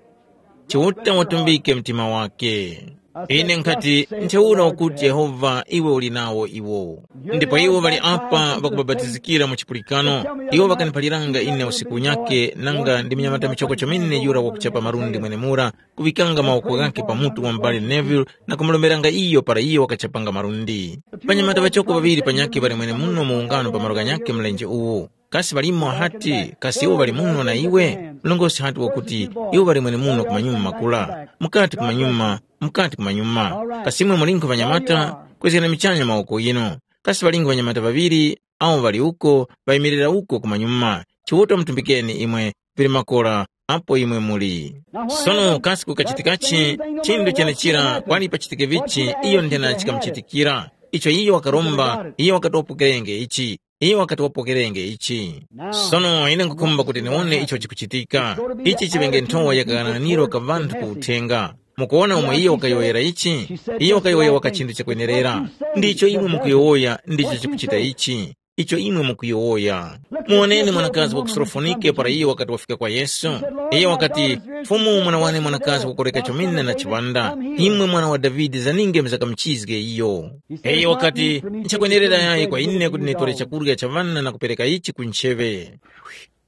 Chiuta watumbike mtima wake. Ine nkhati, ntheura ukuti Yehova iwe uli nawo iwo. Ndipo iwo ŵali apa ŵakubapatizikira mu chipulikano. Iwo ŵakaniphaliranga ine usiku unyake nanga ndi munyamata michoko chomene yura wakuchapa malundi mwenemura, kuŵikanga mawoko ghakhe pa mutu wa m'bale Neville na kumulomberanga iyo para iyo wakachapanga malundi. Panyamata ŵachoko ŵaŵiri panyakhe ŵali mwenemuno mu ungano pa malo ghanyakhe mlenje uwu. Kasi ŵalimo hati, kasi iwo ŵali muno na iwe? Mlongosi hati wakuti, iwo ŵali mwenemuno kumanyuma makula, mukati kumanyuma, mukati kumanyuma. Kasi imwe mulinkho ŵanyamata, kwezgani michanya mawoko yinu. Kasi ŵalinkho ŵanyamata ŵaŵiri, awo ŵali uko, ŵayimirira uko kumanyuma. Chiuta mutumbikeni imwe, vili makora, apo imwe muli. Sono kasi kukachitikachi, chinthu chenechira kwali pachitike vichi, iyo nthena chikamuchitikira. Icho iyo wakaromba, iyo wakati wapokerenge ichi. Iyo wakati wapokerenge ichi. Sono ine nkukhumba kuti niwone icho chikuchitika. Ichi chiŵenge nthowa ya kaghananiro ka ŵanthu ku uthenga. Mukuwona umo iyo wakayowoyera ichi? Iyo wakayowoya waka chinthu chakwenerera. Ndicho imwe mukuyowoya ndicho chikuchita ichi. Icho imwe mukuyowoya. Muwoneni mwanakazi wa ku Surofonike para iyo wakati wafika kwa Yesu. Iyo wakati, Fumu, mwana wane mwanakazi wakoreka chomene na chiŵanda. Imwe mwana wa Davide zaninge mzakamuchizge iyo. Iyo wakati, nchakwenerera yayi kwa ine kuti nitore chakurya cha ŵana na kupereka ichi ku ncheŵe.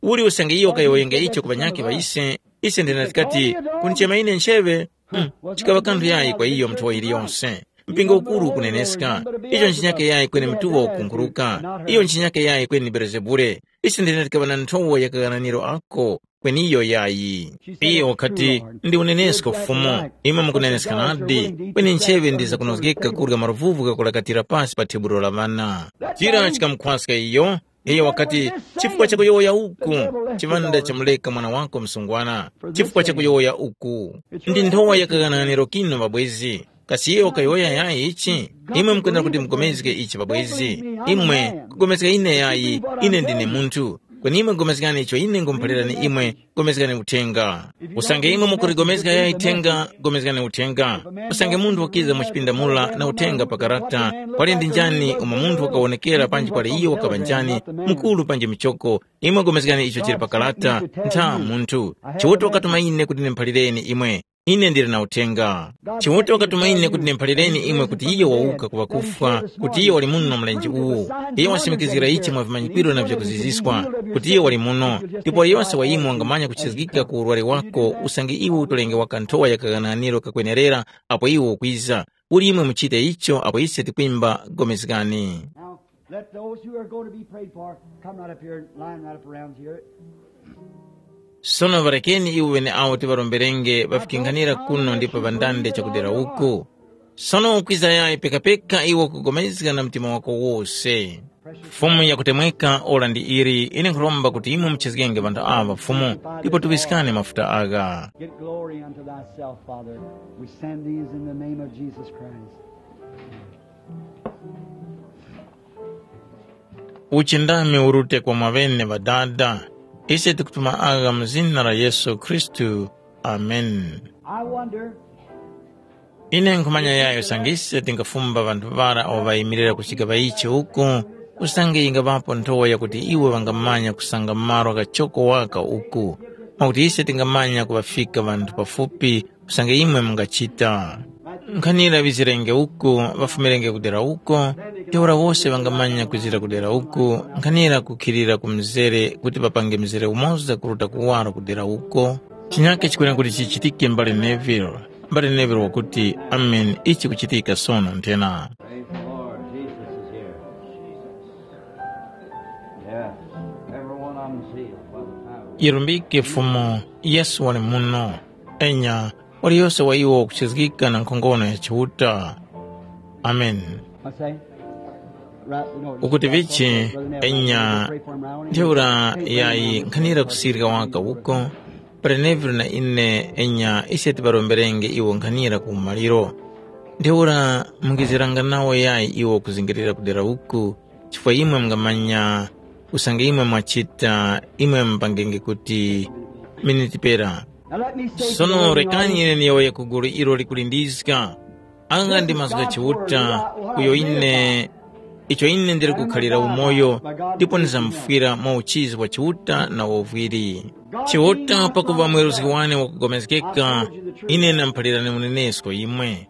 Uli usange iyo wakayowoyenga icho ku ŵanyakhe ŵa ise, ise ndina tikati, kunchema ine ncheŵe? Hmm, chikaŵa kanthu yayi kwa iyo mnthowa yiliyonse. Mpingo ukuru ukuneneska, icho nchinyake yayi kweni mtuŵa ukunkhuruka, iyo nchinyake yayi kweni Belezebule. Ise ndina tikaŵa na nthowa ya kaghananiro ako, kweni iyo yayi. Iyo wakati, ndi unenesko Fumu, imwe mukuneneska nadi, kweni ncheŵe ndi zakunozgeka kurya maluvuvu ghakulakatira pasi pa thebulo la ŵana. Chira chikamukhwaska iyo, iyo wakati, chifukwa chakuyowoya uku, chiŵanda chamuleka mwana wako msungwana, chifukwa chakuyowoya uku. Ndi nthowa ya kaghananiro kinu ŵabwezi. Kasi iyo wakayowoya yayi ichi? Imwe mukwenda kuti mugomezge ichi ŵabwezi. Imwe kugomezga ine yayi, ine ndine munthu. Kweni imwe gomezgani icho ine ngumuphalirani imwe, gomezgani uthenga. Usange imwe mukurigomezga yayi thenga, gomezgani uthenga. Usange munthu wakiza mu chipinda mura na uthenga pa karata, kwali ndi njani umo munthu wakawonekera panji kwali iyo wakaŵa njani, mukuru panji muchoko, imwe gomezgani icho chili pa karata, ntha munthu. Chiuta wakatuma ine kuti ndimuphalireni imwe. Ine ndili na uthenga. Chiuta wakatuma ine kuti ndimuphalireni imwe kuti iyo wawuka ku ŵakufwa, kuti iyo wali muno mlenje uwu. Iyo wasimikizgira ichi mwa vimanyikiro na vyakuziziskwa, kuti iyo wali muno. Ndipo yose wa imwe wangamanya kuchizgika ku urwari wako usange iwe utolenge waka nthowa ya kaghananiro kakwenerera apo iwe ukwiza. Uli imwe muchite icho apo ise tikwimba gomezgani. Now, let those who are going to be prayed for come right up here, line right up around here. Sono ŵarekeni iwo ŵeneawo tiŵaromberenge ŵafikinkhanira kuno ndipo ŵandande chakudera uku. Sono ukwiza yayi pekapeka iwe ukugomezga na mtima wako wose. Fumu yakutemweka ora ndi ili, ine nkhuromba kuti imwe muchizgenge ŵanthu aŵa Fumu, ndipo tuŵiskani mafuta agha. Get glory unto thyself, Father. We send these in the name of Jesus Christ. Uchindami urute kwa mwaŵene ŵadada. Ise tikutuma agha mu zina la Yesu Khristu. Amen. I wonder. Ine nkhumanya yayo sangise tingafumba ŵanthu ŵara awo ŵayimirira kuchika ŵaiche uku, usange yingaŵapo nthowa yakuti iwo ŵangamanya kusanga malo kachoko waka uku, mwakuti ise tingamanya kuŵafika ŵanthu pafupi usange imwe mungachita. Nkhanira ŵizirenge uku, ŵafumirenge kudera uko, ntheura wose ŵangamanya kwizira kudera uku, nkhanira kukhilira ku mzere kuti ŵapange mzere umoza kuruta kuwaro kudera uko. Chinyake chikwene kuti chichitike mbale Neville. Mbale Neville wakuti, "Amen, ichi kuchitika sono nthena." Praise the Lord. Jesus is here. Yes. Every one of them sealed by the power. Yirumbike Fumu, Yesu wali muno. Enya, waliyose wa iwo wakuchizgika na nkhongono ya Chiuta. Amen. What's that? Right, no, ukuti vichi, Brother Neville, enya, pray for him around here. Ntheura yayi nkhanira kusirika waka uko, Brother Neville na ine enya ise tiŵaromberenge iwo nkhanira ku umaliro. Ntheura mungiziranga nawo yayi iwo kuzingirira kudera uku, chifukwa imwe mungamanya usange imwe mwachita, imwe mupangenge kuti miniti pera. Now let me say to sono you, rekani ine niyowoye ku gulu ilo likulindiska. Anga ndi mazgu gha Chiuta, uyo ine, icho ine ndili kukhalira umoyo, ndipo ndizamufwira mwa uchizi wa Chiuta na wovwiri. Chiuta pakuva mweruzgi wane wakupulikana, ine ndamuphalirani unenesko imwe.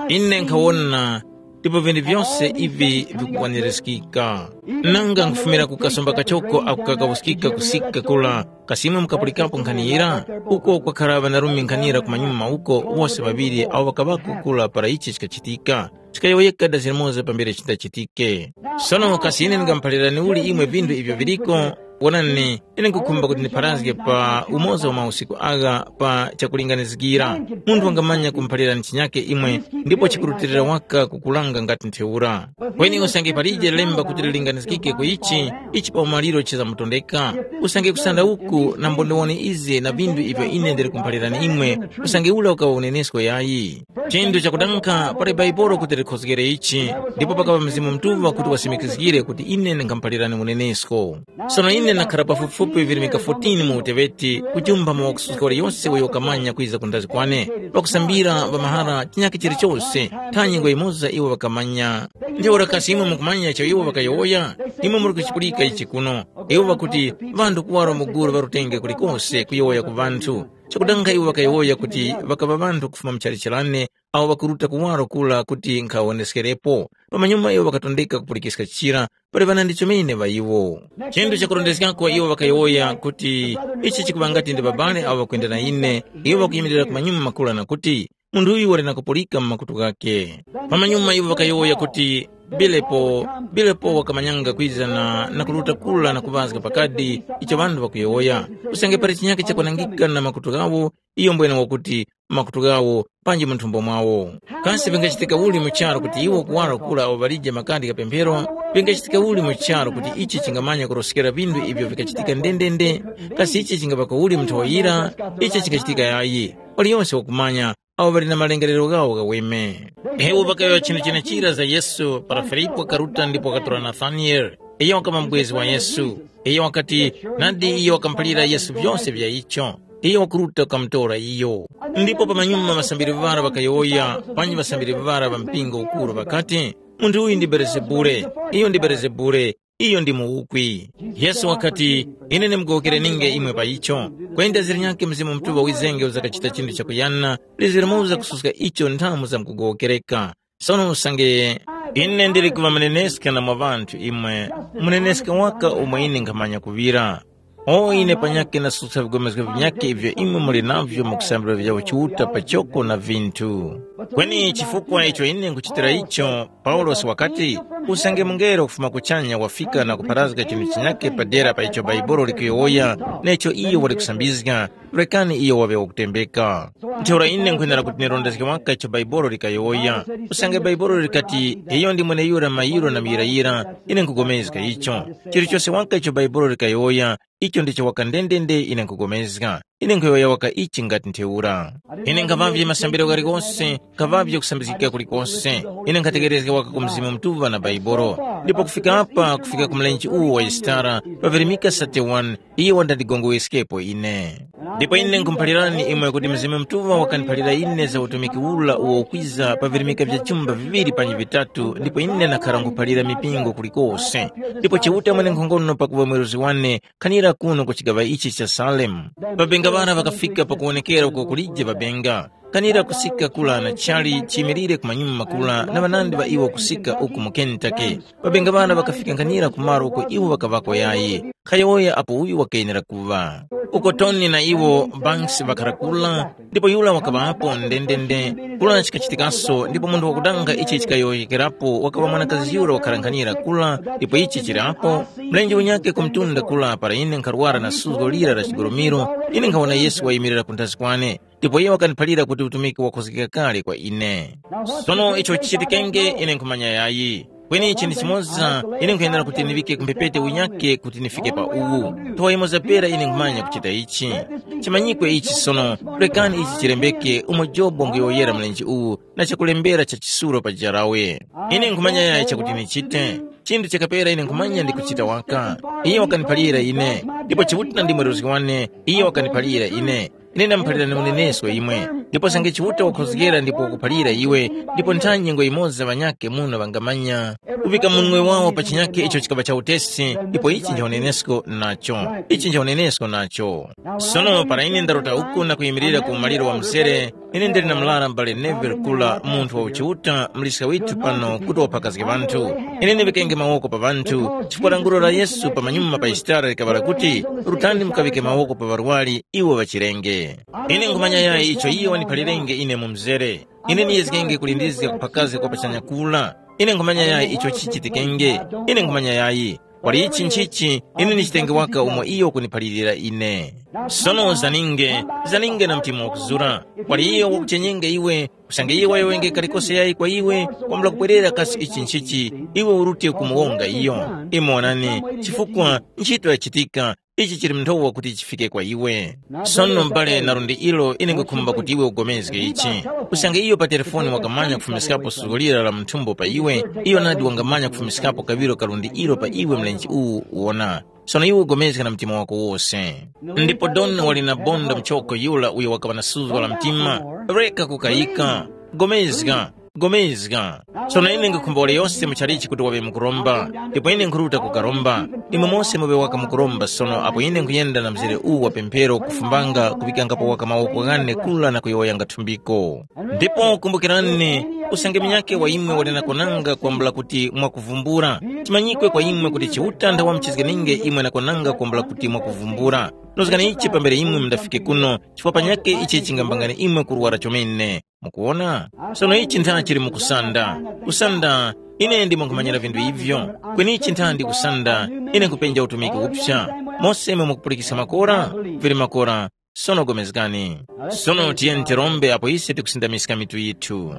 Ine nkhawona, ndipo vinthu vyose ivi vikukwanirizgika. Nanga nkhufumira ku kasomba kachoko ako kakawuskika kusika kura, kasi imwe mukapulikapo nkhani yira? Uko kwakhara ŵanarume nkhanira kumanyuma uko wose ŵaŵiri awo ŵakaŵako kura para ichi chikachitika. Chikayowoyeka dazi limoza pambere chindachitike. Sono kasi ine ndingamuphalirani uli imwe vinthu ivyo viliko? Wonani, ine nkhukhumba kuti ndipharazge pa umoza wa mausiku agha pa chakulinganizgira. Munthu wangamanya kumuphalirani chinyake imwe, ndipo chikurutilira waka kukulanga ngati ntheura. Kweni usange palije lemba kuti lilinganizgike ku ichi, ichi pa umaliro chizamutondeka. Usange kusanda uku nambo ndiwone izi na vinthu ivyo ine ndili kumuphalirani imwe, usange ula ukawa unenesko yayi. Chinthu chakudanga pali Baibolo kuti likhozgere ichi, ndipo pakaŵa Mzimu Mutuŵa kuti wasimikizgire kuti ine ndingamuphalirani unenesko. Sono ine ndakhara pafupifupi virimika fourteen mu uteŵeti, kuchumba mu wakususka waliyose uyo wakamanya kwiza kundazi kwane, pakusambira pa mahara chinyakhe chilichose, ntha nyengo yimoza iwo ŵakamanya. Ntheura kasi imwe mukumanya icho iwo ŵakayowoya? Imwe muli kuchipulika ichi kuno. Iwo ŵakuti, ŵanthu kuwaro mu gulu ŵarutenge kulikose kuyowoya ku ŵanthu. Chakudanga iwo ŵakayowoya kuti ŵakaŵa ŵanthu kufuma mu chalicharane awo ŵakuruta kuwaro kura kuti nkhawoneskerepo. Pamanyuma iwo ŵakatondeka kupulikiska chira, pali ŵanandi chomene ŵa iwo. Chinthu chakurondeskako iwo ŵakayowoya kuti ichi chikuŵa ngati ndi babale awo ŵakwenda na ine, iwo ŵakuyimirira kumanyuma makula na kuti, munthu uyu wali na kupulika mu makutu ghakhe. Pamanyuma iwo ŵakayowoya kuti, bilepo, bilepo wakamanyanga kwiza na, na kuruta kura na kuŵazga pakadi icho ŵanthu ŵakuyowoya. Usange pali chinyakhe chakwanangika na makutu ghawo, iyo mbwene wakuti makutu ghawo panji mu nthumbo mwawo. Kasi vingachitika uli mu charu kuti iwo kuwaro kura awo ŵalije makadi gha pemphero? Vingachitika uli mu charu kuti ichi chingamanya kuroskera vinthu ivyo vikachitika ndendende? Kasi ichi chingaŵako uli mu nthowa yira? Ichi chingachitika yayi. Waliyonse wakumanya awo ŵali na malengerero ghawo ghaweme. Iwo ŵakayowoya chinthu chenechira za Yesu para Filipu wakaruta ndipo wakatora Nathaniele. Iyo wakama mubwezi wa Yesu. Iyo wakati, nadi iyo wakamuphalira Yesu vyose vya icho. Iyo wakuruta kukamutora iyo. Ndipo pamanyuma ŵasambiri ŵara ŵakayowoya, panji ŵasambiri ŵara ŵa mpingo ukuru ŵakati, munthu uyu ndi Belezebule. Iyo ndi Belezebule. Iyo ndi muwukwi. Yesu wakati, ine ndimugowokere ninge imwe pa icho. Kweni dazi linyakhe Mzimu Mutuŵa wizenge uzakachita chinthu chakuyana, liziri muza kususka icho nthamu zamkugowokereka. Sono usange ine ndili kuŵa muneneska na mwa ŵanthu imwe, muneneska waka umo ine nkhamanya kuŵira. O ine panyakhe ndasuska vigomezgo vinyakhe ivyo imwe muli navyo mu kusambira vya Chiuta pachoko na vinthu. Kweni chifukwa icho ine nkuchitira icho, Paulosi wakati, usange mungelo kufuma kuchanya wafika na kupharazga chinthu chinyakhe padera pa icho Baibolo likuyowoya, necho iyo wali kusambizga, rekani iyo waŵe wakutembeka. Ntheura ine nkhwenera kuti nirondezge waka icho Baibolo likayowoya. Usange Baibolo likati, iyo ndi mweneyura mayiro na muyirayira, ine nkhugomezga icho. Chilichose waka icho Baibolo likayowoya, icho ndicho waka ndendende ine nkhugomezga. Ine nkhuyowoya waka ichi ngati ntheura. Ine nkhaŵavye masambiro ghalikose, nkhaŵavye kusambizgika kulikose. Ine nkhatekerezga waka ku Mzimu Mutuŵa na Baibolo. Ndipo kufika apa, kufika ku mlenje uwu wa Yisitara, pavirimika thirty-one, iye wandandigongoweskepo ine. Ndipo ine nkhumuphalirani imwe kuti Mzimu Mutuŵa wakaniphalira ine za utumiki ula uwo ukwiza pa virimika vya chumba viŵiri panji vitatu, ndipo ine ndakhara nkhuphalira mipingo kulikose. Ndipo Chiuta mwenenkhongono pakuŵa mweruzi wane, khanira kuno ku chigaŵa ichi cha Salemu. Ŵabenga ŵara ŵakafika pakuwonekera uko kulije ŵabenga. Kanira kusika kula na chali chimilire kumanyuma kula na ŵanandi ŵa iwo kusika uku mu Kentucky. Ŵabenga ŵana ŵakafika nganira ku malo uko iwo ŵakaŵako yayi. Khayowoya apo uyu wakenera kuŵa. Uko Tony na iwo Banks ŵakhara kula, ndipo yura wakaŵapo ndendende. Kula chikachitikaso ndipo munthu wakudanga ichi chikayowoyekerapo wakaŵa mwanakazi yura wakhala nkhanira kula, ndipo ichi chili apo. Mlenje unyake ku mtunda kula para ine nkharwara na suzgo lira la chigolomiro, ine nkhawona Yesu wayimirira kunthazi kwane. Ndipo iyo wakaniphalira kuti utumiki wakhozgeka kale kwa ine. Sono icho chichitikenge ine nkhumanya yayi. Kweni ichi ndi chimoza ine nkhuyenera kuti niŵike ku mphepete unyake kuti nifike pa uwu. Nthowa yimoza pera ine nkhumanya kuchita ichi. Chimanyikwe ichi sono, rekani ichi chilembeke umo Jobu wanguyowoyera mlenje uwu na chakulembera cha chisulo pa jarawe. Ine nkhumanya yayi chakuti nichite. Chinthu chakapera ine nkhumanya ndi kuchita waka. Iye wakaniphalira ine, ndipo Chiuta ndi mweruzgi wane, iye wakaniphalira ine. Ine ndamuphalirani unenesko imwe, ndipo sange Chiuta wakhozgera ndipo wakuphalira iwe, ndipo ntha nyengo yimoza ŵanyakhe muno ŵangamanya, kuŵika munwe wawo pa chinyakhe icho chikaŵa cha utesi, ndipo ichi nja unenesko nacho. Ichi nja unenesko nacho. Sono para ine ndarota uku na kuyimirira ku umaliro wa mzere, ine ndili na mlara m'bale Neville Kula, munthu wa uchiuta, muliska withu pano kuti waphakazge ŵanthu. Ine ndiŵikenge mawoko pa ŵanthu, chifukwa lankhulo la Yesu pamanyuma pa Yisitara likaŵa lakuti, rutani mukaŵike mawoko pa ŵarwari, iwo ŵachirenge. Ine nkhumanya yayi icho iye waniphalirenge ine mu mzere. Ine niyezgenge kulindizga kuphakazga kwa pachanya kula. Ine nkhumanya yayi icho chichitikenge. Ine nkhumanya yayi. Wali ichi nchichi, ine ndichitenge waka umo iyo wakuniphalirira ine. Sono zaninge, zaninge na mtima wakuzura. Wali iyo wakuchenyenge iwe, usange iye wayowoyenge kalikose yayi kwa iwe, wambula kubwerera kasi ichi nchichi, iwe urute kumuwonga iyo. Imwe wonani, chifukwa nchito yachitika, ichi chili mnthowa kuti chifike kwa iwe. Sono m'bale na lundi ilo ine nkhukhumba kuti iwe ugomezge ichi. Usange iyo pa telefoni wakamanya kufumiskapo suzgo lira la munthumbo pa iwe, iyo nadi wangamanya kufumiskapo kaŵiro ka lundi ilo pa iwe mlenje uwu wona. Sono iwe ugomezge na mtima wako wose. Ndipo Don wali na bonda muchoko yura uyo wakaŵa na suzgo la mtima. Reka kukayika. Gomezga. Gomezga. Sono ine nkhukhumba waliyose muchalichi kuti waŵe mukuromba, ndipo ine nkhuruta kukaromba. Imwe mose muŵe waka mukuromba sono apo ine nkhuyenda na mzere uwu wa pemphero kufumbanga kuŵikangapo waka mawoko ghane kula na kuyowoyanga thumbiko. Ndipo kumbukirani, usange munyakhe wa imwe wali na kwananga kwambula kuti mwakuvumbula, chimanyikwe kwa imwe kuti Chiuta nthawa muchizganinge imwe na kwananga kwambula kuti mwakuvumbula. Nozgani ichi pambere imwe mundafike kuno, chifukwa panyakhe ichi chingambangani imwe kurwara chomene. Mukuwona? Sono ichi ntha chili mu kusanda. Kusanda, ine ndimwe nkhumanyira vinthu ivyo. Kweni ichi ntha ndi kusanda, ine nkhupenja utumiki upsa. Mose imwe mukupulikisa makora, vili makora, sono gomezgani. Sono tiyeni tirombe apo ise tikusindamiska mitu yithu.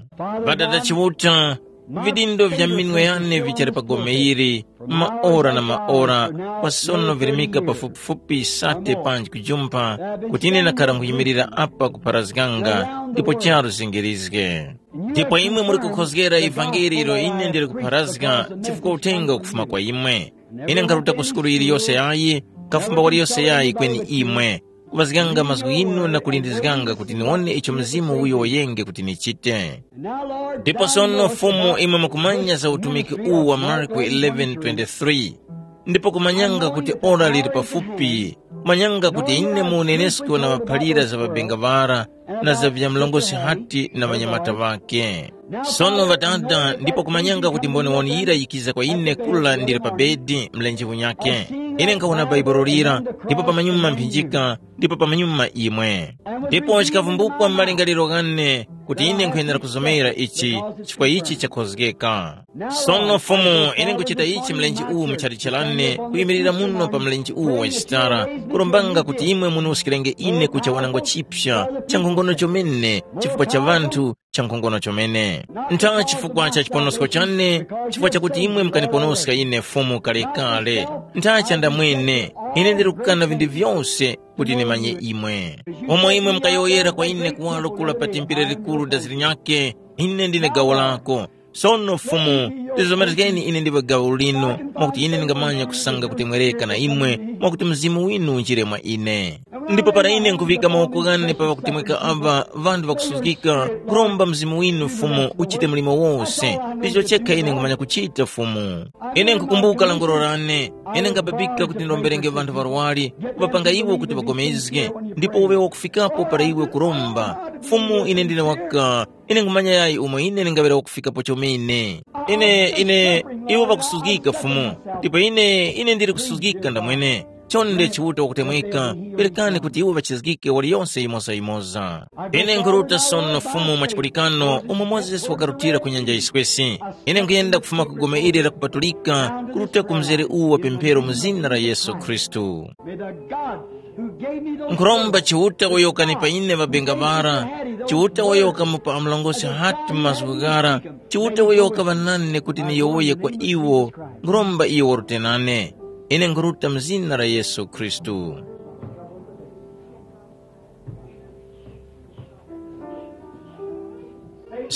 Ŵadada Chiuta, vidindo vya minwe yane vichali pa gome ili, maora na maora, kwa sono virimika pafupifupi sate panji kujumpha, kuti ine ndakhala nkhuyimirira apa kupharazganga, ndipo charu zingirizge. Ndipo imwe muli kukhozgera ivangeli ilo ine ndili kupharazga, chifukwa uthenga ukufuma kwa imwe. Ine nkharuta ku sukulu yiliyose yayi, kafumba waliyose yayi kweni imwe, kuŵazganga mazgu ghinu na kulindizganga kuti niwone icho Mzimu uyo wayenge kuti nichite. Ndipo sono Fumu imwe mukumanya za utumiki uwu wa Marko eleven twenty-three, ndipo kumanyanga kuti ora lili pafupi, kumanyanga kuti ine mu unenesko na ŵaphalira za ŵabenga ŵara na za vya mlongosi Hati na ŵanyamata ŵakhe. Sono ŵadada, ndipo kumanyanga kuti mboniwoni yira yikiza kwa ine kula ndili pa bedi mlenje unyakhe. Ine nkhawona Bhaibuli lira, ndipo pamanyuma mphinjika, ndipo pamanyuma imwe. Ndipo chikavumbukwa m'malingaliro ghane, kuti ine nkhuyenera kuzomera ichi, chifukwa ichi chakhozgeka. Sono Fumu, ine nkuchita ichi mlenje uwu muchalichi lane, kuyimirira muno pa mlenje uwu wa chitara, kurombanga kuti imwe munuskirenge ine kucha wanangwa chipsa cha nkhongono chomene chifukwa cha ŵanthu, cha nkhongono chomene. Ntha chifukwa cha chiponosko chane, chifukwa chakuti imwe mukaniponoska ine Fumu kalekale. Ntha chanda mwene, ine ndiri kukana vinthu vyose kuti ndimanye imwe. Pomwe imwe mukayowoyera kwa ine kuwaro kula pa tempere likuru da zilinyake, ine ndine gawo lako. Sono Fumu, lizomerezgeni ine ndiwe gawo linu, mwakuti ine ndingamanya kusanga kutemwereka na imwe, mwakuti Mzimu winu unjire mwa ine. Ndipo para ine nkhuŵika mawoko ghane pa ŵakutemweka aŵa, ŵanthu ŵakusuzgika, nkhuromba Mzimu winu Fumu uchite mlimo wose, ndicho chekha ine nkhumanya kuchita Fumu. Ine nkhukumbuka languro lane, ine nkhababika kuti ndiromberenge ŵanthu ŵarwari, kuŵapanga iwo kuti ŵagomezge, ndipo uŵe wakufikapo para iwe kuromba. Fumu ine ndine waka, ine nkhumanya yayi umo ine ndingaŵere wakufikapo chomene. Ine, ine, iwo ŵakusuzgika Fumu, ndipo ine, ine ndili kusuzgika ndamwene. Chonde Chiuta wakutemweka, perekani kuti iwo ŵachizgike waliyonse yimoza-yimoza. Ine nkhuruta sono Fumu mwa chipulikano umo Mozesi wakarutira ku nyanja yiswesi. Ine nkhuyenda kufuma ku gome ili lakupatulika kuruta ku mzere uwu wa pemphero mu zina la Yesu Khristu. May the God who gave me those Nkhuromba Chiuta uyo wakanipa ine ŵabenga ŵara, Chiuta uyo wakamupa amulongosi Hati mazgu ghara, Chiuta uyo wakaŵa nane kuti niyowoye kwa iwo, nkhuromba iyo warute nane. Ine nkhuruta mu zina la Yesu Khristu.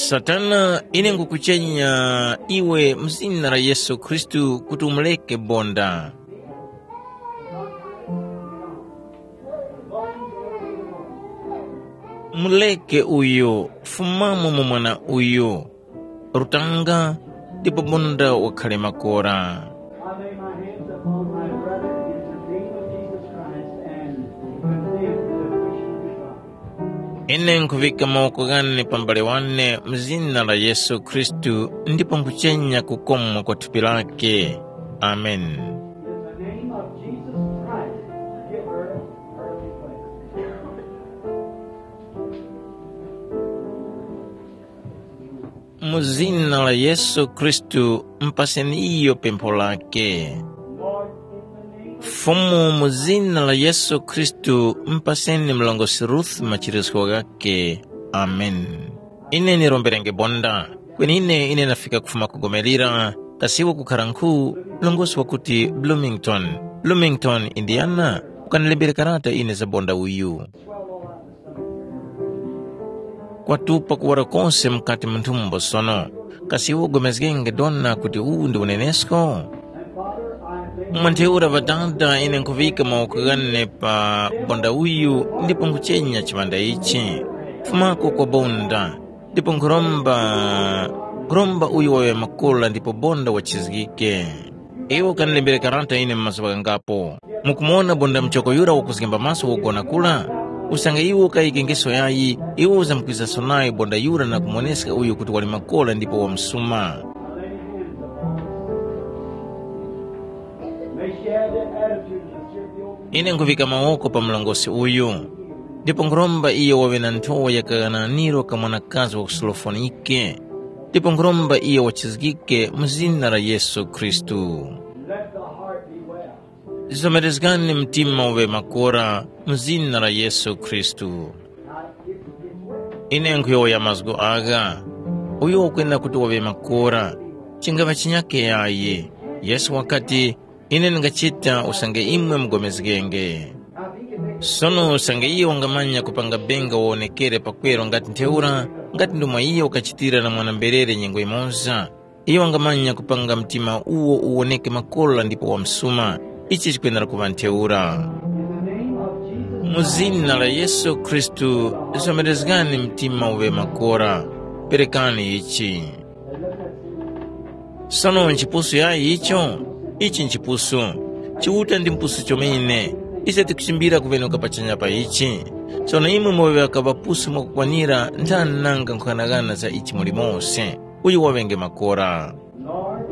Satana, ine ngukuchenya iwe mu zina la Yesu Khristu kuti umureke bonda. Mureke uyu, fumamo mu mwana uyu. Rutanga, ndipo bonda wakhale makora. I lay my hands upon my brother in the name of Jesus Christ and condemn the affliction of God. Ine nkhuŵika mawoko ghane pa m'bale wane mu zina la Yesu Khristu ndipo nkhuchenya kukomwa kwa thupi lake. Amen. In the name of Jesus Christ, give her her request. Mu zina la Yesu Khristu, mpaseni iyo pempho lake. Fumu, mu zina la Yesu Khristu, mpaseni mlongosi Ruth machirizgo ghake. Amen. Ine niromberenge bonda, kwenine ine nafika kufuma ku Gomelira, kasiwo kukhara nkhu, mlongosi wakuti Bloomington, Bloomington, Indiana, ukanilembere karata ine za bonda uyu. Kwatupa kuwara kose mukati mu nthumbo sono. Kasi iwe ugomezgenge dona kuti uwu ndi unenesko? Mwa ntheura Ŵadada, ine nkhuŵika mawoko ghane pa bonda uyu ndipo nkhuchenya chiŵanda ichi. Fumako kwa bonda, ndipo nkhuromba, nkhuromba uyu waŵe makola ndipo bonda wachizgike. Iwe ukanilembere karata ine mu mazuŵa ghangapo. Mukumuwona bonda muchoko yura wakuzgemba maso wogona kura? Usange iwe ukayike ngeso yayi, iwe uzamkwizaso nayo bonda yura na kumuwoneska uyo kuti wali makora ndipo wamsuma. Ine nkhuŵika mawoko pa mlongosi uyu, ndipo nkhuromba iyo waŵe na nthowa ya kaghananiro ka mwanakazi wa ku Surofonike, ndipo nkhuromba iyo wachizgike mu zina la Yesu Khristu. Zizomerezgani mtima uŵe makora mu zina la Yesu Khristu. Ine nkhuyowoya mazgu agha, uyo ukwenda kuti waŵe makora, chingaŵa chinyake yayi. Yesu wakati, ine ndingachita usange imwe mugomezgenge. Sono usange iyo wangamanya kupanga benga wawonekere pakweru ngati ntheura, ngati ndi mwa iyo wakachitira na mwana-mberere nyengo yimoza, iyo wangamanya kupanga mtima uwo uwoneke makora ndipo wamsuma, ichi chikwendera kuŵa ntheura. Mu zina la Yesu Khristu, somerezgani mtima uŵe makora, perekani ichi. Sono nchipusu yayi icho? Ichi nchipusu. Chiuta ndi mpusu chomene. Ise tikuchimbira kuŵenuka pachanya pa ichi. Sono imwe muŵe ŵaka ŵapusu mwakukwanira nthani nanga nkhughanagana za ichi muli mose. Uyu waŵenge makora. Lord,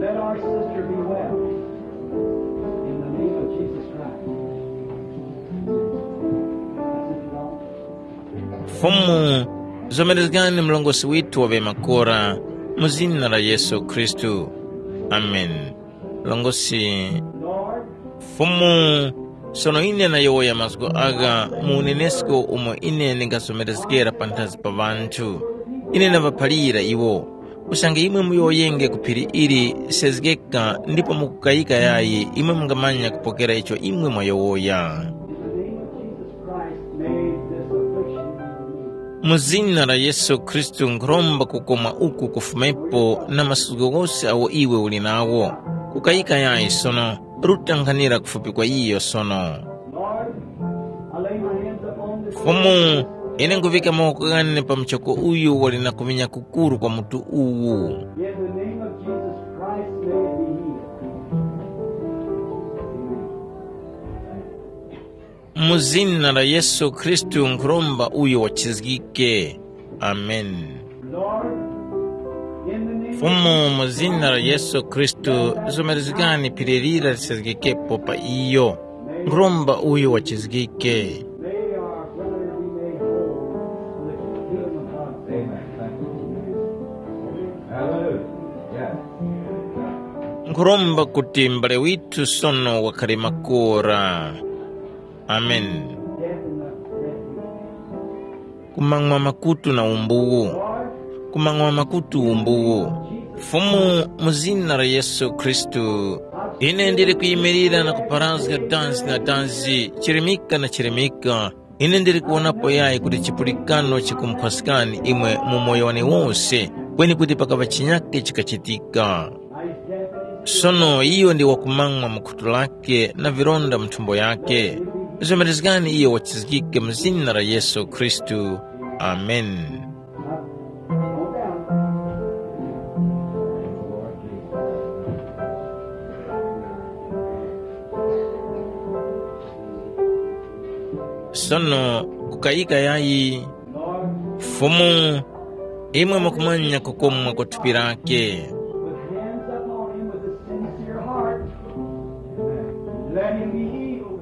let our sister be well. In the name of Jesus Christ. Fumu, Zomerezgani mlongosi withu wa ŵemakora, mu zina la Yesu Khristu. Ameni. Mlongosi. Fumu, sono ine nayowoya mazgu agha mu unenesko umo ine ndingazomerezgera panthazi pa ŵanthu. Ine ndaŵaphalira iwo, usange imwe muyowoyenge ku phiri ili, sezgeka, ndipo mukukayika yayi, imwe mungamanya kupokera icho imwe mwayowoya. In the name of Jesus Christ, may this affliction be removed. Mu zina la Yesu Khristu nkhuromba kukoma uku kufumepo na masuko ghose agho iwe uli nagho. Kukayika yayi sono, ruta nkhanira kufupi kwa iyo sono. Lord, I lay my hands upon this Fumu, ine nkuvika mawoko ghane pa muchoko uyu wali na kuminya kukuru kwa mutu uwu. In the name of Jesus Christ, may it be healed. Amen. Mu zina la Yesu Khristu nkhuromba uyo wachizgike. Amen. Lord, in the name of Fumu, mu zina la Yesu Khristu, zomerezgani phiri lira lisezgekepo pa iyo. Nkhuromba uyo wachizgike. May our brother be made whole for the kingdom of God. Amen. Thank you. Hallelujah. Yes. Nkhuromba kuti m'bale withu sono wakhare makora. Amen. Death and the refuge. Kumang'wa makutu na umbuwu. Kumang'wa makutu umbuwu. Fumu, mu zina la Yesu Khristu, ine ndili kuyimirira na kuparazga danzi na danzi, chirimika na chirimika. Ine ndili kuwonapo yayi kuti chipulikano chikumukhwaskani imwe mu moyo wane wose, kweni kuti pakaŵa chinyake chikachitika. Sono iyo ndi wakumang'wa mu khutu lake na vilonda mu nthumbo yake. Zomerezgani iyo wachizgike mu zina la Yesu Khristu. Amen. Sono kukayika yayi, Fumu, imwe mukumanya kukomwa kwa thupi lake. With hands upon him with a sincere heart, let him be healed.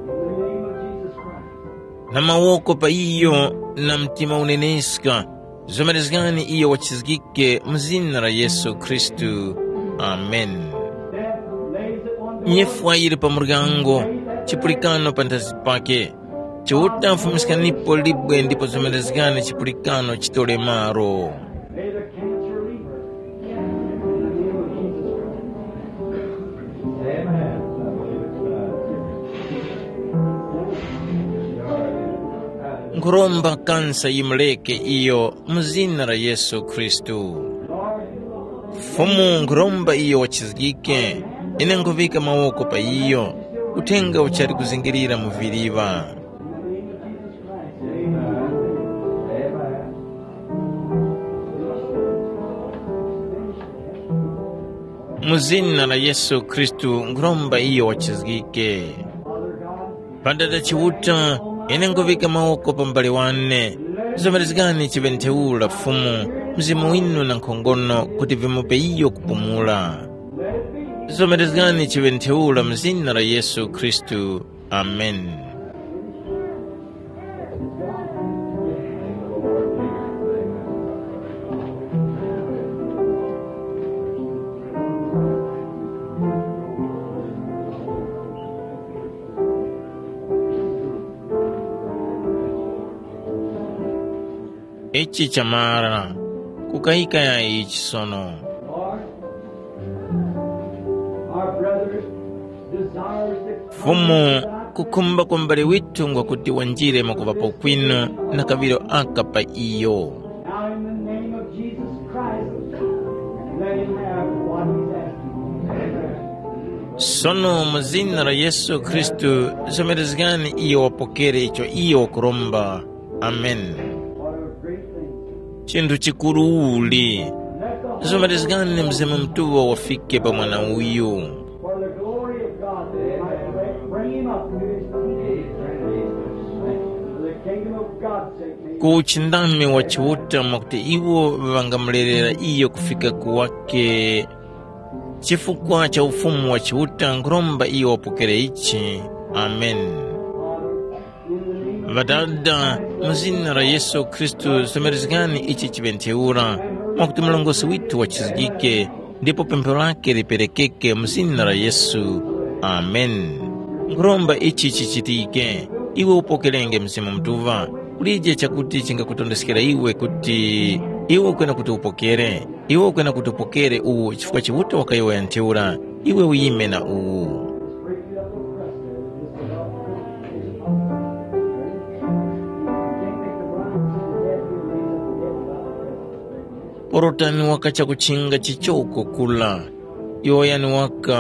In the name of Jesus Christ. Na mawoko pa iyo na mtima uneneska, zomerezgani iyo wachizgike mu zina la Yesu Khristu. Amen. Death lays at one door. Nyifwa yili pa muryango, chipulikano panthazi pake. Chiuta, fumiskanipo libwe ndipo zomerezgani chipulikano chitole malo. May the cancer leave her. In the name of Jesus Christ. Amen. Nkhuromba kansa yimureke iyo mu zina la Yesu Khristu. Fumu, nkhuromba iyo wachizgike, ine nkhuŵika mawoko pa iyo, uthenga uchali kuzingirira mu viliŵa. Mu zina la Yesu Khristu nkhuromba iyo wachizgike. Padada Chiuta, ine nkuŵika mawoko pa m'bale wane. Zomerezgani chiŵe ntheura Fumu, mzimu winu na nkhongono kuti vimupe iyo kupumula. Zomerezgani chiŵe ntheura mu zina la Yesu Khristu. Amen. Ichi chamara, kukayika ya ichi sono. Lord, our brother desires to come Fumu, inside kukhumba kwa m'bale withu ngwakuti wanjire mwakuŵapo kwinu na kaŵiro aka pa iyo. Now in the name of Jesus Christ, let him have what he's asking. Sono mu zina la Yesu Khristu, zomerezgani iyo wapokere icho iyo wakuromba. Amen. What a great thing. Chinthu chikuru uli. Let the Zomerezgani Mzimu Mutuŵa wafike pa mwana uyu. For the glory of God, that it might bring him up to his kingdom. For the kingdom of God's sake, may Ku uchindami wa Chiuta mwakuti iwo ŵangamulerera iyo kufika ku wake. Chifukwa cha ufumu wa Chiuta nkhuromba iyo wapokere ichi. Amen. Ŵadada, mu zina la Yesu Khristu, somerezgani ichi chiŵe ntheura, mwakuti mlongosi withu wachizgike, ndipo pempho lake liperekeke mu zina la Yesu. Amen. Nkhuromba ichi chichitike, iwe upokerenge Mzimu Mutuŵa, kulije chakuti chingakutondeskera iwe kuti iwe ukwena kuti upokere. Iwe ukwena kuti upokere uwu chifukwa Chiuta wakayowoya ntheura, iwe uyime na uwu. Porotani waka chakuchinga chichoko kula. Yowoyani waka.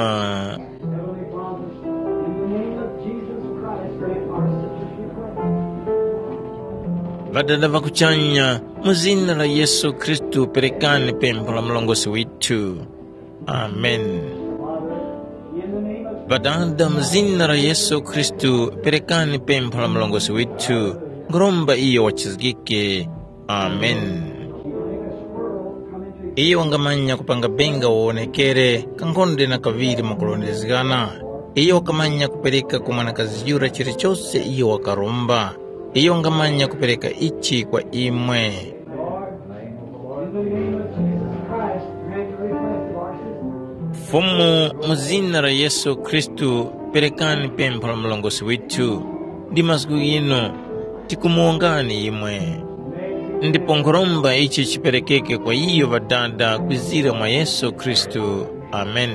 Ŵadada ŵa kuchanya, mu zina la Yesu Khristu perekani pempho la mlongosi withu. Amen. Ŵadada, mu zina la Yesu Khristu perekani pempho la mlongosi withu, nkhuromba iyo wachizgike. Amen. Iyo wangamanya kupanga benga wawonekere kankhonde na kaŵiri mwakulondezgana. Iyo wakamanya kupereka ku mwanakazi yura chilichose iyo wakaromba. Iyo wangamanya kupereka ichi kwa imwe. Fumu, mu zina la Yesu Khristu, perekani pempho la mlongosi withu. Ndi mazgu ghinu, tikumuwongani imwe. Ndipo nkhuromba ichi chiperekeke kwa iyo Ŵadada kwizira mwa Yesu Khristu. Amen.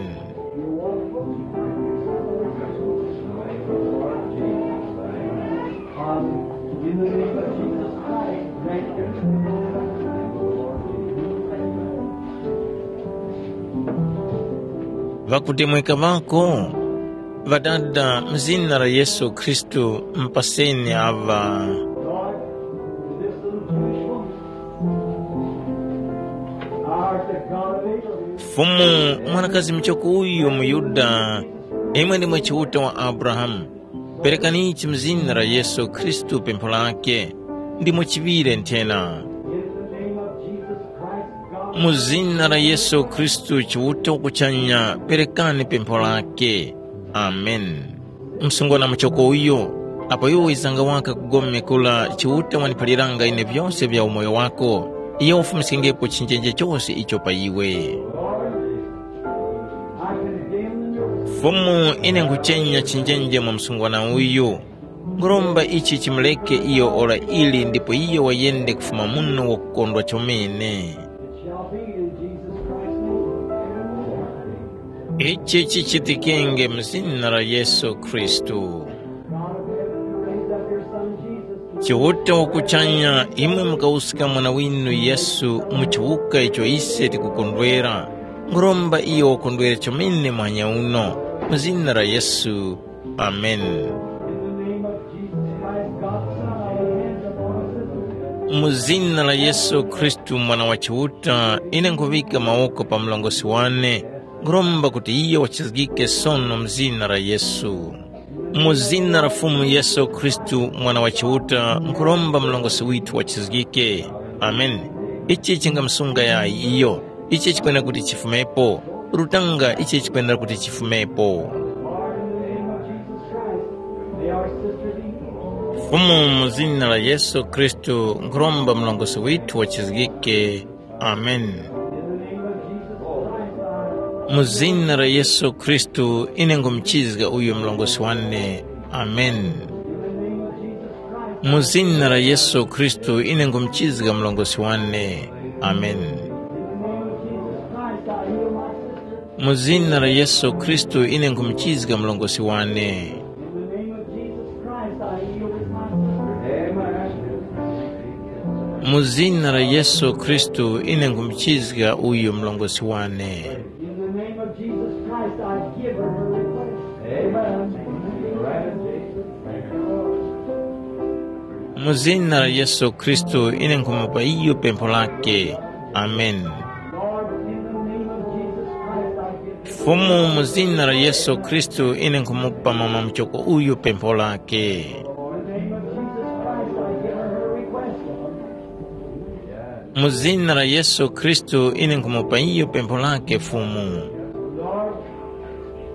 Ŵakutemweka ŵako, Ŵadada, mu zina la Yesu Khristu, mpaseni aŵa. Fumu, mwanakazi muchoko uyu muYuda, imwe ndimwe Chiuta wa Abrahamu, perekani ichi mu zina la Yesu Khristu pempho lake, ndimo chiŵire nthena. Mu zina la Yesu Khristu Chiuta wakuchanya, perekani pempho lake. Amen. Msungwana muchoko uyo, apo iwe wizanga waka kugome kula, Chiuta waniphaliranga ine vyose vya umoyo wako, iyo wafumiskengepo chinjenje chose icho pa iwe. Fumu, ine nkhuchenya chinjenje mwa msungwana uyu. Nkhuromba ichi chimureke iyo ora ili ndipo iyo wayende kufuma muno wakukondwa chomene. Ichi chichitikenge mu zina la Yesu Khristu. Chiuta wakuchanya, imwe mukawuska mwana winu Yesu mu chiwuka icho ise tikukondwera. Nkhuromba iyo wakondwere chomene muhanya uno, mu zina la Yesu. Amen. Mu zina la Yesu Khristu, Mwana wa Chiuta, ine nkhuŵika mawoko pa mlongosi wane, nkhuromba kuti iyo wachizgike sono mu zina la Yesu. Mu zina la Fumu Yesu Khristu, Mwana wa Chiuta, nkhuromba mlongosi withu wachizgike. Amen. Ichi chingamsunga yayi iyo. Ichi chikwenda kuti chifumepo. Lutanga ichi chikwenda kuti chifumepo. Fumu, mu zina la Yesu Khristu, nkhuromba mlongosi withu wachizgike. Amen. Mu zina la Yesu Khristu, ine ngumuchizga uyu mlongosi wane. Amen. Mu zina la Yesu Khristu, ine ngumuchizga mlongosi wane. Amen. Mu zina la Yesu Khristu, ine ngumuchizga mlongosi wane. Mu zina la Yesu Khristu, ine ngumuchizga uyu mlongosi wane. In the name of Jesus Christ, I give her her request. Amen. Mu zina la Yesu Khristu, ine nkhumupa iyo pempho lake. Amen. Lord, in the name of Jesus Christ, I give her Fumu, mu zina la Yesu Khristu, ine nkhumupa mama muchoko uyu pempho lake. In the name of Jesus Christ, I give her her request, Lord. Mu zina la Yesu Khristu, ine nkhumupa iyo pempho lake, Fumu. Lord,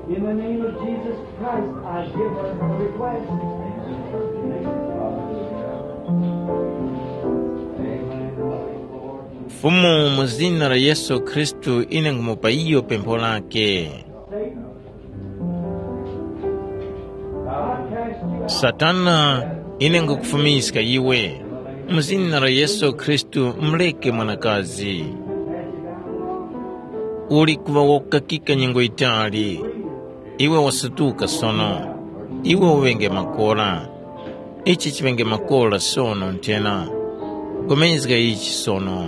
in the name of Jesus Christ, I give her her request. Fumu, mu zina la Yesu Khristu, ine nkhumupa iyo pempho lake. Satana, ine nkhukufumiska iwe, mu zina la Yesu Khristu, mureke mwanakazi. Uli kuŵa wakukakika nyengo yitali. Iwe wasutuka sono. Iwe uŵenge makora. Ichi chiŵenge makora sono nthena. Pulikana ichi sono.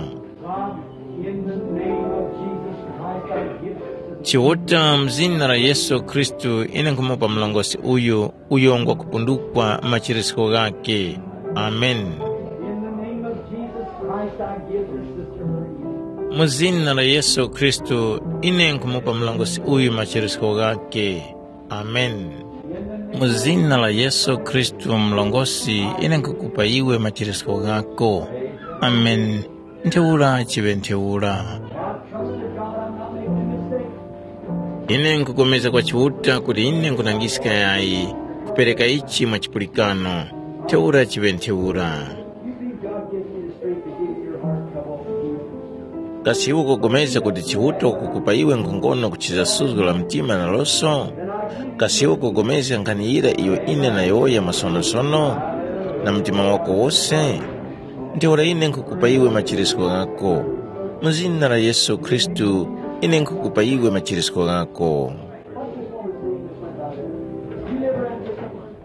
Chiuta, mu zina la Yesu Khristu, ine nkhumupa mlongosi uyu uyo ngwakupundukwa machirisko ghakhe. Amen. Mu zina la Yesu Khristu, ine nkhumupa mlongosi uyu machirisko ghakhe. Amen. Mu zina la Yesu Khristu mlongosi, ine nkhukupa iwe machirisko ghako. Amen. Ntheura chiŵe ntheura. Ine nkhupulikana kwa Chiuta kuti ine nkhunangiska yayi kupereka ichi mwa chipulikano. Ntheura chiŵe ntheura. Kasi iwe ukupulikana kuti Chiuta wakukupa iwe nkhongono kuchizga suzgo la mtima na loso? Kasi iwe ukupulikana nkhani yira iyo ine nayowoya masonosono na mtima wako wose? Ntheura ine nkhukupa iwe machirisko ghako. Mu zina la Yesu Khristu, ine nkhukupa iwe machirisko ghako.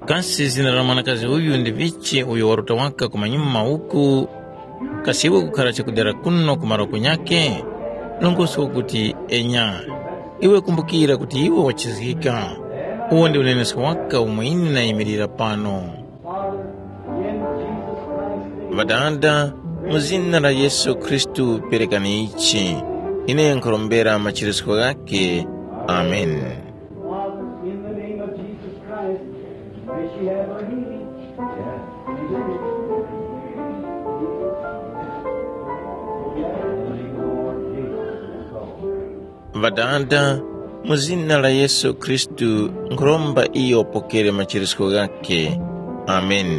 Kasi zina la mwanakazi uyu ndi vichi uyo waruta waka kumanyuma uku? Kasi iwe kukhara chakudera kuno ku malo ghanyakhe? Nongosko kuti enya. Iwe kumbukira kuti iwe wachizgika. Uwo ndi unenesko waka umwe ine nayimirira pano. Ŵadada, mu zina la Yesu Khristu perekani ichi. Ine nkhurombera machirisko ghakhe. Amen. Father, in the name of Jesus Christ, may she have her healing. Ŵadada, mu zina la Yesu Khristu, nkhuromba iyo upokere machirisko ghakhe. Amen.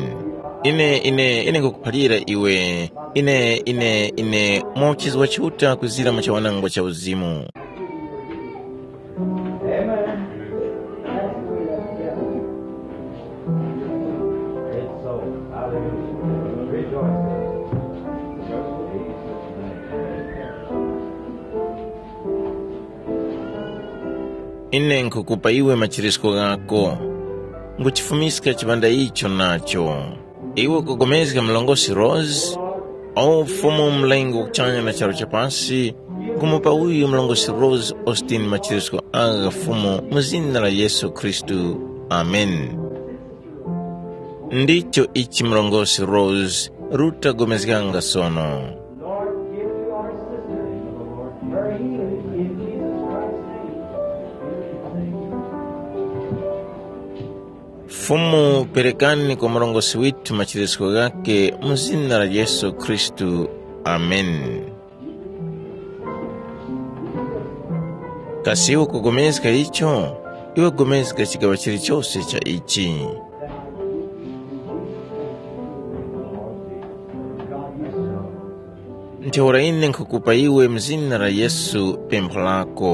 Ine, ine, ine nkukuphalira iwe, ine, ine, ine, mwa uchizi wa Chiuta kuzira mu chawanangwa cha uzimu. Amen. It's so. Hallelujah. Rejoice. Ine nkhukupa iwe machirisko ghako. Nguchifumiska chipanda icho nacho. Iwe ukugomezga mlongosi Rose? O Fumu, Mlengi wa kuchanya na charu cha pasi, nkumupa uyu mlongosi Rose Austin machirisko agha Fumu mu zina la Yesu Khristu. Amen. Ndicho ichi mlongosi Rose ruta gomezganga sono. Lord, give to our sister her healing in Jesus Christ's name. Fumu, perekani kwa murongozgi withu machirisko ghakhe mu zina la Yesu Khristu. Amen. Kasi iwe ukupulikana icho? Iwe pulikana chigaŵa chilichose cha ichi. Ntheura ine nkhukupa iwe mu zina la Yesu pempho lako.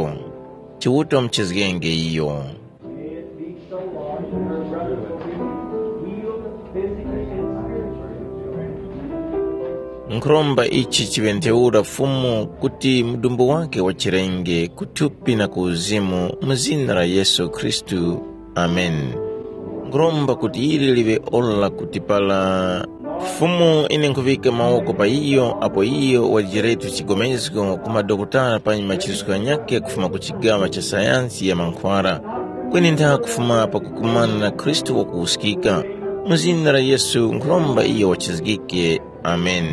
Chiuta wamuchizgenge iyo. Nkhuromba ichi chiŵe ntheura Fumu kuti mudumbu wakhe wachirenge ku thupi na ku uzimu mu zina la Yesu Khristu. Amen. Nkhuromba kuti ili liŵe ora kuti para Fumu, ine nkhuŵika mawoko pa iyo apo iyo wajiretu chigomezgo ku madokotala panyi machiritso ghanyakhe kufuma ku chigaŵa cha sayansi ya mankhwara. Kweni ntha kufuma pakukumana na Khristu wakuwuskika. Mu zina la Yesu nkhuromba iyo wachizgike. Amen.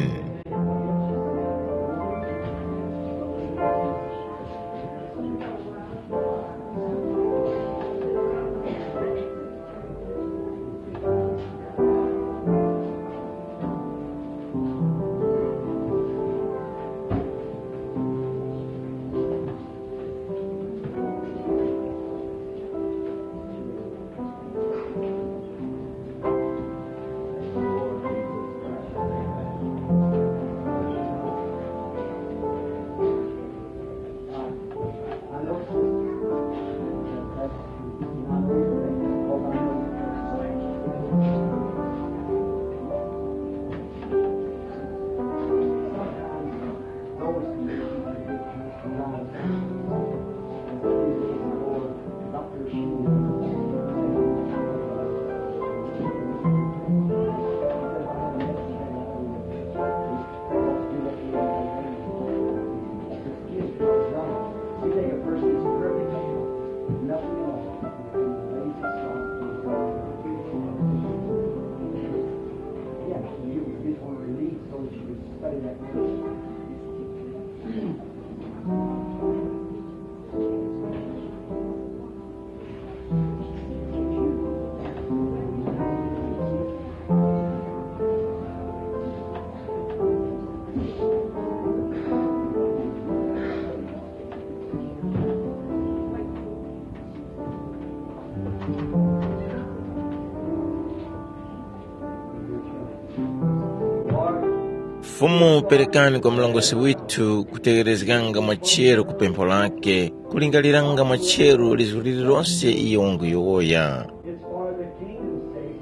Fumu, perekani kwa mlongosi withu kutegherezganga mwa chero ku pempho lake, kulingaliranga mwa chero lizgu lililonse iyo wanguyowoya. It's for the kingdom's sake.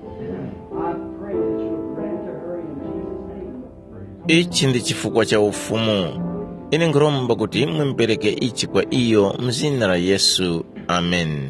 I pray that you would grant to her in Jesus' name. Ichi ndi chifukwa cha Ufumu. Ine nkhuromba kuti imwe mupereke ichi kwa iyo mu zina la Yesu. Ameni.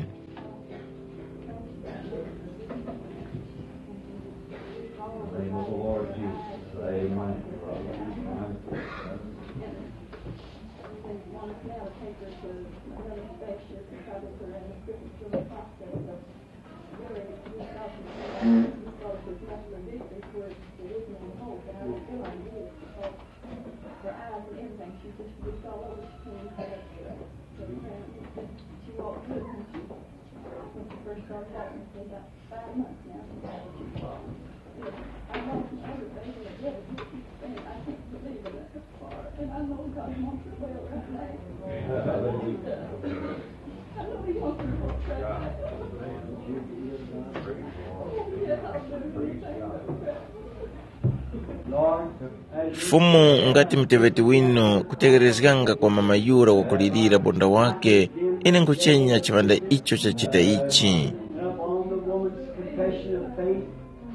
Fumu, ngati muteŵeti winu kutegherezganga kwa mama yura wakulirira bonda wake, ine nkhuchenya chiŵanda icho chachita ichi.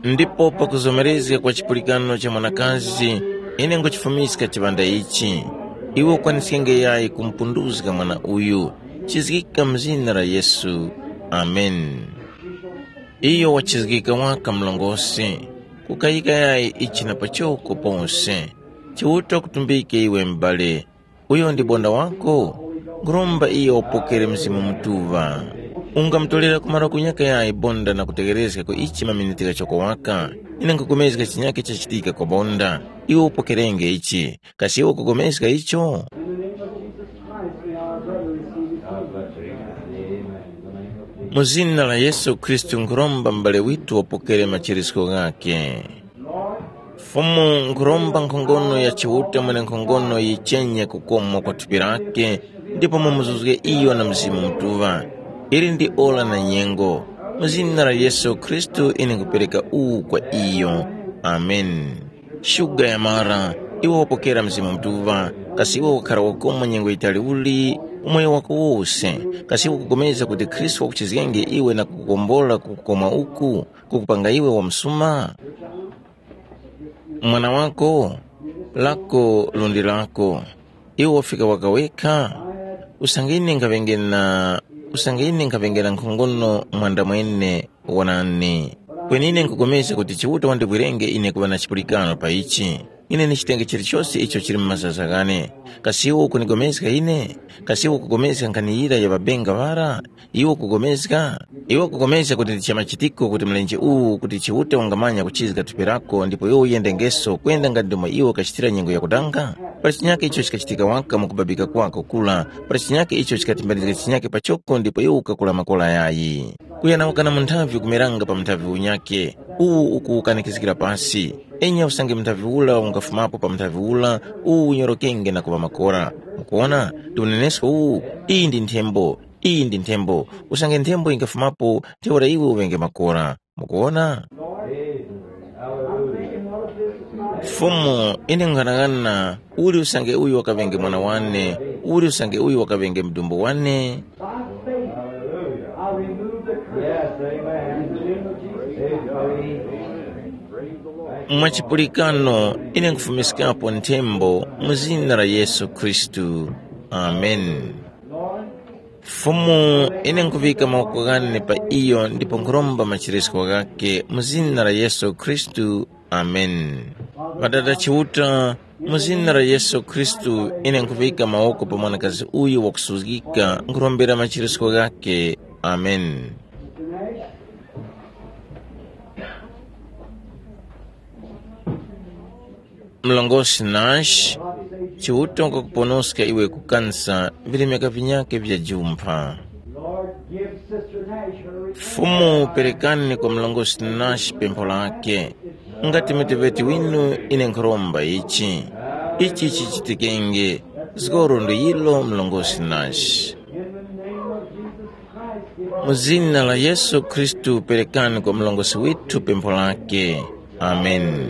Ndipo pakuzomerezga kwa chipulikano cha mwanakazi, ine nkhuchifumiska chiŵanda ichi. Iwe ukwaniskenge yayi kumupunduzga mwana uyu. Chizgika mu zina la Yesu. Ameni. Iyo wachizgika waka mlongosi. Kukayika yayi ichi na pachoko pose. Chiuta kutumbike iwe m'bale. Uyo ndi bonda wako? Nkhuromba iyo wapokere Mzimu Mutuŵa. Ungamutorera kumara kunyaka yayi bonda na kutegherezga ku ichi maminiti ghachoko waka. Ine nkhupulikana chinyakhe chachitika kwa bonda. Iwe upokerenge ichi. Kasi iwe ukupulikana icho? In the name of Jesus Christ, may our brother receive his healing. Mu zina la Yesu Khristu nkhuromba m'bale witu wapokere machirisko ghakhe. Fumu, nkhuromba nkhongono ya Chiuta Mwenenkhongono yichenye kukoma kwa thupi lake, ndipo mumuzuzge iyo na Mzimu Mutuŵa. Ili ndi ora na nyengo. Mu zina la Yesu Khristu ine nkhupereka uwu kwa iyo. Ameni. Shuga ya mara, iwe wapokera Mzimu Mutuŵa, kasi iwe wakhara wakoma nyengo yitali uli, umoyo wako wose, kasi iwe ukupulikana kuti Khristu wakuchizgenge iwe na kukukombola ku kukoma uku, kukupanga iwe wamusuma? Mwana wako, lako lundi lako. Iwe wafika waka wekha? Usange ine nkhaŵenge na, usange ine nkhaŵenge na nkhongono mwandamwene, wonani. Kweni ine nkhupulikana kuti Chiuta wandivwirenge ine kuŵa na chipulikano pa ichi. Ine ndichitenge chilichose icho chili mu mazaza ghane. Kasi iwe ukunipulikana ine? Kasi iwe ukupulikana nkhani yira ya ŵabenga ŵara? Iwe ukupulikana? Iwe ukupulikana kuti ndi cha machitiko kuti mlenje uwu kuti Chiuta wangamanya kuchizga thupi lako ndipo iwe uyendengeso kwenda nga ndi umo iwe ukachitira nyengo yakudanga? Pali chinyakhe icho chikachitika waka mu kubabika kwako kura, pali chinyakhe icho chikatimbanizga chinyakhe pachoko ndipo iwe ukakula makora yayi. Kuyanawukana munthavi ukumeranga pa munthavi unyakhe, uwu ukuwukanikizgira pasi. Enya usange munthavi ula ungafumapo pa munthavi ula, uwu unyorokenge na kuŵa makora. Mukuwona? Ndi unenesko uwu, iyi ndi nthembo. Iyi ndi nthembo. Usange nthembo yingafumapo, ntheura iwe uŵenge makora. Mukuwona? Fumu, ine nkhanang'ana, uli usange uyu wakaŵenge mwana wane, uli usange uyu wakaŵenge mudumbu wane. By faith, I remove the curse. Yes, amen. In the name of Jesus. Amen. Mwa chipulikano, ine nkhufumiskapo nthembo mu zina la Yesu Khristu. Ameni. Fumu, ine nkhuŵika mawoko ghane pa iyo ndipo nkhuromba macheresko ghakhe mu zina la Yesu Khristu. Ameni. Ŵadada Chiuta, mu zina la Yesu Khristu, ine nkhuŵika mawoko pa mwanakazi uyu wakusuzgika, nkhurombera macheresko ghakhe. Ameni. Mlongosi Nash, Chiuta wakakuponoska iwe ku kansa vilemeka vinyakhe vya jumpha. Lord, give Sister Nash her request. Fumu, perekani kwa mlongosi Nash pempho lake. Ngati muteŵeti winu ine nkhuromba ichi. Ichi chichitikenge. Zgoro ndi yilo mlongosi Nash. In the name of Jesus Christ, give Mu zina la Yesu Khristu perekani kwa mlongosi withu pempho lake. Ameni.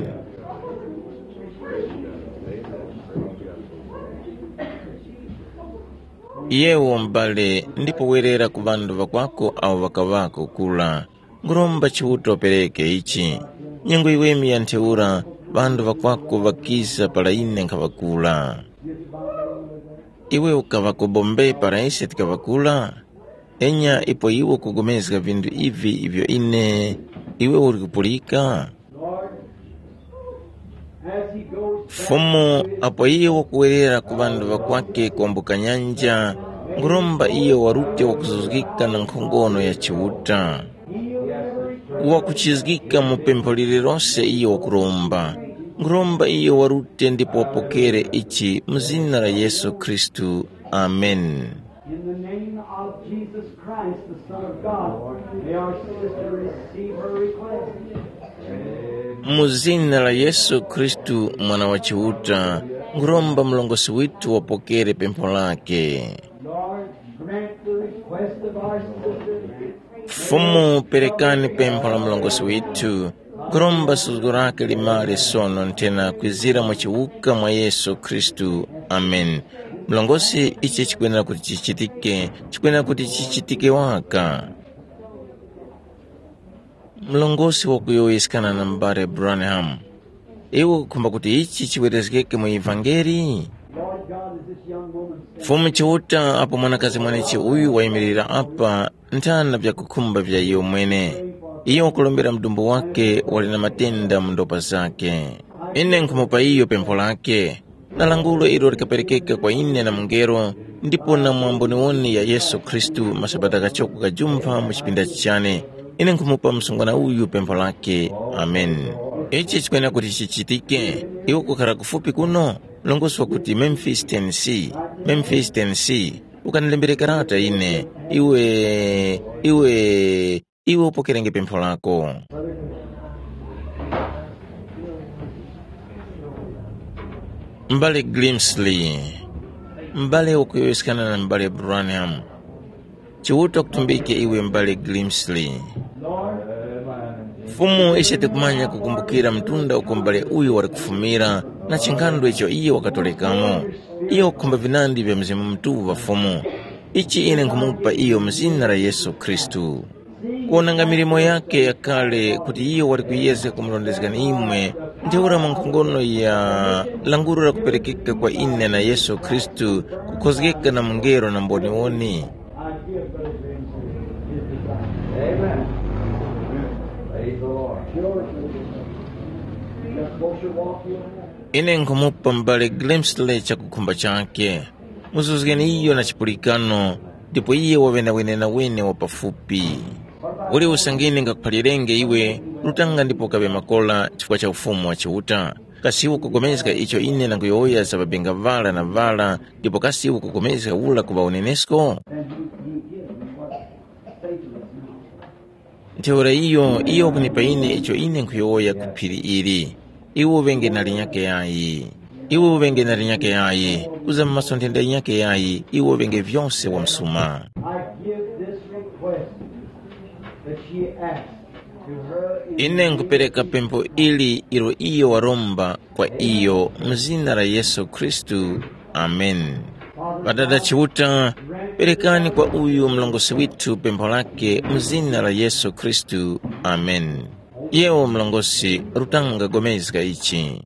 Yewo m'bale, ndipo werera ku ŵanthu ŵakwako awo ŵakaŵako kura. Nkhuromba Chiuta upereke ichi. Nyengo yiweme ya ntheura, ŵanthu ŵakwako ŵakiza para ine nkhaŵa kura. Iwe ukaŵa ku Bombay para ise tikaŵa kura? Enya ipo iwe ukupulikana vinthu ivi ivyo ine, iwe uli kupulika? As he goes Fumu, apo iye wakuwerera ku ŵanthu ŵakwake kwambuka nyanja, nkhuromba iyo warute wakuzuzgika na nkhongono ya Chiuta. Wakuchizgika mu pempho lililose iyo wakuromba. Nkhuromba iyo warute ndipo wapokere ichi mu zina la Yesu Khristu. Amen. In the name of Jesus Christ, the Son of God, may our sister receive her request. Mu zina la Yesu Khristu, Mwana wa Chiuta, nkhuromba mlongosi withu wapokere pempho lake. Lord, grant the request of our sister. Fumu, perekani pempho la mlongosi withu. Nkhuromba suzgo lake limare sono nthena kwizira mu chiwuka mwa Yesu Khristu. Amen. Mlongosi, ichi chikwenera kuti chichitike, chikwenera kuti chichitike waka. Mlongosi wakuyowoyeskana na m'bale Branham, iwe ukukhumba kuti ichi chiwerezgeke mu ivangeli? Lord God, as this young woman said, Fumu Chiuta, apo mwanakazi mwenechi uyu wayimirira apa, nthana vyakukhumba vya iyo mwene. Iyo wakulombera mudumbu wake wali na matenda mu ndopa zake. Ine nkhumupa iyo pempho lake. Na langulo ilo likaperekeka kwa ine na mungelo, ndipo na mwamboniwoni ya Yesu Khristu masabata ghachoko ghajumpha mu chipinda chichane. Ine nkhumupa msungwana uyu pempho lake. Amen. Ichi chikwenera kuti chichitike. Iwe kukhara kufupi kuno? Mlongosi wakuti Memphis, Tennessee. Memphis, Tennessee. Ukanilembere karata ine. Iwe, iwe, iwe upokerenge pempho lako. M'bale Grimsley, m'bale wakuyowoyeskana na m'bale Branham. Chiuta kutumbike iwe m'bale Grimsley. Fumu, ise tikumanya kukumbukira mtunda uko m'bale uyu wali kufumira na chinghandu icho iye wakatolekamo. Iye wakukhumba vinandi vya Mzimu Mutuŵa Fumu. Ichi ine nkhumupa iyo mu zina la Yesu Khristu. Kuwonanga milimo yake yakale kuti iyo wali kuyezga kumurondezgani imwe, ntheura mwa nkhongono ya languro lakuperekeka kwa ine na Yesu Khristu kukhozgeka na mungelo na mboniwoni. I give Brother James his desire. Amen. Praise the Lord. George, just close your walk, you have. Ine nkhumupa m'bale Grimsley chakukhumba chake. Muzuzgeni iyo na chipulikano, ndipo iye waŵe na wenenawene wa pafupi. Uli usangine ngakuphalirenge iwe, rutanga ndipo kaŵe makola chifukwa cha Ufumu wa Chiuta. Kasi iwe ukupulikana icho ine ndanguyowoya za ŵabenga ŵara na ŵara, ndipo kasi iwe ukupulikana ura kuŵa unenesko? Ntheura iyo, iyo wakunipa ine icho ine nkhuyowoya ku phiri ili. Iwe uŵenge na linyakhe yayi. Iwe uŵenge na linyakhe yayi. Kuza mu maso nthenda yinyakhe yayi, iwe uŵenge vyose wamsuma. I give this request that she asked to her in Ine nkupereka pempho ili ilo iyo waromba kwa iyo mu zina la Yesu Khristu. Amen. Ŵadada Chiuta, perekani kwa uyu mlongosi withu pempho lake mu zina la Yesu Khristu. Amen. Yewo mlongosi, rutanga gomezga ichi.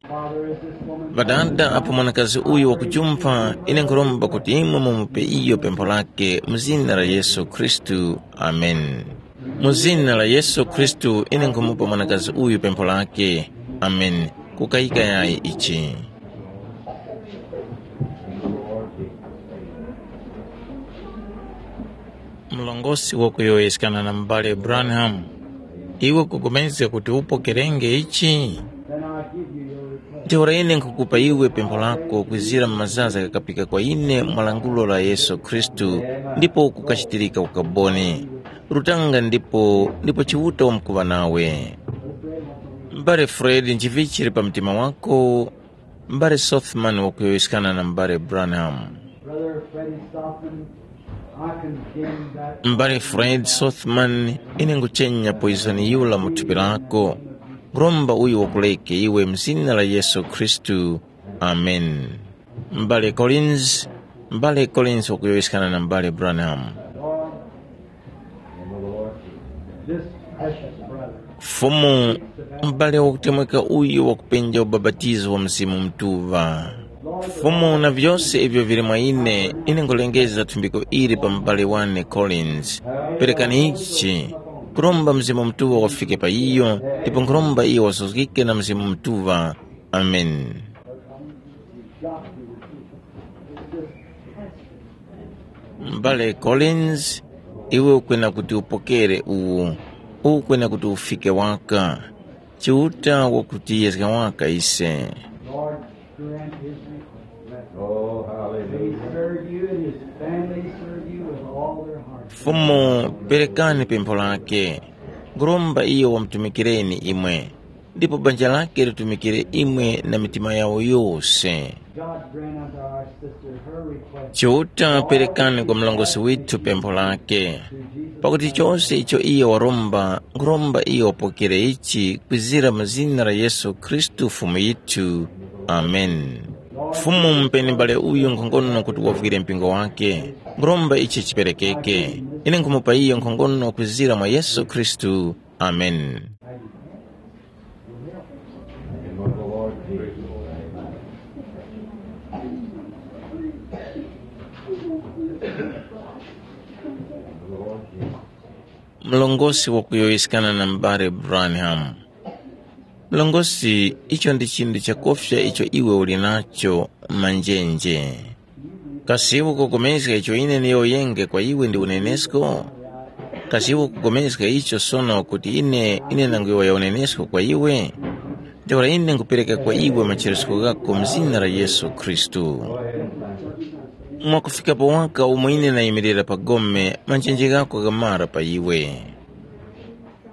Ŵadada, apo mwanakazi uyu wakujumpha, ine nkhuromba kuti imwe mumupe iyo pempho lake mu zina la Yesu Khristu. Amen. Mu zina la Yesu Khristu, ine nkhumupa mwanakazi uyu pempho lake. Amen. Kukayika yayi ichi. Mlongosi wakuyowoyeskana na m'bale Branham, iwe kupulikana kuti upokerenge ichi? Ntheura ine nkhukupa iwe pempho lako kwizira mu mazaza ghakapika kwa ine mwa lankhulo la Yesu Khristu, ndipo kukachitirika ukaboni. Rutanga ndipo, ndipo Chiuta wamkuŵa nawe. M'bale Fred, nchivichi chili pa mtima wako? M'bale Sothman wakuyowoyeskana na m'bale Branham. Brother Freddie Sothman, I condemn that. M'bale Fred Sothman, ine nguchenya poizoni yura mu thupi lako. Nkhuromba uyu wakuleke iwe mu zina la Yesu Khristu. Amen. M'bale Collins, M'bale Collins wakuyowoyeskana na m'bale Branham. This precious brother. Fumu, m'bale wakutemweka uyu wakupenja ubapatizo wa Mzimu Mutuŵa. Fumu, na vyose ivyo vili mwa ine, ine ngulengeza thumbiko ili pa m'bale wane Collins. Perekani ichi, kuromba Mzimu Mutuŵa wafike pa iyo, ndipo nkhuromba iyo wasuzgike na Mzimu Mutuŵa. Ameni. M'bale Collins, iwe ukwena kuti upokere uwu, ukwena kuti ufike waka. Chiuta wakutiyezga waka ise. Lord, grant his request. Oh, May he hallelujah. Serve you and his family serve you with all their hearts. Fumu, perekani pempho lake. Nguromba iyo wamutumikireni imwe, ndipo banja lake litumikire imwe na mitima yawo yose. God grant unto our sister her request. Chiuta, perekani kwa mlongosi withu pempho lake, pakuti chose icho iye waromba, nguromba iyo wapokere ichi kwizira mu zina la Yesu Khristu Fumu yithu. Ameni. Fumu, mupeni m'bale uyu nkhongono kuti wavwire mpingo wake. Nguromba ichi chiperekeke. Ine nkhumupa iyo nkhongono kwizira mwa Yesu Khristu. Ameni. In the Lord Jesus' name. In the Lord Jesus. Mlongosi wakuyowoyeskana na m'bale Branham. Mlongosi, icho ndi chinthu chakufya icho iwe uli nacho manjenje. Kasi iwe ukupulikana icho ine ndiyowoyenge kwa iwe ndi unenesko? Kasi iwe ukupulikana icho sono kuti ine ine ndanguyowoya unenesko kwa iwe? Ntheura ine nkupereka kwa iwe macheresko ghako mu zina la Yesu Khristu. Mwakufikapo waka umo ine nayimirira pa gome, manjenje ghako ghamara pa iwe.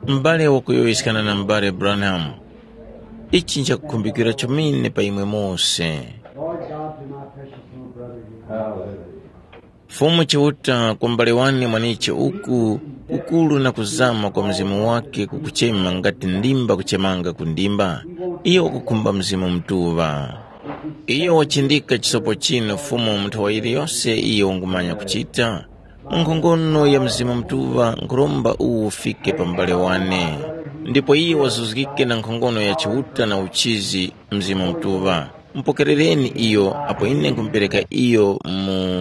M'bale wakuyowoyeskana na m'bale Branham, ichi nchakukhumbikira chomene pa imwe mose. Lord God, to my precious little brother here. Hallelujah. Fumu Chiuta, kwa m'bale wane mwaniche uku, kukuru na kuzama kwa mzimu wake kukuchema ngati ndimba kuchemanga ku ndimba, iyo wakukhumba Mzimu Mutuŵa. Iyo wachindika chisopo chinu Fumu mu nthowa yiliyose iyo ungumanya kuchita. Mu nkhongono ya Mzimu Mutuŵa nkhuromba uwu ufike pa m'bale wane, ndipo iyo wazuzgike na nkhongono ya Chiuta na uchizi Mzimu Mutuŵa. Mupokerereni iyo apo ine nkumupereka iyo mu